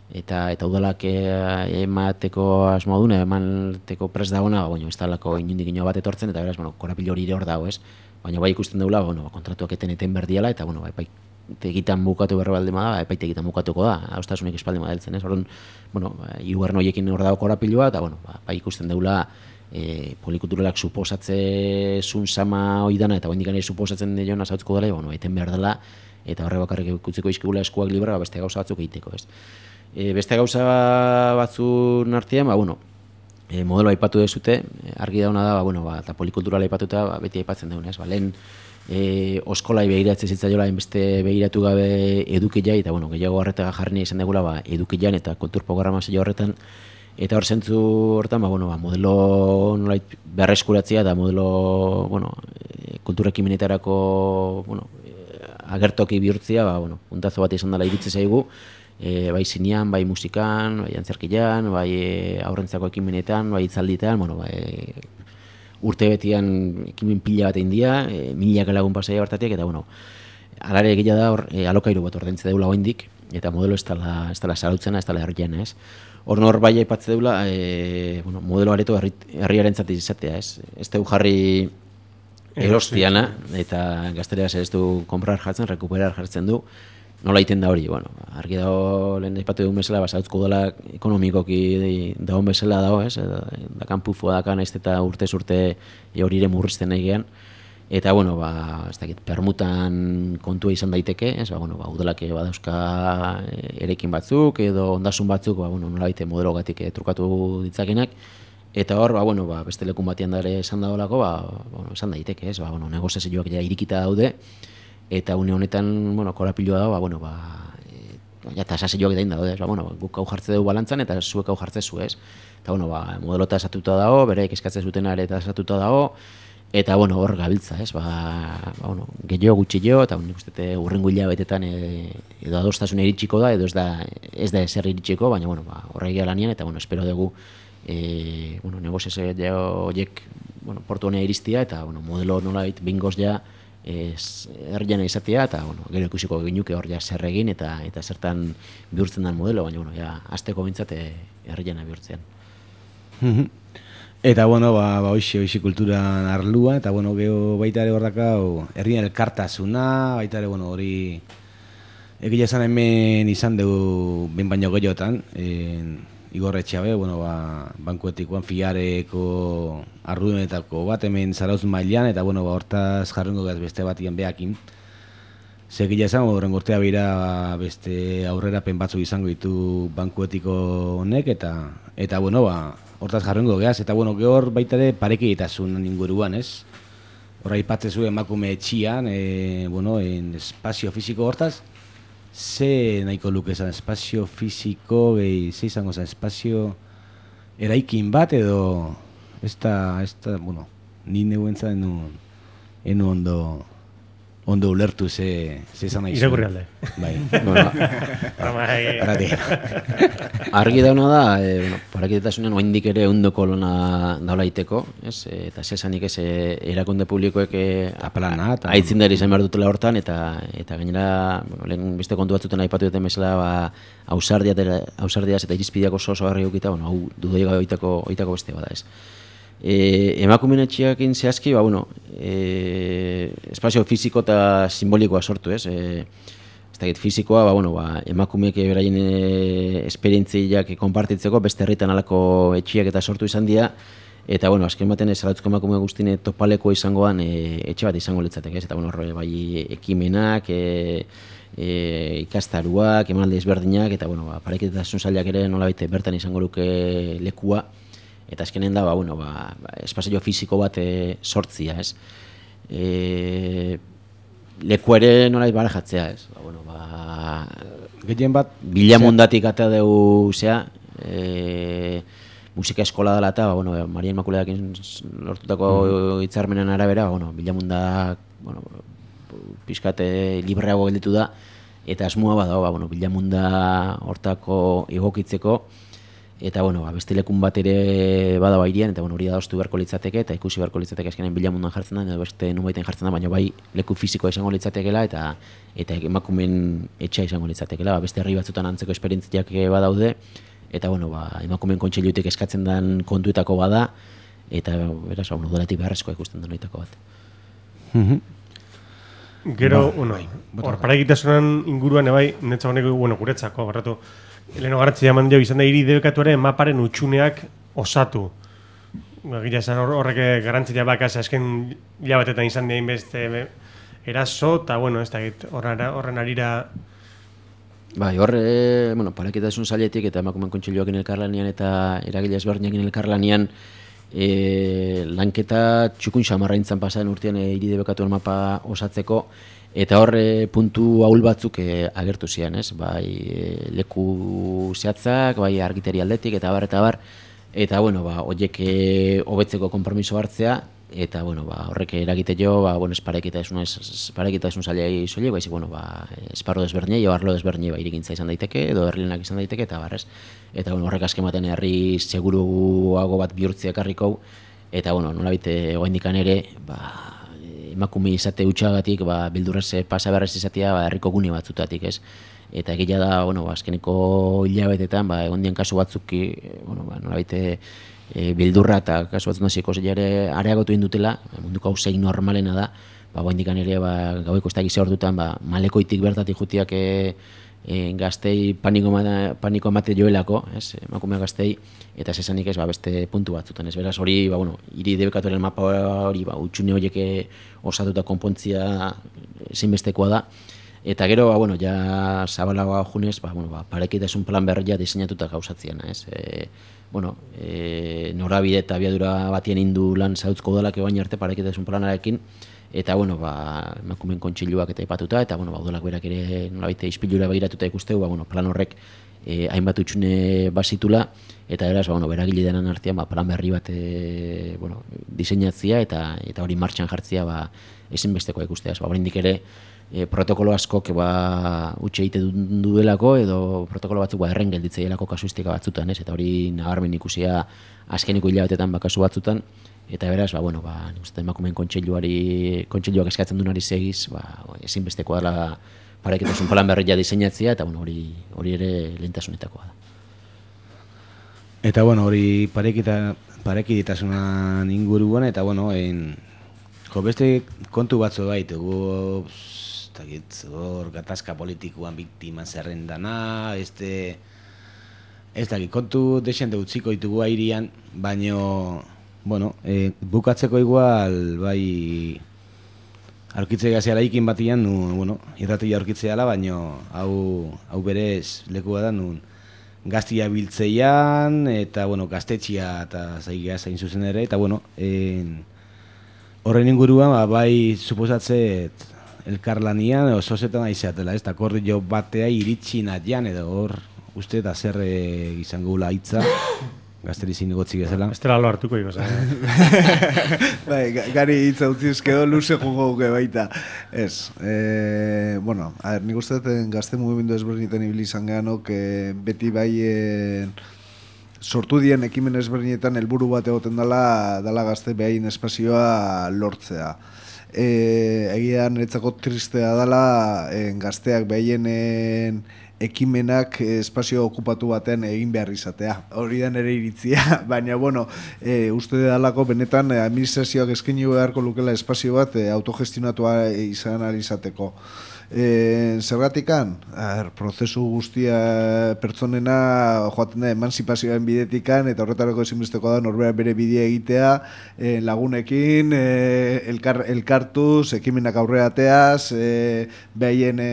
eta udalak emateko asmoa duna, emateko prest dagoena, ez dalako inundik ino bat etortzen, eta beraz, korapilo hori hor dago, ez? Baina ikusten dugula, kontratuak eten berdiala, eta epaitegitan bukatu berra baldin bada, epaitegitan bukatuko da, adostasunik espaldin badeltzen, ez? Orduan, hirugarren horiekin hor dago korapiloa, eta ikusten dugula polikulturalak suposatzezun sama hori dana, eta oraindik ere suposatzen diona zautzko dela, eten behar dela, eta horre bakarrik ikutziko izkigula eskuak libra, beste gauza batzuk egiteko, ez? Beste gauza batzun artean, modelo aipatu dezute, argi dauna da, eta polikulturala aipatuta beti aipatzen daunez, lehen oskolai begiratzen zitzaiola beste begiratu gabe edukiai, eta gehiago horretaga jarri izan degula edukian eta kultur programazio horretan, eta hor zentzu horretan, modelo nolait berreskuratzea eta modelo kultura ekimenetarako agertoki bihurtzea, puntazo bat izan dela iritzi zaigu, bai zinean, bai musikan, bai antzerkian, bai aurrentzako ekimenetan, bai itzalditan, urte betian ekimen pila bat egin dira, milaka lagun pasaia bertatik, eta alare egia da hor alokairu bat ordaintze deula oraindik, eta modelo ez dela zarautzena, ez dela herriana, ez? Hor nor bai aipatze deula, modelo areto herriarentzat izatea, ez? Ez dugu jarri erostiana, eta gaztereaz ez du komprar jartzen, rekuperar jartzen du, nola iten da hori, argi dago lehen aipatu dugun bezala, zarautzko udala ekonomikoki dagoen bezala dago, ez? Dakan pufua dakan ez eta urtez urte horire murrizten nahi gehan, eta, ez dakit, permutan kontua izan daiteke, ez? Udalak badauzka erekin batzuk, edo ondasun batzuk, nola baite modelogatik trukatu ditzakenak, eta hor, beste lekun batean dara esan dagoelako, esan daiteke, ez? Negoziazioak ja irikita daude, eta une honetan, korapiloa da, eta sasioak dain daude, guk hau jartze dugu balantzan, eta zuek hau jartze zu, ez? Eta, modelo tasatuta dago, bereik eskatzen zutena ere tasatuta dago, Eta, bueno, hor gabiltza, ez, bueno, gehiago gutxillo, eta nik uste urrengo hilabetetan edo adostasuna iritsiko da, edo ez da ezer iritsiko, baina, bueno, horregia lanian, eta, bueno, espero dugu, bueno, negoziazio horiek, bueno, portu honea iristia, eta, bueno, modelo nolabait bingoz ja, herriana izatea, eta, bueno, gero ikusiko ginuke hor ja zer egin, eta zertan bihurtzen den modelo, baina, bueno, ja, azteko bintzat herriana bihurtzean. Eta, bueno, hoxe kulturan arlua, eta, bueno, geho baita ere hor herrien elkartasuna, baita ere, bueno, hori egia esan hemen izan dugu ben baino gehiotan, Igorretxea be, bueno, bankuetikoan fiareko arrudenetako bat hemen Zarautz mailan, eta, bueno, hortaz jarrengo gaz beste batian behakin. Segila esan, horren urtea bera beste aurrerapen batzuk izango ditu bankuetiko honek, eta bueno, hortaz jarrengo geaz, eta bueno, gehor baita ere parekidetasun inguruan, ez? Horra ipatzezu emakume etxian, bueno, espazio fisiko hortaz, ze nahiko luke esan espazio fisiko, ze izango zen espazio eraikin bat edo, ez da, bueno, ni neguentza enu ondo ulertu ze izan nahi zuen. Irakurri alde. Bai. Argi dauna da, parakidetasunen oindik ere ondoko lona daula iteko, eta zesanik ez erakunde publikoek aitzindari izan behar dutela hortan, eta gainera, lehen beste kontu batzuten aipatu duten bezala, ausardiaz eta irizpideak oso garri eukita, hau dudoi oitako beste bada ez. Emakumeen etxeakin zehazki, espazio fisiko eta simbolikoa sortu, ez? Ez dakit, fisikoa, emakumeek beraien esperientziak konpartitzeko beste herritan alako etxiak eta sortu izan dira, eta, azken baten Zarautzeko emakume guztien topaleko izangoan etxe bat izango litzatek, ez? Eta, bai ekimenak, ikastaruak, emanaldi ezberdinak, eta, parekidetasun sailak ere nolabait bertan izango luke lekua, eta azkenen da, espazio fisiko bat sortzia, ez? Leku ere nolait barajatzea, ez? Gehien bat... Bilamundatik atea dugu, musika eskola dela eta, Maria Inmakuleakin lortutako hitzarmenen arabera, bilamundak, pixkate libreago gelditu da, eta asmoa bada, bilamunda hortako egokitzeko, eta, beste lekun bat ere bada irian, eta hori da adostu beharko litzateke, eta ikusi beharko litzateke azkenean bilamundan jartzen da, edo beste nubaiten jartzen da, baina bai leku fisikoa izango litzatekela, eta emakumeen etxea izango litzatekela, beste herri batzutan antzeko esperientziak badaude, eta, emakumeen kontseilutik eskatzen den kontuetako bada, eta, beraz, dolatik beharrezkoa ikusten den oitako bat. Gero, hor, parekidetasunen inguruan, netza honeko, guretzako, garratu, leheno garrantzia eman dio izan da hiri debekatuaren maparen utxuneak osatu. Gira esan horrek garrantzia bakaz, azken hilabetetan izan dien beste eraso, eta, ez da, horren arira... Bai, parekidetasun sailetik eta emakumeen kontseiluakin elkarlanean eta eragile ezberdinekin elkarlanean lanketa txukun xamarraintzan pasaren urtean hiri debekatuen mapa osatzeko, eta hor puntu ahul batzuk agertu zian, ez? Bai, leku zehatzak, bai argiteri aldetik, eta bar, eta, horiek hobetzeko konpromiso hartzea, eta, horrek eragite jo, ez parekidetasun sailei soilik, baizik, esparru desberdinei, arlo desberdinei irigintza izan daiteke, edo herrilenak izan daiteke, eta barrez. Eta, horrek azken baten herri seguruago bat bihurtzea ekarriko, eta, nolabait oraindikan ere, emakume izate hutsagatik, bildurrez pasa beharrez izatea, herriko gune batzutatik, ez? Eta egia da, azkeneko hilabetetan, egon dien kasu batzuk, nolabait bildurra eta kasu batzun hasiko ere areagotu indutela, munduko hau zein normalena da, oraindikan ere gaueko ez da gize ordutan, malekoitik bertatik jutiak gaztei paniko emate joelako, emakume gaztei, eta zesanik ez beste puntu batzutan. Ez beraz hori, hiri debekatuaren mapa hori, utxune horiek osatuta konpontzia ezinbestekoa da, eta gero, ja zabalagoa junez, parekidetasun plan berria diseinatuta gauzatzean, ez? Norabide eta abiadura batien indu lan Zarautzko udalak ebain arte parekidetasun planarekin, eta bueno, emakumeen kontseiluak eta aipatuta, eta bueno, udalak berak ere nolabait ispilura begiratuta ikusteu, plan horrek hainbat utxune bazitula, eta beraz, beragile denan artean plan berri bat diseinatzia eta hori martxan jartzia ezinbestekoa ikustea. Oraindik ere protokolo askok utxe egiten duelako edo protokolo batzuk erren gelditzeielako kasuistika batzutan, eta hori nabarmen ikusia azkeniko hilabetetan kasu batzutan, eta beraz, nik uste emakumeen kontseiluak eskatzen duenari segiz, ezinbestekoa dela parekitasun plan berria diseinatzea, eta hori ere lehentasunetakoa da. Eta hori parekidetasunan inguruan, eta beste kontu batzu baitugu, hor gatazka politikoan biktima zerrendana, ez dakit, kontu desente utziko ditugu airian, baino, bukatzeko igual, aurkitzea gazeala ikin batian, irratia aurkitzea ala, baino, hau berez lekua da, gaztia biltzeian, eta, gaztetxia eta zaigia zain zuzen ere, eta, horren inguruan, suposatzet, elkarlanian, oso zetan aizeatela, ez da, akordio batea iritsi natian, edo hor, uste, da zer izango gula hitza, gazteri zinegotzik ezela. Ez dela lo hartuko ikoz, Gari hitza utzizkeo, luze jugo guke baita. Ez, nik uste gazte mugimendu ezberdinetan ibili izan gehanok, beti sortu dien ekimen ezberdinetan helburu bat egoten dela gazte behain espazioa lortzea. Egia niretzako tristea dela gazteak behaien ekimenak espazio okupatu baten egin behar izatea. Hori da nire iritzia, baina uste dalako benetan administrazioak eskaini beharko lukela espazio bat autogestionatua izan ahal izateko. Zergatikan, prozesu guztia pertsonena joaten da emanzipazioaren bidetikan, eta horretarako ezinbesteko da norbera bere bidea egitea, lagunekin, elkartuz, ekimenak aurreateaz, behaien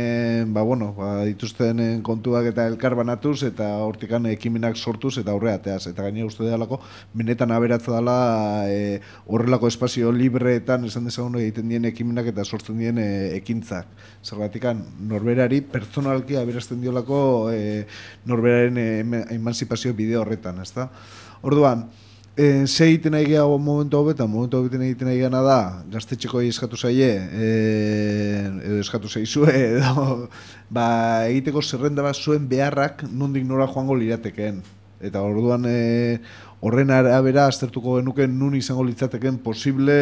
dituzten kontuak eta elkar banatuz, eta hortikan ekimenak sortuz eta aurreateaz. Eta gainera uste dela, benetan aberatza dela horrelako espazio libreetan esan dezagun egiten dien ekimenak eta sortzen dien ekintzak. Zergatikan, norberari pertsonalki aberazten diolako norberaren emanzipazio bideo horretan, ezta? Orduan, ze egiten nahi gehiago momentu hobetan egiten nahi gana da, gaztetxeko eskatu zaie, edo eskatu zaizue, edo egiteko zerrenda bat zuen beharrak nondik nora joango liratekeen. Eta orduan horren arabera aztertuko genuken nun izango litzateken posible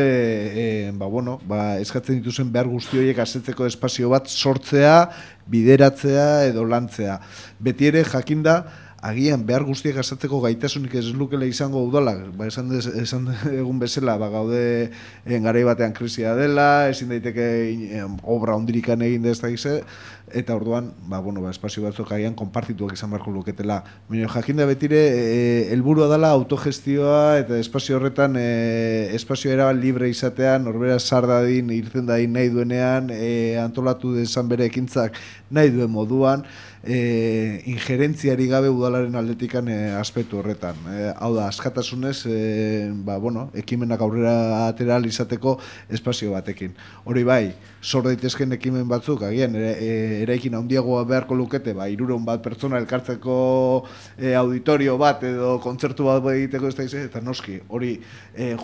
eskatzen dituzen behar guzti horiek asetzeko espazio bat sortzea, bideratzea edo lantzea. Beti ere jakinda agian behar guztiak asatzeko gaitasunik ez lukela izango udalak, esan egun bezala, gaude garai batean krisia dela, ezin daiteke obra ondirikan egin da ez da gize, eta orduan, espazio batzuk agian konpartituak izan beharko luketela. Baina jakinda betire, helburua dela autogestioa eta espazio horretan espazio erabat libre izatea, norbera zar dadin, irten dadin nahi duenean, antolatu dezan bere ekintzak nahi duen moduan, ingerentziari gabe udalaren aldetikan aspektu horretan. Hau da, askatasunez, ekimenak aurrera atera izateko espazio batekin. Hori bai, sor daitezken ekimen batzuk, agian, eraikin handiagoa beharko lukete, 300 bat pertsona elkartzeko auditorio bat edo kontzertu bat egiteko ez da izan, eta noski, hori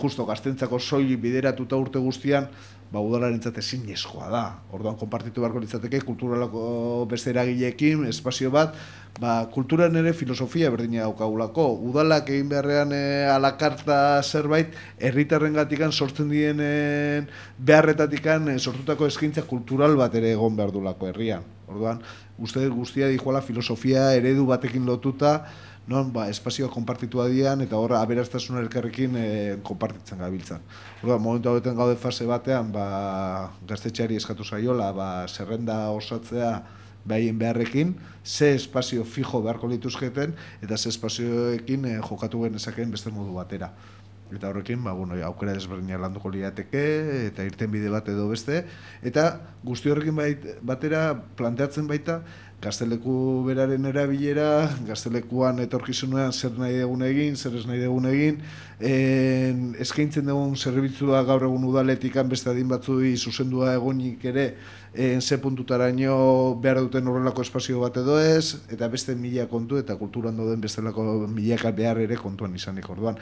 justo gaztentzako soilik bideratuta urte guztian, udalarentzat ezinezkoa da. Orduan konpartitu beharko litzateke kulturalako beste eragileekin espazio bat, kulturan ere filosofia berdina daukagulako. Udalak egin beharrean alakarta zerbait, herritarrengatikan sortzen dienen beharretatikan sortutako eskaintza kultural bat ere egon behar dulako herrian. Orduan, uste guztia dijoala filosofia eredu batekin lotuta, espazioa konpartitua dian eta horra aberastasuna elkarrekin konpartitzen gabiltzan. Momentu hauetan gaude fase batean, gaztetxeari eskatu zaiola, zerrenda osatzea behaien beharrekin, ze espazio fijo beharko lituzketen eta ze espazioekin jokatu genezakeen beste modu batera. Eta horrekin, aukera desberdinak landuko lirateke, eta irtenbide bat edo beste, eta guzti horrekin batera planteatzen baita, gazteleku beraren erabilera, gaztelekuan etorkizunean zer nahi dugun egin, zer ez nahi dugun egin, eskaintzen dugun zerbitzua gaur egun udaletikan beste adin batzui zuzendua egonik ere, ze puntutaraino behar duten horrelako espazio bat edo ez, eta beste mila kontu eta kulturan dauden bestelako milaka behar ere kontuan izanik orduan.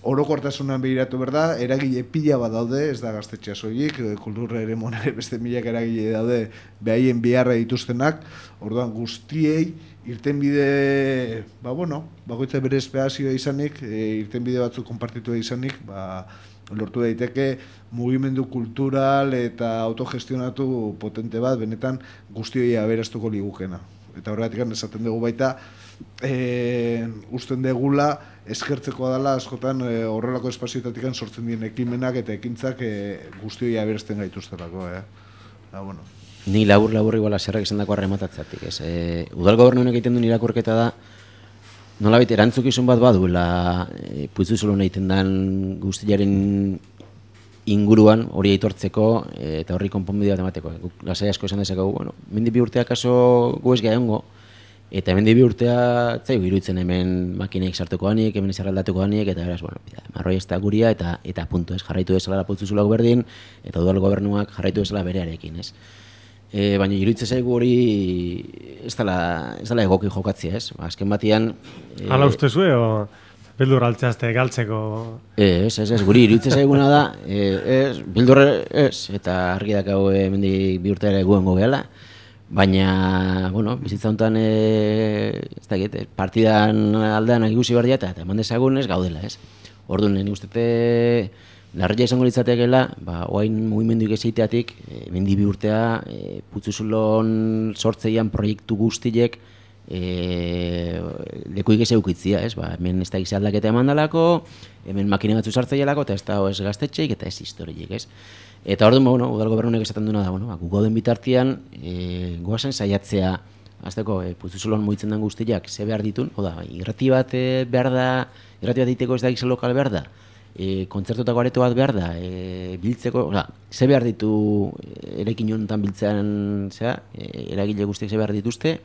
Orokortasunan behiratu berda, eragile pila bat daude, ez da gaztetxea soilik, kultura ere monare beste milak eragile daude behaien beharra dituztenak, orduan guztiei irtenbide, bakoitza bere espazioa izanik, irtenbide batzuk konpartitua izanik, lortu daiteke mugimendu kultural eta autogestionatu potente bat, benetan guztioi aberastuko ligukena. Eta horregatik esaten dugu baita, usten degula eskertzekoa dela askotan horrelako espazioetatik sortzen dien ekimenak eta ekintzak guztioi aberazten gaituztelako. Ni labur igual zerrak esan dako arrematatzatik. Udal gobernuak egiten duen irakurketa da, nolabait erantzukizun bat baduela Putzuzulon egiten den guztiaren inguruan hori aitortzeko eta horri konponbide bat emateko. Lasai asko esan dezakegu, mendi bi urtea kaso gu ez gaiongo, eta mendi bi urtea zaigu iruditzen hemen makineik sartuko hanik, hemen zerraldatuko hanik, eta beraz, marroi ez da guria, eta puntu ez, jarraitu ezala Putzuzulak berdin, eta udal gobernuak jarraitu ezala berearekin, ez. Baina iruditzen zaigu hori ez dela egoki jokatzea, ez? Azken batean... Hala ustezue, o bildur altzeazte galtzeko... Ez, guri iruditzen zaiguna da, bildur ez, eta argi dakau hemendik bi urte ere guengo gehala, baina, bizitza honetan, ez dakit, partidan aldean ikusi behar dira, eta eman dezagun ez gaudela, ez? Orduan, nik ustete... Larria izango litzatekeela, oain mugimenduik ezeiteatik, mendi bi urtea, Putzuzulon sortzeian proiektu guztiek lekuik ez eukitzia, ez? Hemen ez da gize aldaketa eman dalako, hemen makine batzu sartzeialako, eta ez da ez gaztetxeik eta ez historiek, ez? Eta orduan, udal gobernuak esaten duena da, gu gauden bitartian, goazen saiatzea, azteko, Putzuzulon mugitzen den guztiak, ze behar ditun, irrati bat behar da, irrati bat diteko ez da gize lokal behar da, kontzertutako areto bat behar da, biltzeko, ze behar ditu erekin honetan biltzean, eragile guztiek ze behar dituzte,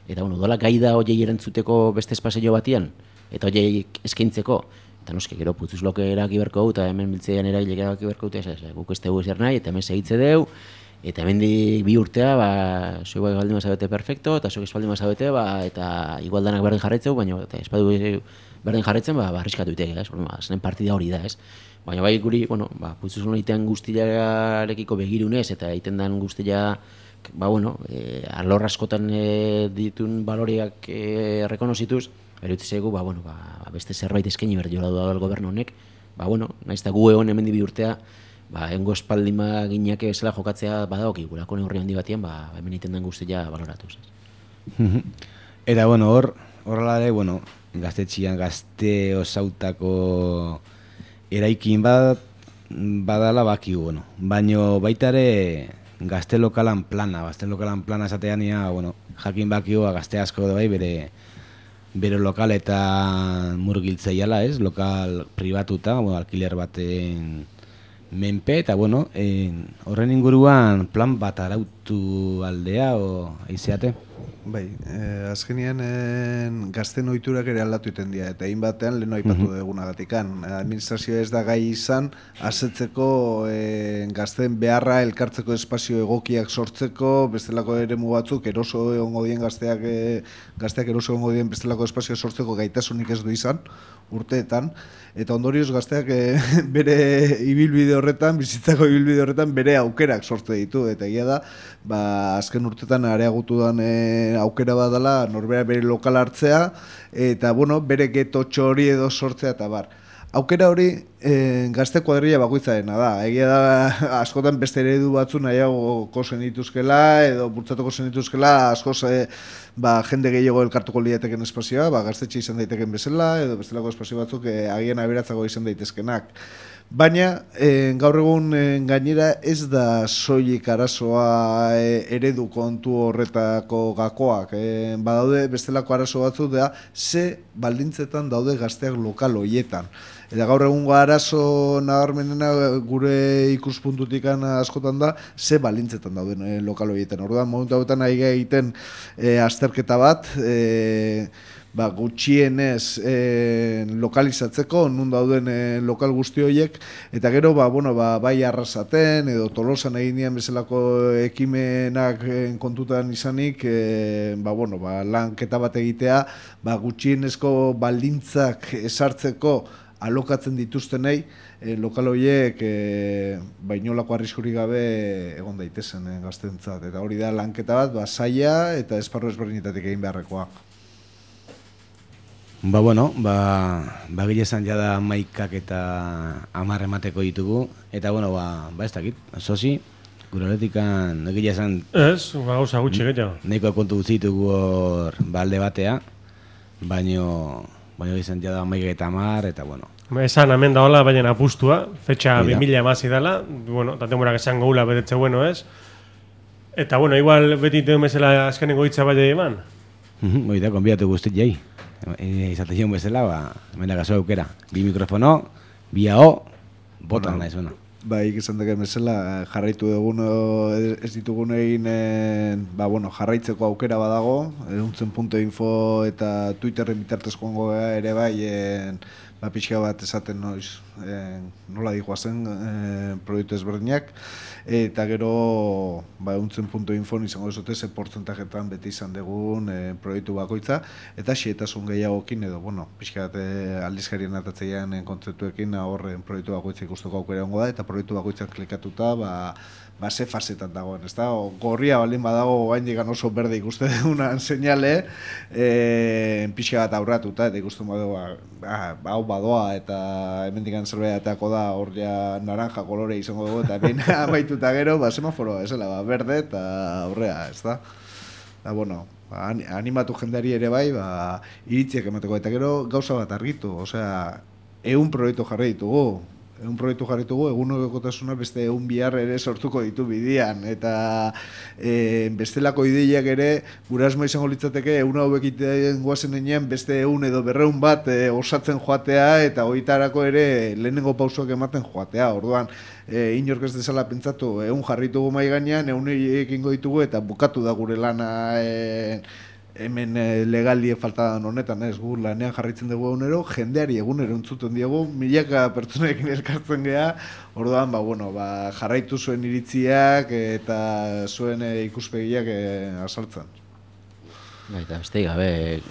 eta dola gai da horiei erantzuteko beste espazio batian, eta horiei eskaintzeko, eta noski, gero Putzuzulok eraki berko eta hemen biltzean eragile eraki berko guk ez dugu ezer nahi, eta hemen segitze deu, eta hemen bi urtea, zuek baldin mazabete perfecto, eta zuek espaldin mazabete, eta igualdanak berdin jarraitzeu, baina espadu berdin jarraitzen, arriskatu itek, zenen partida hori da, ez? Baina bai guri, Putzuzulon egitean guztiarekiko begirunez, eta egiten den guztia, alor askotan ditun baloriak rekonozituz, berutze zaigu, beste zerbait eskaini behar jola duela gobernu honek, nahiz eta gu egon hemen bi urtea, engo espaldima gineak bezala jokatzea badaoki, gurako neurri handi batian, hemen egiten den guztia baloratuz. Eta, horrela ere, gaztetxian gazte osautako eraikin bat badala bakigu, baina baita ere gazte lokalan plana esatean jakin bakigu gazte asko da bai bere lokaletan murgiltzeiala, ez? Lokal pribatuta, alkiler baten menpe, eta horren inguruan plan bat arautu aldea o aizeate? Bai, azkenean gazten ohiturak ere aldatu iten dira, eta egin batean lehen aipatu dugunagatikan. Administrazioa ez da gai izan, asetzeko gazten beharra elkartzeko espazio egokiak sortzeko, bestelako eremu batzuk eroso egongo dien gazteak eroso egongo dien bestelako espazio sortzeko gaitasunik ez du izan, urteetan, eta ondorioz gazteak bere ibilbide horretan, bizitzako ibilbide horretan bere aukerak sortze ditu, eta egia da, azken urteetan areagutu den aukera bat dela norbera bere lokal hartzea, eta bere getotxo hori edo sortzea eta bar. Aukera hori gazte kuadrilla bakoitzarena da. Egia da askotan beste eredu batzu nahiagoko zenituzkela edo bultzatuko zenituzkela askoz jende gehiago elkartuko liateken espazioa, gaztetxe izan daiteken bezala edo bestelako espazio batzuk agian aberatzago izan daitezkenak. Baina gaur egun gainera ez da soilik arazoa eredu kontu horretako gakoak. Badaude bestelako arazo batzu da ze baldintzetan daude gazteak lokal horietan. Eta gaur egungo arazo nabarmenena gure ikuspuntutik askotan da, ze balintzetan dauden lokal horietan. Orduan, momentu hauetan ari egiten azterketa bat, gutxienez lokalizatzeko, nun dauden lokal guzti horiek, eta gero, bai Arrasaten edo Tolosan egin dian bezalako ekimenak kontutan izanik, lanketa bat egitea, gutxienezko baldintzak esartzeko alokatzen dituztenei, lokal horiek inolako arriskurik gabe egon daitezen gaztentzat. Eta hori da lanketa bat, zaila eta esparru ezberdinetatik egin beharrekoa. Gile esan jada 11 eta 10 emateko ditugu, eta ez dakit, sozi, gure horretikan, gile esan... Ez, gauza gutxi gehiago. Neiko kontu ditugu hor alde batea, baino izan jada 11 eta 10, eta Esan hemen da hola, baina apustua, fetxa 2000 emasi dela, eta temurak esan goula betetze ez. Eta igual beti duen bezala azkenengo hitza bai eman. Oida, konbidatu guztit jai. Izate zion bezala, hemen gazo aukera. 2 mikrofono, 2 AO, botan nahi zuena. Izan deken bezala, jarraitu egun ez ditugun egin, jarraitzeko aukera badago, euntzen.info eta Twitterren bitartez joango ere bai, pixka bat esaten nola dihoazen proiektu ezberdinak, eta gero euntzen.info izango dezote ze portzentajetan beti izan dugun proiektu bakoitza, eta xietasun gehiagokin edo, pixka bat aldizkarien atatzeian kontzeptuekin horren proiektu bakoitza ikusteko aukera ongo da, eta proiektu bakoitzan klikatuta, ze fasetan dagoen, ez da? Gorria baldin badago gain digan oso berde ikuste dugunan seinale, pixka bat aurratuta, eta ikusten badugu, hau badoa, eta hemendikan zerbeatako da, hor ja naranja kolore izango dugu, eta hemen amaituta gero, semaforoa, esela, berde, eta aurrea, ez da? Animatu jendeari ere bai, iritziak emateko, eta gero gauza bat argitu, osea, 100 proiektu jarri ditugu, egunerokotasuna beste 100 bihar ere sortuko ditu bidian, eta bestelako ideiak ere gure asmo izango litzateke 100 hauek egiten guazen enean beste 100 edo 200 bat osatzen joatea, eta horitarako ere lehenengo pausoak ematen joatea. Orduan, inork ez dezala pentsatu, 100 jarritugu mai gainean, 100 ekingo ditugu, eta bukatu da gure lana hemen legalie faltadan honetan, gu lanean jarraitzen dugu egunero, jendeari egunero entzuten diogu, milaka pertsonekin elkartzen geha, orduan, jarraitu zuen iritziak eta zuen ikuspegiak azaltzen. Eta beste gabe,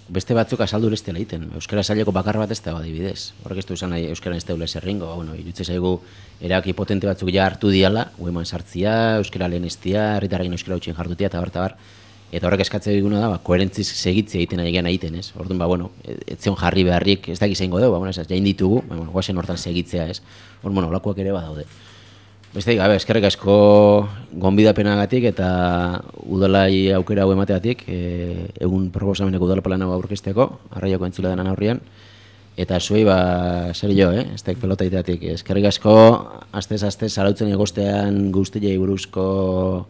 beste batzuk azaldu ez dela egiten, euskara saileko bakar bat ez dago adibidez. Horrek ez du esan nahi euskara ez daula zerringo, irutze zaigu erabaki potente batzuk ja hartu diala, ueman sartzia, euskara lehenestia, herritarrekin euskara utxien jardutia, eta bar. Eta horrek eskatzea diguna da, koherentziz segitzea egiten egiten, ez? Orduan, ez zion jarri beharrik, ez dakiz egingo dugu, jain ditugu, guazen hortan segitzea, ez? Olakoak ere badaude. Beste, gabe, eskerrik asko gonbidapenagatik eta udalai aukera hau emateatik, egun proposameneko udalplan hau aurkezteko, arraiako entzule denan aurrian, eta zuei, zer jo, ez daik pelota iteatik. Eskerrik asko, astez zarautzen egostean guztiei buruzko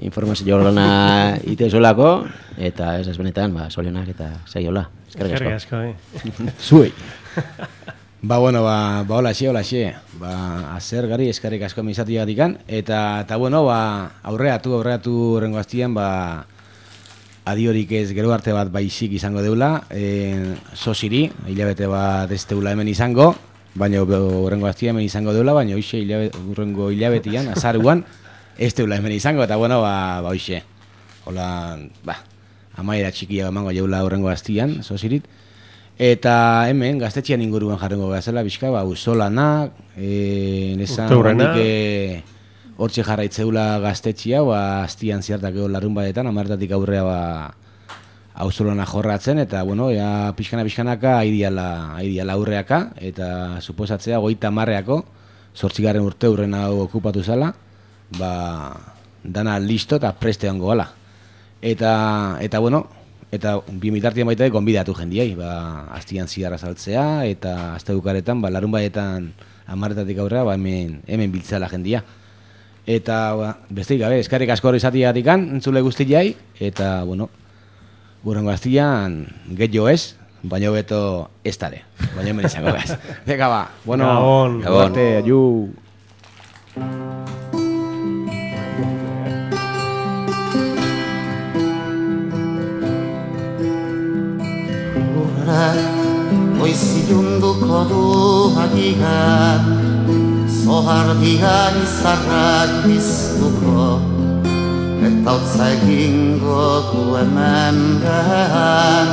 informazio lana itezuelako, eta ez benetan, solionak eta saiola. Eskerrik asko. Zuei. Hola xe. Azer gari, eskerrik asko mizatu jagatikan, eta aurreatu rengo aztian, adiorik ez gero arte bat baizik izango deula, sosiri, hilabete bat ez deula hemen izango, baina rengo aztian hemen izango deula, baina hoxe rengo hilabetian, azaruan, ez deula hemen izango, eta hoxe. Hola, amaiera txikia emango jaula horrengo aztian, sosirit. Eta hemen, gaztetxean inguruan jarrengo gazela, bizka, uzolanak, nesan hondik hortxe jarraitzeula gaztetxea, aztian ziartak egon larrun badetan, amartatik aurrea auzolana jorratzen, eta, pixkanaka aidiala aurreaka, eta suposatzea 30 zortzigarren urte hurren hau okupatu zala, dana listo eta preste hongo gala. Eta bi mitartien baita gonbidatu jendiai, aztian ziarra saltzea, eta azte bukaretan, larun badetan amarretatik aurrea, hemen biltzela jendia. Eta, besteik gabe, eskarrik asko hori izatiatikan, entzule guztiai, eta, hurrengo aztian, getxo ez, baina hobeto ez dare. Baina hemen izango gaz. Venga, ba. Bueno, Gabon. Arte, ayu. Goizilunduko du agian, zohardian izarrak biztuko, eta hotza egingo du hemen behan.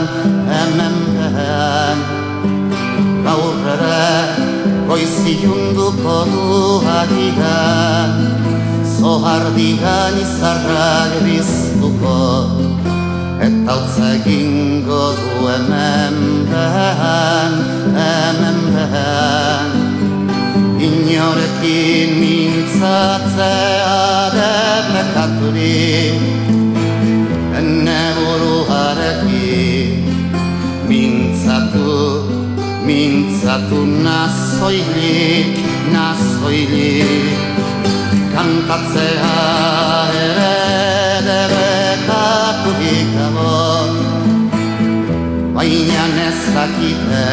Gaur ere goizilunduko du agian, zohardian izarrak biztuko, eta hotza egingo du hemen behan. Inorekin mintzatzea debekaturik, ene buruarekin mintzatu nazoilik, kantatzea ere debekaturik dago, baina nezakite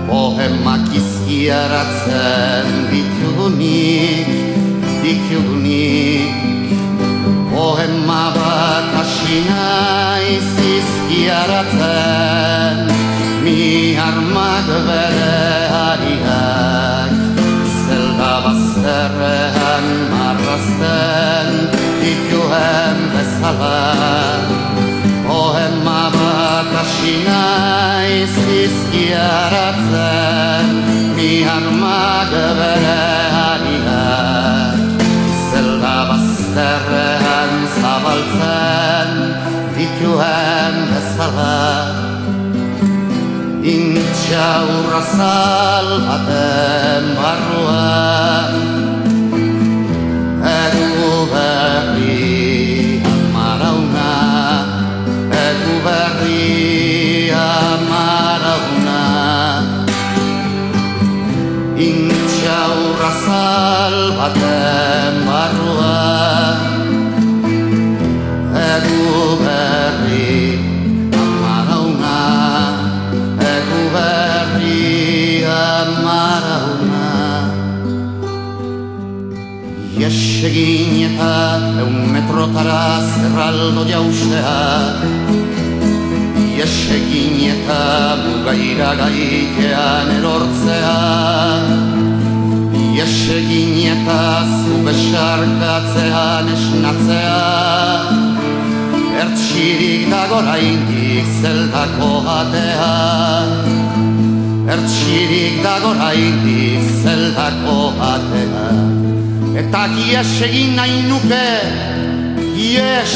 poemak izkiaratzen ditugunik. Poema bat hasi naiz izkiaratzen, mi armak bere hariak, zelda bazterrean marrazten dituen bezala. Poema bat hasi naiz izkiaratzen, mi armak bere hariak, zelda bazterrean zabaltzen dituen bezala. Intxaurra baten barruan, egu berri amarauna, intxaurra baten barruan, egu berri amarauna. Iesegin eta 100 metrotara zerraldo jaustea, iesegin eta mugaira gaikean erortzea, iesegin eta zu besarkatzean esnatzea, ertxirik dago oraindik zeldako atea, ertxirik dago oraindik zeldako atea. Eta ies egin nahi nuke, ies